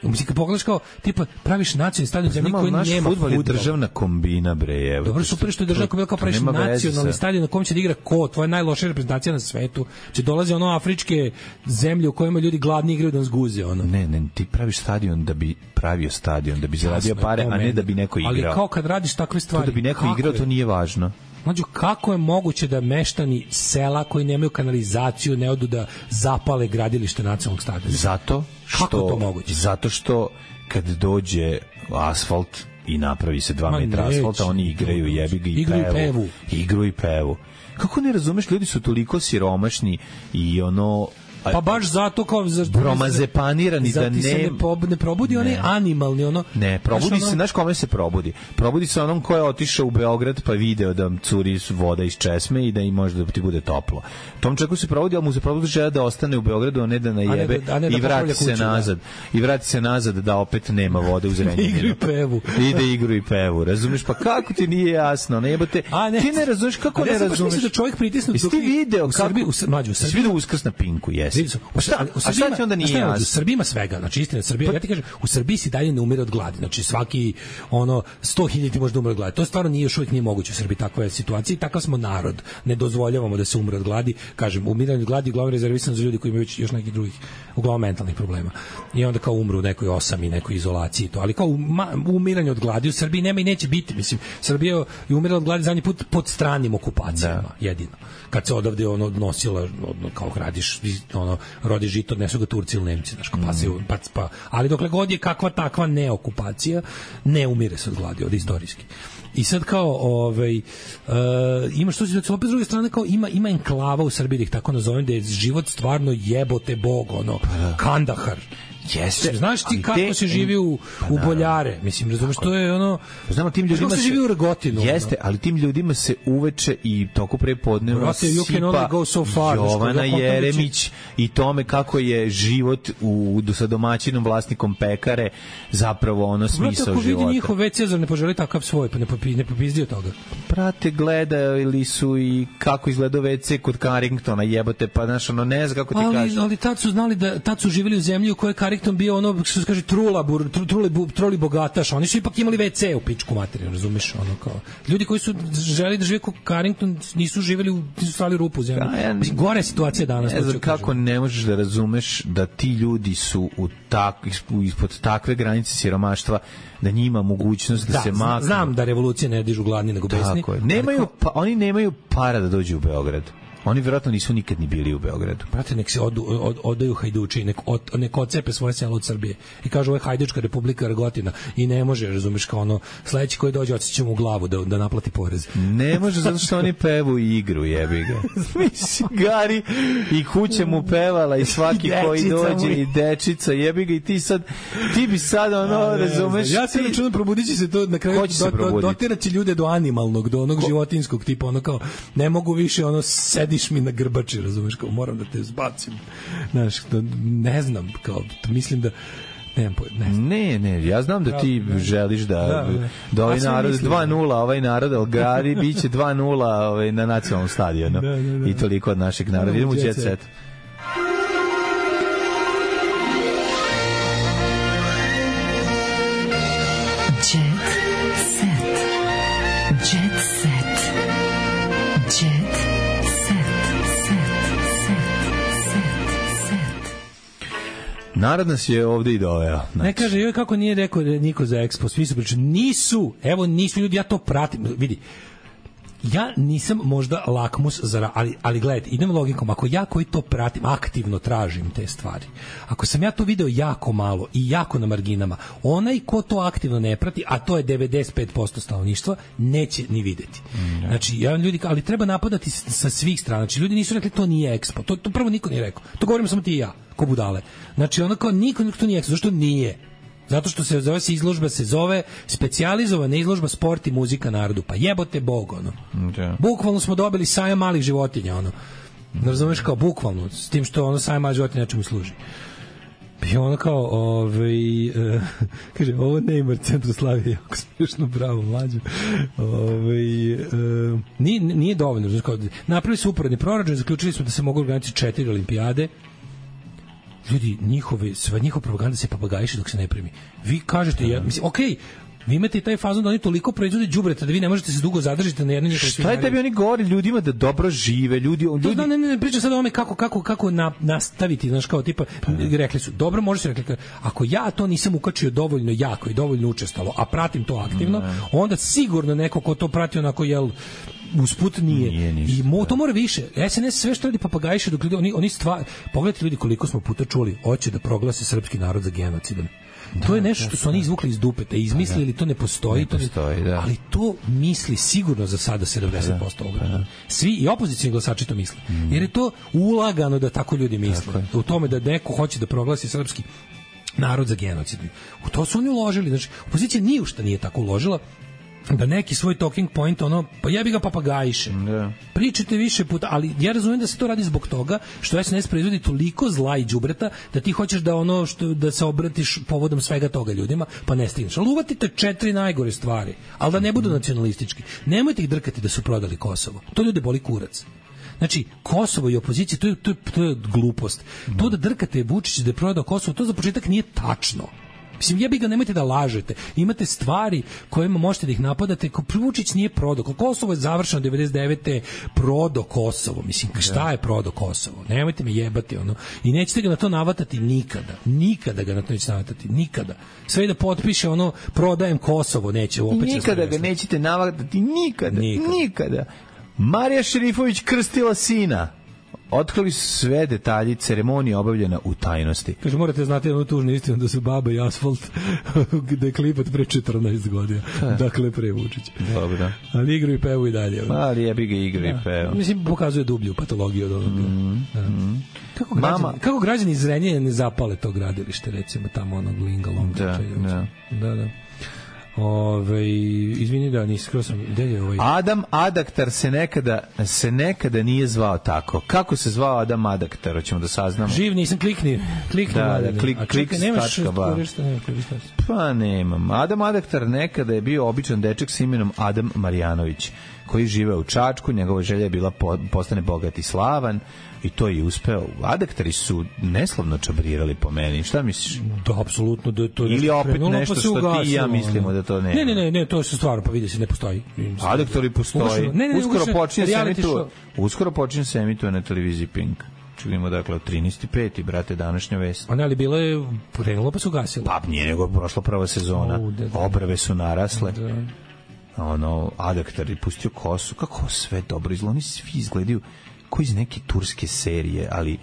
Mislim, kad pogledaš kao, tipa, praviš nacionalni stadion zemlji koji nema fudbal. Naš fudbal je državna kombina, bre, evo. Dobro, super što je državna kombina, kao praviš nacionalni stadion na kom će da igra ko, tvoja najlošija reprezentacija na svetu, će dolaze ono afričke zemlje u kojima ljudi gladni igraju da nas guze, ono. Ne, ne, ti praviš stadion da bi pravio stadion, da bi zaradio pare, a ne da bi neko igrao. Ali kao kad radiš takve stvari... To da bi neko igrao, to nije važno. Mlađo, kako je moguće da meštani sela koji nemaju kanalizaciju ne odu da zapale gradilište nacionalnog stadiona? Zato što, kako to moguće? Zato što kad dođe asfalt i napravi se dva metra asfalta, oni igraju jebi ga i igraju pevu. pevu. Igru i pevu. Kako ne razumeš, ljudi su toliko siromašni i ono... Pa baš zato kao bromazepanirani da ne se ne, pob, ne probudi onaj animalni ono. Ne, probudi ono... se, znaš kome se probudi? Probudi se onom ko je otišao u Beograd pa video da curi voda iz česme i da im može da ti bude toplo. Tom čovjeku se probudi, ali mu se probudi želja da ostane u Beogradu, a ne da najebe a ne da, a ne da i vrati se kuću, nazad. Da. I vrati se nazad da opet nema vode u Zrenjaninu. Igru i pevu. Ide igru i pevu. Razumeš? Pa kako ti nije jasno? Ne jebote. Ne. Ti ne razumeš kako ne razumeš? Da čovjek pritisne dok ti video u Srbiji, u Srbiji, u Srbiji video Uskrs na Pinku, jesi. Pa šta, a šta ti onda nije jasno? U Srbiji ima svega, znači istina, Srbija, ja ti kažem, u Srbiji se dalje ne umire od gladi, znači svaki ono sto hiljada može da umre od gladi. To stvarno nije još uvijek nije moguće u Srbiji, takva je situacija i takav smo narod. Ne dozvoljavamo da se umre od gladi, kažem, umiranje od gladi uglavnom rezervisano za ljudi koji imaju još nekih drugih uglavnom mentalnih problema. I onda kao umru u nekoj osami, nekoj izolaciji to, ali kao umiranje od gladi u Srbiji nema i neće biti, mislim, Srbija je umirala od gladi zadnji put pod stranim okupacijama, da. Jedino. Kad se odavde ono nosila ono, kao radiš ono rodi žito, odnesu ga Turci ili Nemci, znači pa se pa, pa ali dokle god je kakva takva neokupacija, ne umire se od gladi, od istorijski. I sad kao ovaj uh, imaš to se opet s druge strane kao ima ima enklava u Srbiji, da ih tako nazovem, da je život stvarno jebote bog, ono Kandahar. Jeste. Znaš ti kako te, se živi u, pa, u Boljare? Mislim, razumeš, to je ono... Znamo, tim ljudima se živi u Rogotinu. Jeste, ali tim ljudima se uveče i toku prepodneva sipa so far, Jovana Jeremić i tome kako je život u, sa domaćinom vlasnikom pekare zapravo ono smisao života. Brate, ako vidi njihov već Cezar ne poželi takav svoj, pa ne, popi, ne popizdio toga. Prate, gledali su i kako izgleda ve ce kod Carringtona, jebote, pa znaš, ono ne zna kako ti ali, kažeš. Ali tad su znali da, tad su živjeli u zemlji u kojoj Carrington bio ono, što se kaže, trula, bur, truli, truli bogataš, oni su ipak imali ve ce u pičku materiju, razumeš, ono kao. Ljudi koji su želi da žive kao Carrington nisu živjeli u, nisu stali rupu u zemlji. Ja, mislim, gore je situacija danas. Ne znam kako ne možeš da razumeš da ti ljudi su u tak, ispod takve granice siromaštva, da njima mogućnost da, da se maknu. Znam da revolucije ne dižu gladni nego besni. Tako je. Nemaju, pa, oni nemaju para da dođu u Beograd. Oni vjerojatno nisu nikad ni bili u Beogradu. Brate, nek se odu, od, odaju hajduči, nek, od, nek ocepe svoje selo od Srbije. I kažu, ovo je hajdučka republika Rgotina. I ne može, razumeš, kao ono, sledeći koji dođe, odsjeće mu u glavu da, da naplati porez. Ne može, zato što oni pevu i igru, jebi ga. Mislim, Gari i kuća mu pevala i svaki I koji dođe mu. I dečica, jebi ga, i ti sad, ti bi sad, ono, A, ne, razumeš. Ja se računam, probudit će se to na kraju, do, do, dotirat će ljude do animalnog, do onog Ko? životinskog tipa, ono kao, ne mogu više, ono, sediš mi na grbači, razumeš, kao moram da te zbacim. Znaš, ne znam, kao, mislim da ne, ne, ne, ne, ja znam da ti da, želiš da da, da, da ovaj narod dva nula, ovaj narod Algari biće dva nula ovaj, na nacionalnom stadionu. Da, da, da. I toliko od našeg naroda. Idemo u Jet Set. Jet set. Jet set. Set. Set. Narod nas je ovde i doveo. Znači. Ne kaže, joj, kako nije rekao niko za Expo, svi su pričali, nisu, evo nisu ljudi, ja to pratim, vidi, ja nisam možda lakmus za, ali, ali gledajte, idem logikom, ako ja koji to pratim, aktivno tražim te stvari, ako sam ja to video jako malo i jako na marginama, onaj ko to aktivno ne prati, a to je devedeset pet posto stanovništva, neće ni videti. Mm, znači, ja ljudi, ali treba napadati sa svih strana, znači ljudi nisu rekli to nije Expo, to, to prvo niko nije rekao, to govorimo samo ti i ja, ko budale. Znači, ono kao niko, niko to nije Expo, zašto nije? Zato što se zove se izložba, se zove specijalizovana izložba sport i muzika narodu. Pa jebote Bog, ono. Okay. Bukvalno smo dobili sajam malih životinja, ono. Ne razumeš, kao bukvalno, s tim što ono sajam malih životinja nečemu služi. I ono kao, ovaj, uh, kaže, ovo Neymar Centroslavije, jako smiješno, bravo, mlađo. Ovaj, uh, nije, nije dovoljno. Znači, kao, napravili su uporedni proračun, zaključili smo da se mogu organizati četiri olimpijade. Ljudi, njihove, sva njihova propaganda se papagajiše dok se ne primi. Vi kažete, ja, mislim, okej, okay, vi imate i taj fazon da oni toliko proizvode đubreta da vi ne možete se dugo zadržiti na jednoj njihovoj. Šta je tebi oni govori ljudima da dobro žive, ljudi, ljudi... To, ne, ne, ne, pričam sad o tome kako, kako, kako na, nastaviti, znaš, kao tipa, rekli su, dobro, može se rekli, ako ja to nisam ukačio dovoljno jako i dovoljno učestalo, a pratim to aktivno, ne. Onda sigurno neko ko to prati onako, jel, usput nije. nije ništa, I mo, to mora više. S N S sve što radi papagajiše dok ljudi, oni, oni stvar, pogledajte ljudi koliko smo puta čuli, hoće da proglase srpski narod za genocidan. Da, to je nešto što su oni izvukli iz dupeta, izmislili, to ne postoji, ne postoji to ne, da. Ali to misli sigurno za sada sedamdeset posto ovoga. Da. Svi i opozicijni glasači to misle. Mm. Jer je to ulagano da tako ljudi misle. Tako u tome da neko hoće da proglasi srpski narod za genocidni. U to su oni uložili. Znači, opozicija ni u šta nije tako uložila da neki svoj talking point, ono, pa jebi ga papagajiše. Yeah. Pričajte više puta, ali ja razumijem da se to radi zbog toga što S N S proizvodi toliko zla i đubreta da ti hoćeš da ono što da se obratiš povodom svega toga ljudima, pa ne stigneš. Ali uvatite četiri najgore stvari, ali da ne budu nacionalistički. Nemojte ih drkati da su prodali Kosovo. To ljude boli kurac. Znači, Kosovo i opozicija, to je, to je, to je glupost. Mm. To da drkate Vučić da je prodao Kosovo, to za početak nije tačno. Mislim, jebi ga, nemojte da lažete. Imate stvari kojima možete da ih napadate. Ko Vučić nije prodao. Kosovo je završeno devedeset devete prodao Kosovo. Mislim, šta je prodao Kosovo? Nemojte me jebati, ono. I nećete ga na to navatati nikada. Nikada ga na to nećete navatati. Nikada. Sve da potpiše ono, prodajem Kosovo, neće. Opet I nikada ga nećete navatati. Nikada. Nikada. Nikada. Marija Šerifović krstila sina. Otkrili su sve detalji, ceremonija obavljena u tajnosti. Kaže, morate znati jednu tužnu istinu da su Baba i Asfalt da je klipat pre četrnaest godina. Dakle, pre Vučića. Dobro. Ali igru i pevu i dalje. Ali jebi ga igru i pevu. Mislim, pokazuje dublju patologiju od ovoga. Mm, da. mm. Kako, građani, Mama... kako građani iz Zrenjanina ne zapale to gradilište, recimo, tamo onog Lingalong. Da, da. Da, da. Ove, izvini da nisam sam gde je ovaj Adam Adaktar se nekada se nekada nije zvao tako. Kako se zvao Adam Adaktar, hoćemo da saznamo. Živ nisam, klikni, klikni. Da, da, klik, klik, nemaš korišta, nema korišta. Pa nemam. Adam Adaktar nekada je bio običan dečak s imenom Adam Marjanović, koji žive u Čačku, njegova želja je bila po, postane bogat i slavan. I to je uspeo. Adaktari su neslavno čabrirali po meni. Šta misliš? Da, apsolutno. Da, to je ili opet krenulo, nešto pa što ugasilo, ti i ja mislimo da to ne. Ne, ne, ne, ne, to je stvarno, pa vidi se, ne postoji. Adaktari postoji. Ne, ne, uskoro počinje se emituje. Uskoro počinje se emituje na televiziji Pink. Čujemo, dakle, od trinaesti peti, brate, današnja vest. A ne, ali bilo je krenulo pa su ugasilo. Pa nije nego prošla prva sezona. Oh, da, da. Obrve su narasle. Da. Ono, Adaktar je pustio kosu. Kako sve dobro izgleda. Oni svi izgledaju koji iz neke turske serije, ali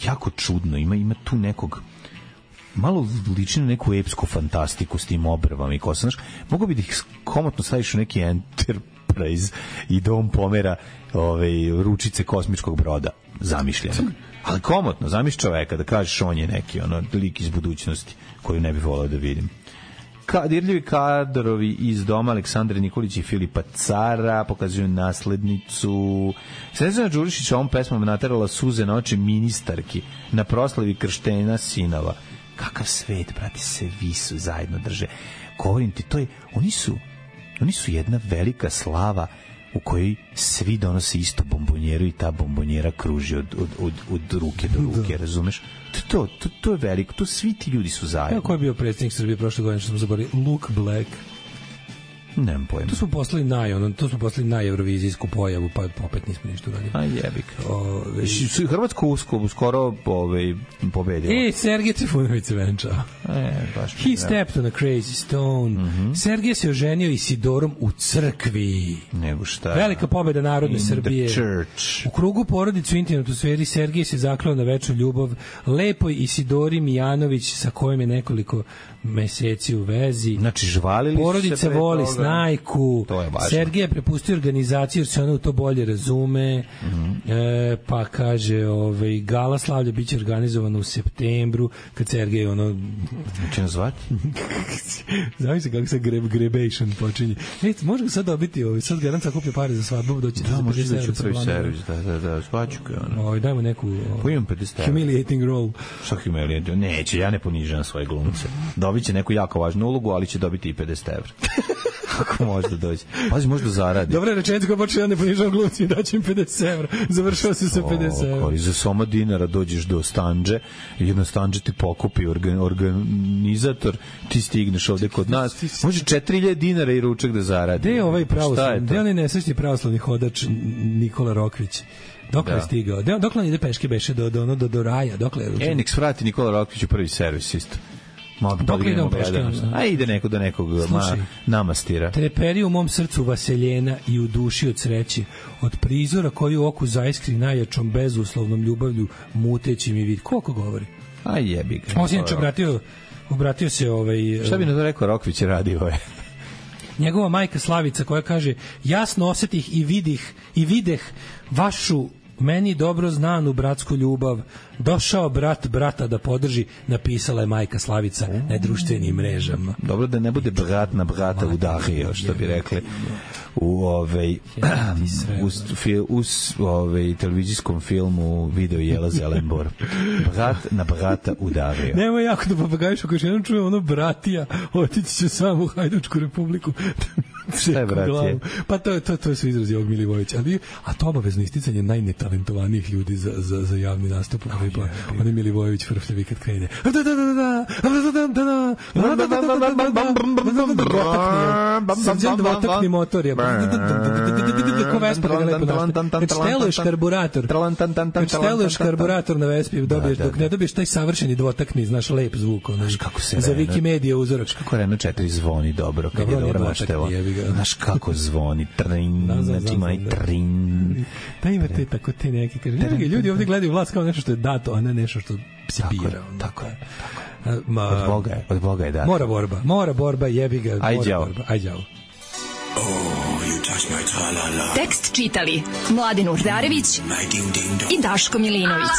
jako čudno, ima ima tu nekog malo liči na neku epsku fantastiku s tim obrvama i kosa, znaš, mogu bi da ih komotno staviš u neki Enterprise i da on pomera ove, ručice kosmičkog broda, zamišljeno. Ali komotno, zamišlj čoveka da kažeš on je neki ono, lik iz budućnosti koju ne bih volao da vidim. Ka, dirljivi kadrovi iz doma Aleksandra Nikolić i Filipa Cara pokazuju naslednicu. Snežana Đurišić ovom pesmom naterala suze na oči ministarki na proslavi krštenja sinova. Kakav svet, brate, se vi su zajedno drže. Govorim ti, to je, oni su, oni su jedna velika slava u kojoj svi donose isto bombonjeru i ta bombonjera kruži od, od, od, od ruke do ruke, da. Razumeš? To, to, to je veliko, to svi ti ljudi su zajedno. Kako je bio predsjednik Srbije prošle godine, što smo zaboravili? Luke Black. Nemam pojma. To smo poslali naj, ono, to smo poslali na eurovizijsku pojavu, pa opet nismo ništa uradili. A jebik. Ove, su Hrvatsko usko skoro ovaj pobedilo. E, Sergej Trifunović se venčao. E, baš. He stepped on a crazy stone. Mm -hmm. Sergej se oženio Isidorom u crkvi. Nego šta? Velika pobeda narodne In Srbije. U krugu porodice u intimnoj atmosferi Sergej se zakleo na večnu ljubav lepoj Isidori Mijanović sa kojom je nekoliko meseci u vezi. Znači, žvalili porodica se voli toga. Snajku. To je važno. Sergej je prepustio organizaciju jer se ona u to bolje razume. Mm -hmm. e, pa kaže, ovaj, gala slavlja biće organizovano u septembru, kad Sergej ono... Će nas zvati? Znaš se kako se greb, grebation počinje. E, može ga sad dobiti, ovaj, sad garant sakuplja pare za svadbu, doći da, može da će prvi servis, da, da, da, svaću ga. Ovaj, dajmo neku humiliating role. Šta humiliating? Neće, ja ne ponižam svoje glumce. Dobit će neku jako važnu ulogu, ali će dobiti i pedeset evra. Kako može da dođe? Pazi, može da zaradi. Dobra rečenica koja počne, ja ne ponižam glumci i daću im pedeset evra. Završava se sa pedeset evra. Za soma dinara dođeš do stanđe, jedno stanđe ti pokupi organ, organizator, ti stigneš ovde kod nas. Može četiri hiljade dinara i ručak da zaradi. Gde je ovaj pravoslavni? Gde je onaj nesrećni pravoslavni hodač Nikola Rokvić? Dokle je stigao? Dokle on ide peške beše do, do, do, do raja? Dokle je ručak? E, nek svrati Nikola Rokvić u prvi servis isto. Dok idemo peške? A ide neko do nekog ma, namastira. Treperi u mom srcu vaseljena i u duši od sreći. Od prizora koji u oku zaiskri najjačom bezuslovnom ljubavlju muteći mi vid. Koliko govori? A jebi ga. On se inače obratio, obratio se ovaj... Šta bi na to rekao Rokvić radio je? Njegova majka Slavica koja kaže jasno osetih i vidih i videh vašu meni dobro znanu bratsku ljubav, došao brat brata da podrži, napisala je majka Slavica na društvenim mrežama. Dobro da ne bude brat na brata udario, što bi rekli u ovej uz, uz ovej televizijskom filmu Video jela Zelenbor. Brat na brata udario. Nemoj jako da papagajiš, ako još jednom čuje ono bratija, otići će samo u Hajdučku republiku. Šta je bratije? Pa to, to, to su izrazi ovog Milivojevića. Ali, a to obavezno isticanje najnetalentovanijih ljudi za, za, za javni nastup. Pa, on je Milivojević frfljavi kad krene. Srđan dvotakni motor je. Ko Vespa ga lepo našte. Kad šteluješ karburator, kad šteluješ karburator na Vespi, dobiješ, dok ne dobiješ taj savršeni dvotakni, znaš, lep zvuk. Za Wikimedia uzorak. Kako Renault četiri zvoni dobro, kad je dobro naštevo. Znaš kako zvoni, trin, znači ima i trin. Da ima te tako te neke, kaže, ljudi ovdje gledaju vlast kao nešto što je dato, a ne nešto što se bira. Tako je, tako je. Ma, od Boga je, od Boga je dato. Mora borba, mora borba, jebi ga. Aj đavo. Aj đavo. Tekst čitali Mladin Urdarević i Daško Milinović.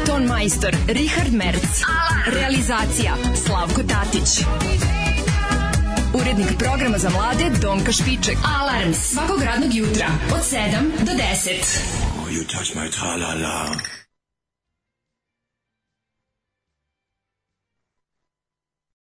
Ton majstor Richard Merc. Realizacija Slavko Tatić. Urednik programa za mlade Donka Špiček. Alarms svakog radnog jutra od sedam do deset. Oh, you touch my tra-la-la.